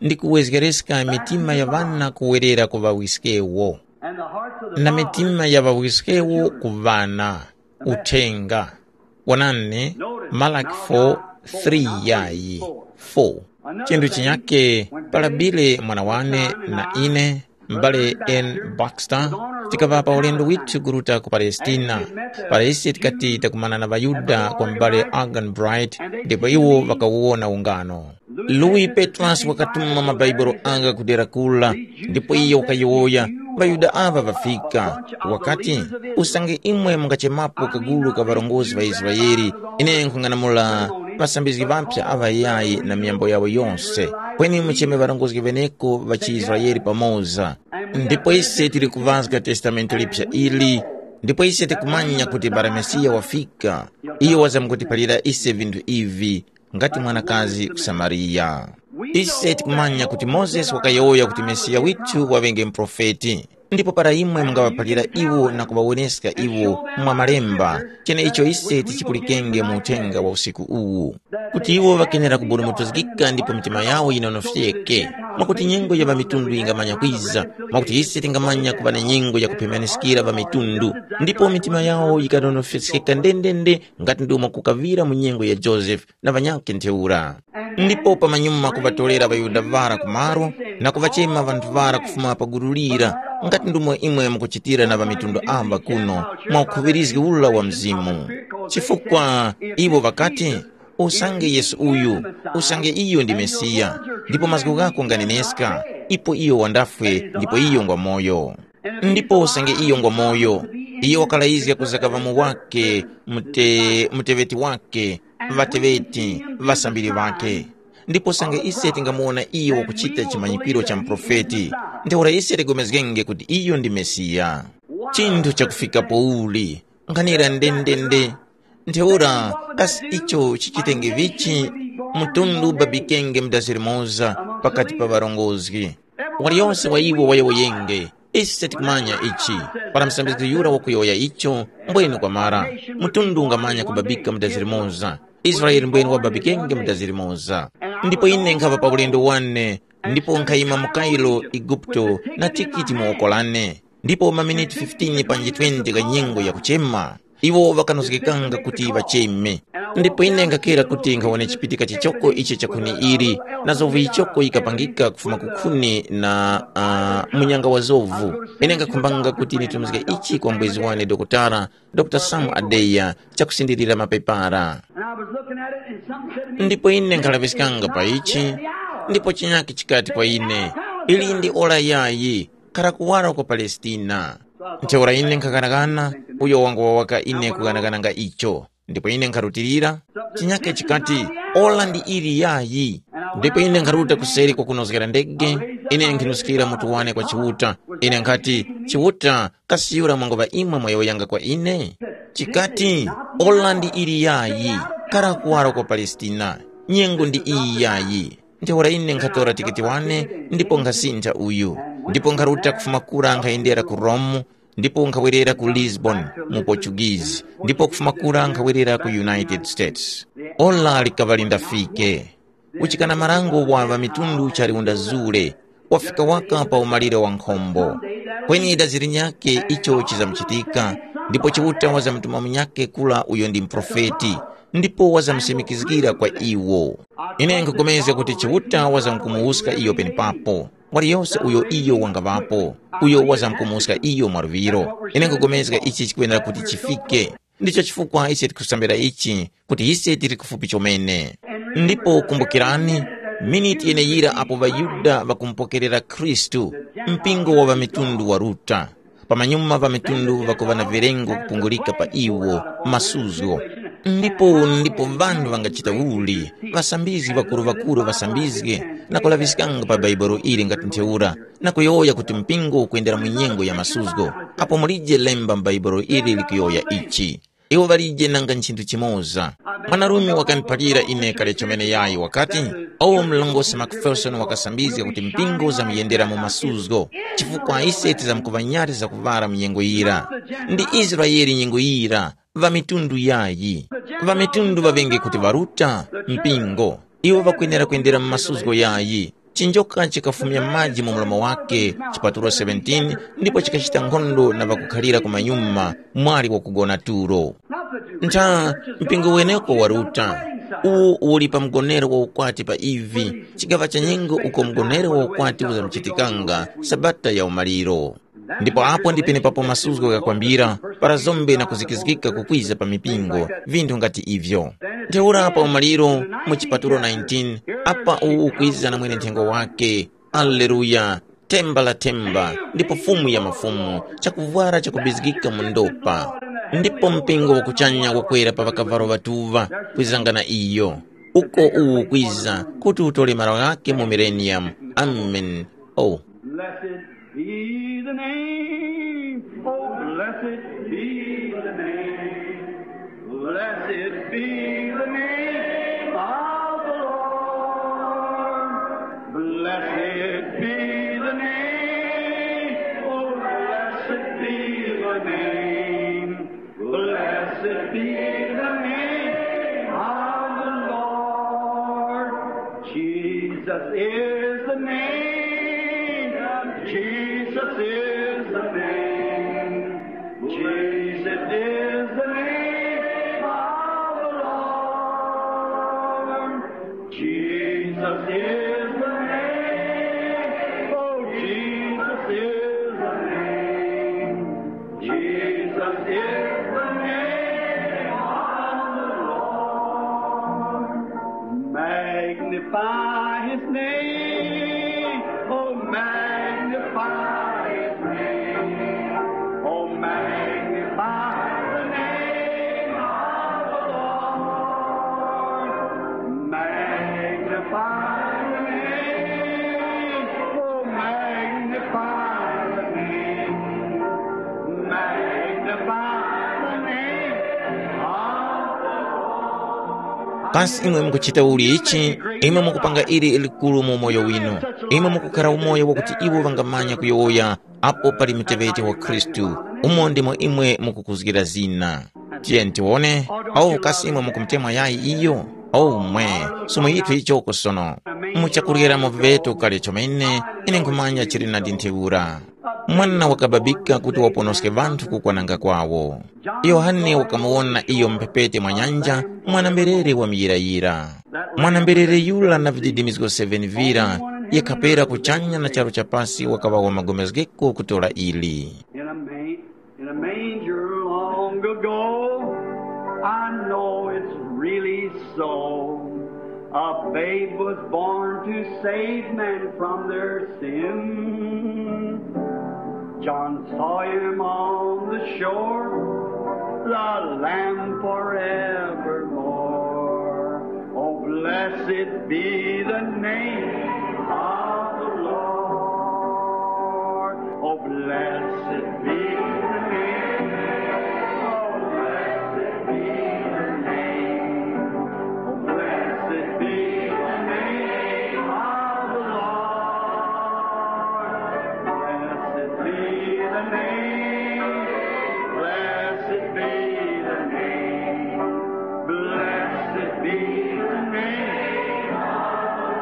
ndi kuwezgereska mitima ya ŵana kuwerera ku ŵawiskewo, and the hearts of the na fathers mitima ya ŵawiskewo ku ŵana. Uthenga. Wonani, Malaki four three yayi, four. Chinthu chinyake, palabile mwana wane na ine, m'bale N Baxter, tikaŵa pa ulendo withu kuruta ku Palestina. Para ise tikati takumana na ŵaYuda kwa m'bale Arganbright, ndipo iwo ŵakawuwona ungano. Louis Petras wakatuma mabaibulo anga ku dera kula, ndipo iyo wakayowoya, ŵaYuda aŵa ŵafika. Wakati, usange imwe mungachemapo kagulu ka ŵarongozgi ŵa Israele, ine nkhung'anamula ŵasambizgi ŵapsa aŵa yayi na miyambo yawo yose, kweni mucheme ŵarongozgi ŵeneko ŵa chiIsraele pamoza. Ndipo ise tili kuŵazga Testamenti Liphya ili, Ndipo ise tikumanya kuti para Mesiya wafika, iyo wazamkutiphalira ise vinthu ivi, ngati mwanakazi ku Samariya. Ise tikumanya kuti Mozesi wakayowoya kuti Mesiya withu waŵenge muprofeti. Ndipo para imwe mungaŵaphalira iwo na kuŵawoneska iwo mwa Malemba, cheneicho ise tichipulikenge mu uthenga wa usiku uwu, kuti iwo ŵakenera kuburumutuzgika ndipo mitima yawo yinonofyeke, mwakuti nyengo ya ŵamitundu yingamanya kwiza, mwakuti ise tingamanya kuŵa na nyengo ya kuphemaniskira ŵamitundu, ndipo mitima yawo yikanonofyeskeka ndendende ngati ndomwe kukaŵira mu nyengo ya Josefe na ŵanyakhe ntheura. Ndipo pamanyuma kuŵatorera ŵaYuda ŵara ku malo na kuŵachema ŵanthu ŵara kufuma pa gulu lira, ngati ndumo imwe mukuchitira na ŵamitundu amba kuno mwa ukhuŵirizgi ula wa Mzimu. Chifukwa iwo ŵakati, usange Yesu uyu, usange iyo ndi Mesiya, ndipo mazgu ghako nganeneska, ipo iyo wandafwe ndipo iyo ngwamoyo. Ndipo usange iyo ngwamoyo, iyo wakalayizga kuzaka ŵamu wake, mute, muteŵeti wake, ŵateŵeti, ŵasambiri ŵakhe. Ndipo usange ise tingamuwona iyo wakuchita chimanyikiro cha muprofeti, ntheura ise tigomezgenge kuti iyo ndi Mesiya. Chinthu chakufikapo uli, nkhanira ndendende. Ntheura kasi icho chichitenge vichi? Mtundu ubabikenge mudazirimoza pakati pa ŵarongozgi. Waliyonse wa iwo wayowoyenge, ise tikumanya ichi. Para musambizgi yura wakuyowoya icho, mbwene kwamara, mtundu ungamanya kubabika mudazirimoza. Israele mbwene wababikenge mudazirimoza. Ndipo ine nkhava pa ulendo wane, ndipo nkhayima mu Kairo, Eguputo, na tikiti mu woko lane. Ndipo maminiti fifteen panji twenty gha nyengo yakuchema, iwo ŵakanozgekanga kuti ŵacheme. Ndipo ine nkhakera kuti nkhawone chipitika chichoko ichi cha khuni ili, na zovu yichoko yikapangika kufuma ku khuni na uh, munyanga wa zovu. Ine nkakhumbanga kuti nditumizge ichi kwa mbwezi wane dokotala, Dr Sam Adeya, chakusindirira mapepara. And I was looking at it, and something said to me, ndipo ine nkhalaŵiskanga pa ichi, ndipo chinyakhe chikati kwa ine, ili ndi ora yayi, khara kuwara ku Palestina. Ntheura ine nkhaghanaghana, uyo wangu wawaka ine kughanaghana nga icho. Ndipo ine nkharutilira, chinyakhe chikati, ora ndi ili yayi. Ndipo ine nkharuta kuseri kwa kunozgera ndege, ine nkhinuskira mutu wane kwa Chiuta. Ine nkhati, Chiuta, kasiyura mwanguŵa imwe mwayowoyanga kwa ine? Chikati, ora ndi ili yayi, khara kuwara kwa Palestina, nyengo ndi iyi yayi. Ntheura ine nkhatora tiketi wane ndipo nkhasintha uyu, ndipo nkharuta kufuma kura nkhayendera ku Rome, ndipo nkhawerera ku Lisbon mu Portuguese, ndipo kufuma kura nkhawerera ku United States. Ora likaŵa lindafike. Kuchikana marango wa ŵamitundu chali undazule, wafika waka pa umalire wa nkhombo. Kweni dazi linyakhe icho chizamuchitika, ndipo Chiuta wazamutuma munyakhe kura uyo ndi muprofeti, ndipo wazamusimikizgira kwa iwo. Ine nkhupulikana kuti Chiuta wazamkumuwuska iyo penepapo, waliyose uyo iyo wangaŵapo, uyo wazamkumuwuska iyo mwaluŵiro. Ine nkhupulikana ichi chikwenera kuti chifike. Ndicho chifukwa ise tikusambira ichi, kuti ise tili kufupi chomene. Ndipo kumbukirani, miniti yeneyira apo ŵaYuda ŵakumupokerera Khristu, mpingo wa ŵamitundu waruta. Pamanyuma ŵamitundu ŵakuŵa na virengo kupungulika pa iwo, masuzgo. Ndipo ndipo ŵanthu ŵangachita uli, ŵasambizgi ŵakuru-ŵakuru ŵasambizge na kulaŵiskanga pa Bhaibuli ili ngati ntheura, na kuyowoya kuti mpingo ukwendera mu nyengo ya masuzgo, apo mulije lemba m'Bhaibuli ili likuyowoya ichi. Iwo ŵalije nanga nchinthu chimoza. Mwanarume wakandiphalira ine kale chomene yayi wakati, awo mlongosi Macpherson wakasambizga kuti mpingo uzamuyendera mu masuzgo, chifukwa ise tizamkuŵa nyali zakuŵala mu nyengo yira. Ndi Israele nyengo yira, ŵamitundu yayi. Ŵamitundu ŵaŵenge kuti ŵaruta, mpingo. Iwo ŵakwenera kwendera mu masuzgo yayi. Chinjoka chikafumya maji mu mlomo wake, chipatulo seventeen, ndipo chikachita nkhondo na ŵakukhalira kumanyuma, mwali wakugona tulo. Ntha mpingo weneko waruta, uwo uli pa mgonero wa ukwati pa ivi, chigaŵa cha nyengo uko mgonero wa ukwati uzamuchitikanga, sabata ya umaliro. Ndipo apo ndi penepapo masuzgo ghakwambira, para zombe na kuzikizgika kukwiza pa mipingo, vinthu ngati ivyo. Ntheura pa umaliro, mu chipatulo nineteen, apa uwu ukwiza na mwenenthengo wake, Aleluya, themba la themba, ndipo Fumu ya mafumu, chakuvwara chakubizgika mu ndopa. Ndipo mpingo wa kuchanya wakwera pa ŵakavalo ŵatuŵa, kwizanga na iyo. Uko uwu ukwiza, kuti utole malo ghake mu millennium. Amen. Oh. Blessed be the name. Oh, blessed be Blessed be the name of the Lord. Blessed be the name. Oh, blessed be the name. Blessed be the name of the Lord. Jesus is the name. Jesus is the name. Jesus is the name of the Lord. Jesus is the name. Oh, Jesus is the name. Jesus is the name of the Lord. Magnify his name. Oh, magnify his name. Oh, magnify the name of the Lord. Magnify the name. Oh, magnify the name. Magnify the name of the Lord. Kasi imwe mukuchita uli ichi? Imwe mukupanga ili likuru mu umoyo winu. Imwe mukukhara umoyo wakuti iwo ŵangamanya kuyowoya apo pali muteŵeti wa Khristu. Umo ndimo imwe mukukuzgira zina. Tiyeni tiwone. Awu kasi imwe mukumutemwa yayi iyo? Awu mwe, sumo yithu ichoko sono. Muchakuryera mu veto kale chomene, ine nkhumanya chili na dinthewura. Mwana wakababika kuti waponoske ŵanthu kukwananga kwawo. Yohane wakamuwona iyo mphepete mwa nyanja, mwana-mberere wa muyirayira. Mwana-mberere yura na vididimizgo seven vira, yekhapera kuchanya na charu cha pasi wakaŵa wa magomezgeko kutora ili. In a, ma- in a manger long ago, I know it's really so. A babe was born to save men from their sin. John saw him on the shore, the Lamb forevermore. Oh, blessed be the name of the Lord. Oh, blessed be the name. Oh, blessed be the name. Oh, blessed be the name of the Lord. Blessed be the name. Blessed be the name. Blessed be the name of the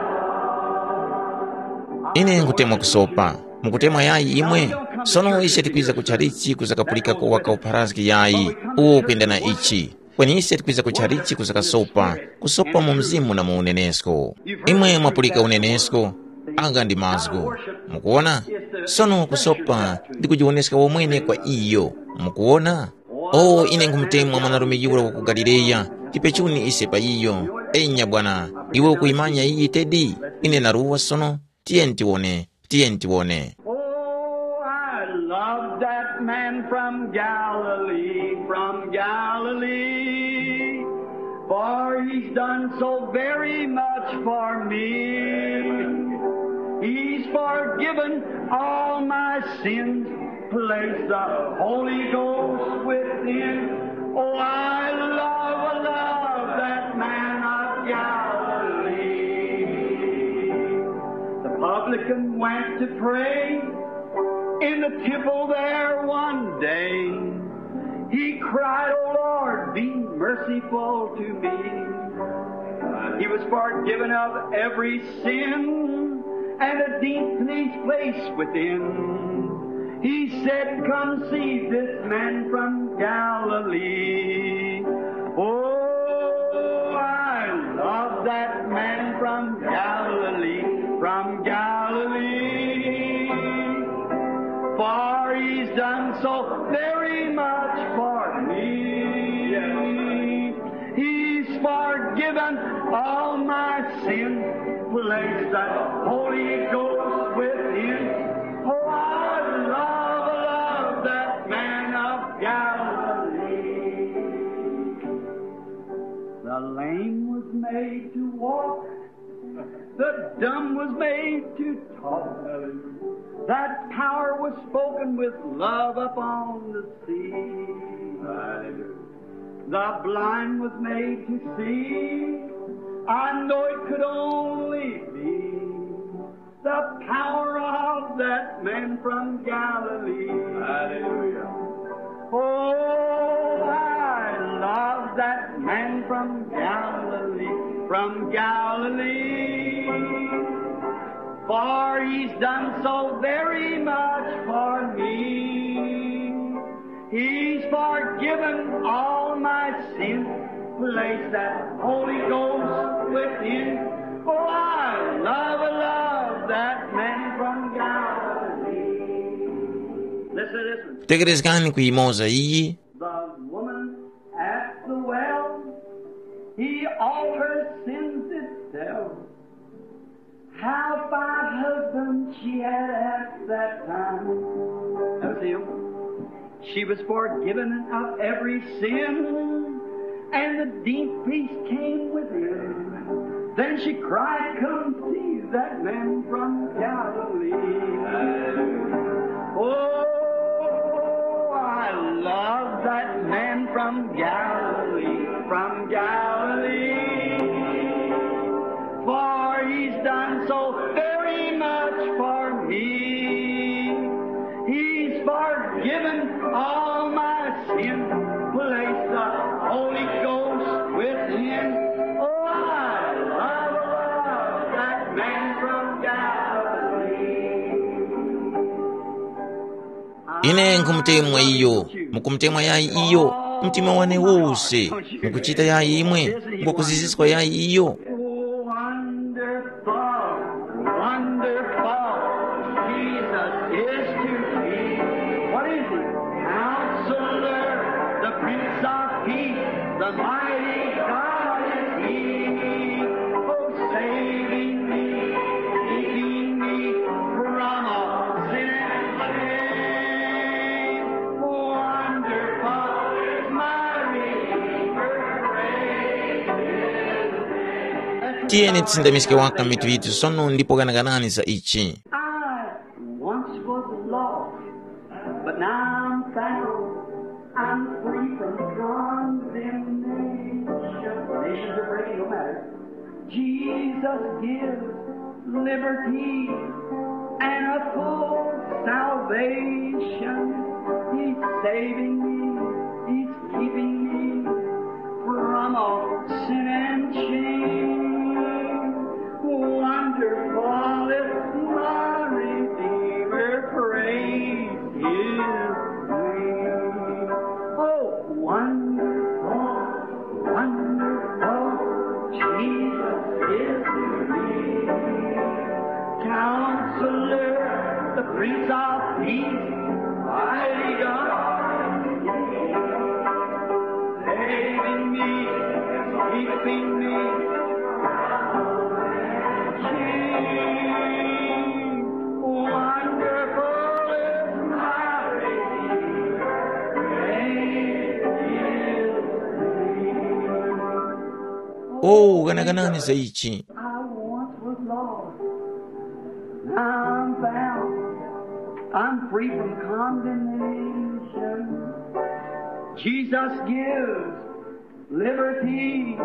Lord. Ine nkutemwa kusopa. Mukutemwa yayi imwe? Sono ise tikwiza ku chalichi kuzakapulika ko waka upharazgi yayi. Uwo ukuyenda na ichi. Kweni ise tikwiza ku chalichi kuzakasopa, kusopa mu mzimu na mu unenesko. Imwe mwapulika unenesko, anga ndi mazgu. Mukuwona? Sono kusopa ndi kujiwoneska womwene kwa iyo. Mukuwona? O, ine nkhumutemwa mwanarume yura wa ku Galileya, tipechuni ise pa iyo. Enya bwana, iwe ukuyimanya iyi tedi? Ine naruwa sono. Tiyeni tiwone, tiyeni tiwone. Oh, I love that man from Galilee, from Galilee, for he's done so very much for me. He's forgiven all my sins, placed the Holy Ghost within. Oh, I love, I love that man of Galilee. The publican went to pray in the temple there one day. He cried, "Oh Lord, be merciful to me." He was forgiven of every sin, and a deep peace place within. He said, "Come see this man from Galilee." Oh, I love that man from Galilee, from Galilee. For he's done so very much for me. He's forgiven all my sin, placed that Holy Ghost within. Oh, I love, love that man of Galilee. The lame was made to walk, the dumb was made to talk. That power was spoken with love upon the sea. Hallelujah. The blind was made to see. I know it could only be the power of that man from Galilee. Hallelujah. Oh, I love that man from Galilee, from Galilee. For he's done so very much for me. He's forgiven all my sins. Place that Holy Ghost within. Oh, I love, I love that man from Galilee. Listen to this one. Tekerezgani kuyimoza iyi. The woman at the well, he all her sins did tell. How five husbands she had at that time. Now see, she was forgiven of every sin, and the deep peace came within. Then she cried, "Come see that man from Galilee." Oh, I love that man from Galilee, from Galilee. For he's done so very much for me. He's forgiven all my sin. Place the Holy Ghost within. Oh, I love, love that man from Galilee. Ine nkhumutemwa iyo, mukumutemwa yayi iyo, mtima wane wose, mukuchita yayi imwe, mukuziziskwa yayi iyo. Wonderful, wonderful, Jesus is to me. What is he? Counselor, the Prince of Peace, the mighty God is he. Oh, saving me, keeping me from all sin and shame. Wonderful is my Redeemer, praise his name. Tiyeni tisindamiske waka mitu yithu sono ndipo ganaganani za ichi. I once was lost, but now I'm found. I'm free from condemnation. Nations are breaking, no matter. Jesus gives liberty and a full salvation. He's saving me, he's keeping me from all sin and shame. Wonderful is my Redeemer, praise his name. Oh, wonderful, wonderful, Jesus is to me. Counselor, the Prince of Peace, mighty God, saving me, keeping me, King, wonderful is my Redeemer, praise his name. Oh, ganaganani za ichi. I once was lost. Now I'm found. I'm free from condemnation. Jesus gives liberty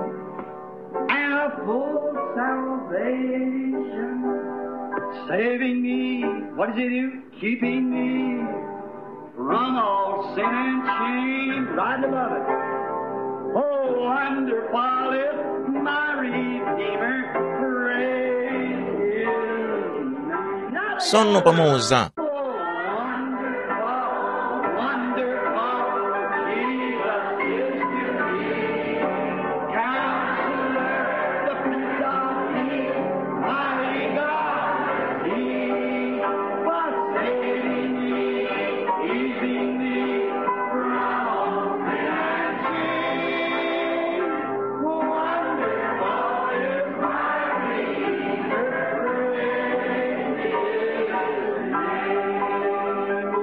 and a full salvation. Saving me. What does he do? Keeping me from all sin and shame, right above it. Oh, wonderful is my Redeemer, praise his name. Sono pamoza. Oh, wonderful, wonderful, Jesus is to me. Counselor, the Prince of Peace, mighty God, he was saving me, keeping me from sin and shame. Wonderful is my Redeemer, praise his name.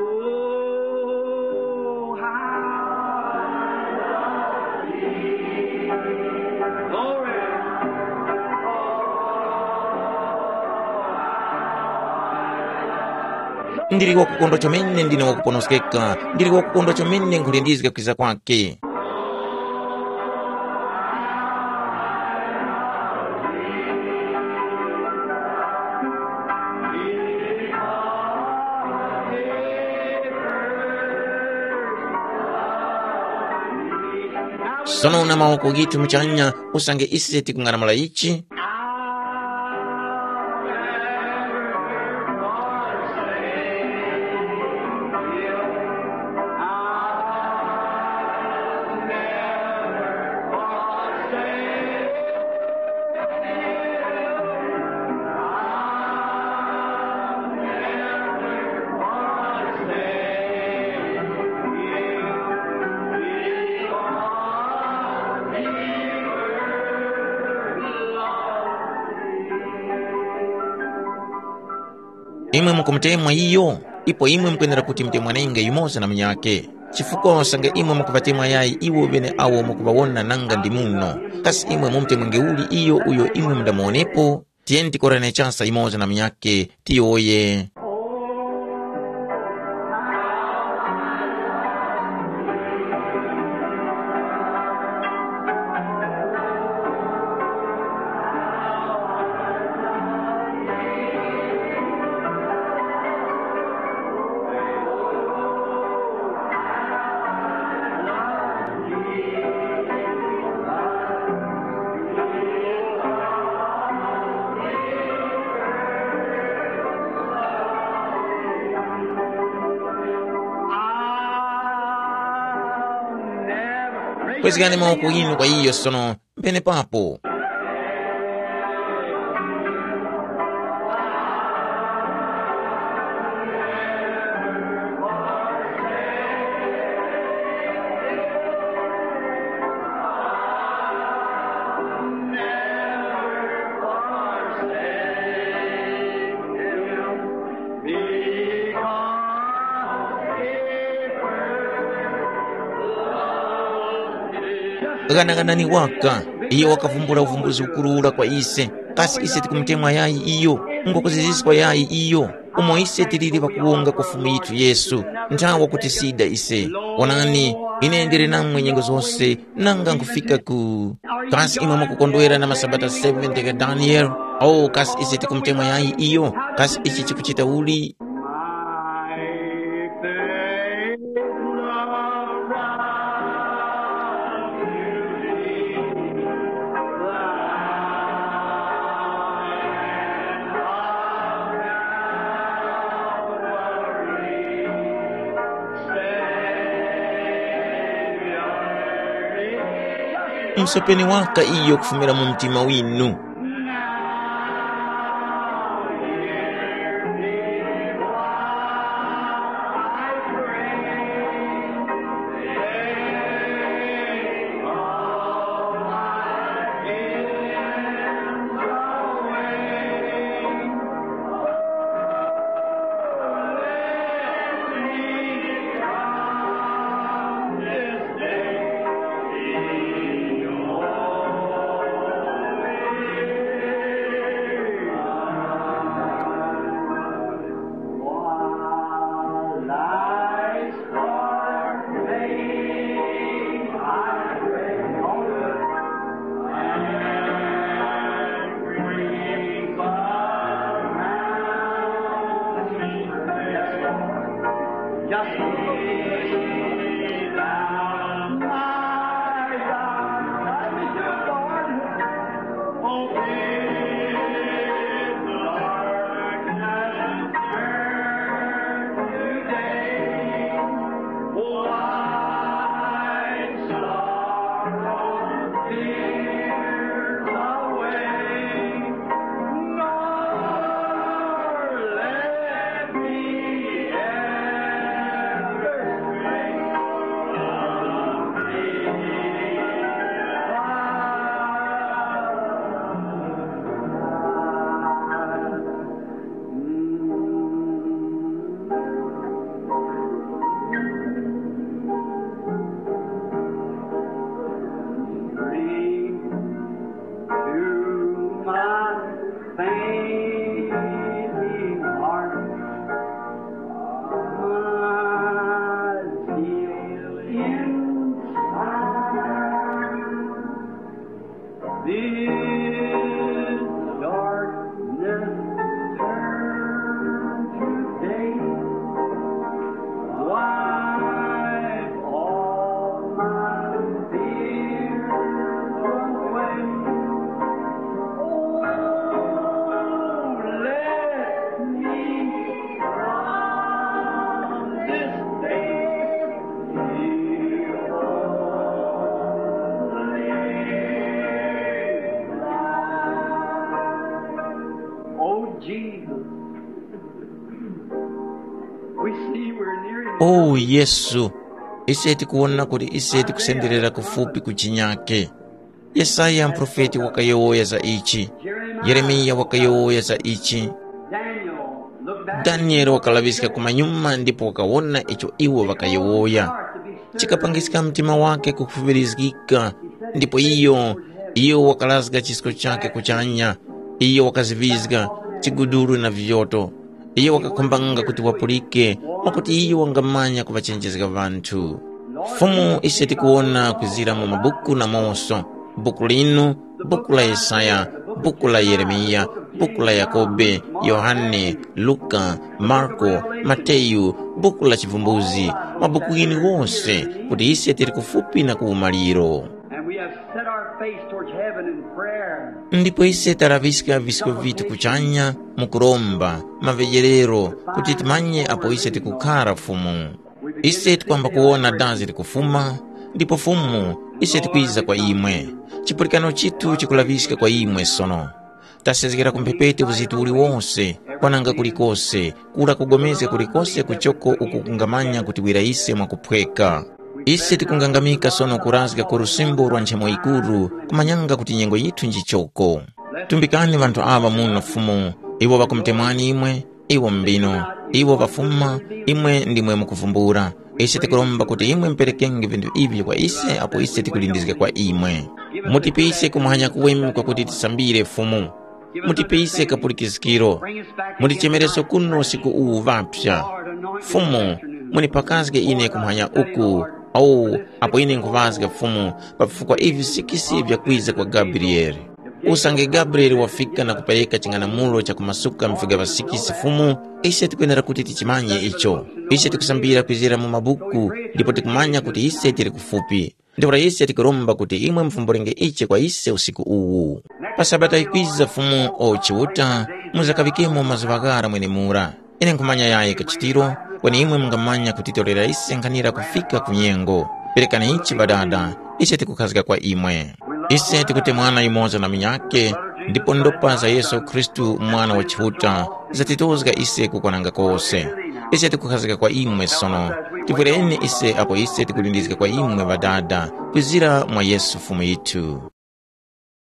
Oh, how I love thee. Glory. Ndili wakukondwa chomene ndine wakuponoskeka, ndili wakukondwa chomene nkhulindizga kwiza kwake. Sono na mawoko ghithu muchanya, usange ise tikung'anamula ichi. Imwe mukumutemwa iyo, ipo imwe mukwenera kuti mutemwanenge yumoza na munyakhe. Chifukwa usange imwe mukuŵatemwa yayi iwo ŵeneawo mukuŵawona nanga ndi muno, kasi imwe mumutemwenge uli iyo uyo imwe mundamuwonepo? Tiyeni tikorane chasa yumoza na munyakhe, tiyowoye. Kwezgani mawoko ghinu kwa iyo sono, mpenepapo. Ghanaghanani waka, iyo wakavumbula uvumbuzi ukuru ura kwa ise. Kasi ise tikumutemwa yayi iyo? Ngwakuziziskwa yayi iyo? Umo ise tiliri ŵakuwonga kwa Fumu yithu Yesu, nthawe wakutisida ise. Wonani, ine ndili namwe nyengo zose, nanga nkhufika ku. Kasi imwe mukukondwera na masabata seventy gha Daniele? O, kasi ise tikumutemwa yayi iyo? Kasi ichi chikuchita uli? Musopeni waka iyo kufumira mu mtima winu. We see we're nearing. Oh Yesu, ise tikuwona kuti ise tikusenderera kufupi ku chinyake. Yesaya muprofeti wakayowoya za ichi. Yeremiya wakayowoya za ichi. Daniel looked back. Daniele wakalaŵiska kumanyuma ndipo wakawona icho iwo ŵakayowoya. Chikapangiska mtima wake kukhuŵirizgika, ndipo iyo, iyo wakarazga chisko chake kuchanya. Iyo wakaziŵizga chigudulu na vivyoto. Iyo wakakhumbanga kuti wapulike, mwakuti iyo wangamanya kuŵachenjezga ŵanthu. Fumu ise tikuwona kwizira mu mabuku na Mose, buku linu, buku la Yesaya, buku la Yeremiya, buku la Yakobe, Yohane, Luka, Marko, Mateyu, buku la Chivumbuzi, mabuku gheni ghose, kuti ise tili kufupi na ku umaliro. And we have set our face towards heaven in prayer. Ndipo ise talaŵiska visko vitu kuchanya mu kuromba mavejerero kuti timanye apo ise tikukhara Fumu. Ise tikwamba kuwona dazi likufuma, ndipo Fumu, ise tikwiza kwa imwe. Chipulikano chitu chikulaŵiska kwa imwe sono. Tasezgera ku mphepete uzitu uliwose, kwananga kulikose, kura kugomezga kulikose kuchoko uku kungamanya kuti wira ise mwakuphweka. Ise tikungangamika sono kurazga ku lusimbo lwa nchemo yikuru, kumanyanga kuti nyengo yithu njichoko. Tumbikani ŵanthu aŵa muno Fumu, iwo ŵakumutemwani imwe, iwo mbino, iwo ŵafuma, imwe ndimwe mukuvumbula. Ise tikuromba kuti imwe muperekenge vinthu ivyo kwa ise apo ise tikulindizga kwa imwe. Mutipe ise kumuhanya kuweme kwakuti tisambire Fumu. Mutipe ise kapulikizgiro. Mutichemereso kuno usiku uwu ŵapsa. Fumu, munipakazge ine kumuhanya uku, awu apo ine nkhuŵazga Fumu pa vifukwa ivi sikisi vyakwiza kwa Gabriele. Usange Gabriele wafika na kupereka ching'anamulo cha kumasuka mu vigaŵa sikisi Fumu, ise tikwenera kuti tichimanye icho. Ise tikusambira kwizira mu mabuku ndipo tikumanya kuti ise tili kufupi. Ntheura ise tikuromba kuti imwe mufumburenge ichi kwa ise usiku uwu. Pa Sabata yikwiza Fumu o Chiuta, muzakaŵikemo mazuŵa ghara mwenemura. Ine nkhumanya yayi kachitiro, kweni imwe mungamanya kutitorera ise nkhanira kufika ku nyengo. Perekani ichi Ŵadada, ise tikukhazga kwa imwe. Ise tikutemwana yumoza na munyakhe, ndipo ndopa za Yesu Khristu Mwana wa Chiuta zatitozga ise kukwananga kose. Ise tikukhazika kwa imwe sono. Tivwereni ise apo ise tikulindizga kwa imwe Ŵadada, kwizira mwa Yesu Fumu yithu.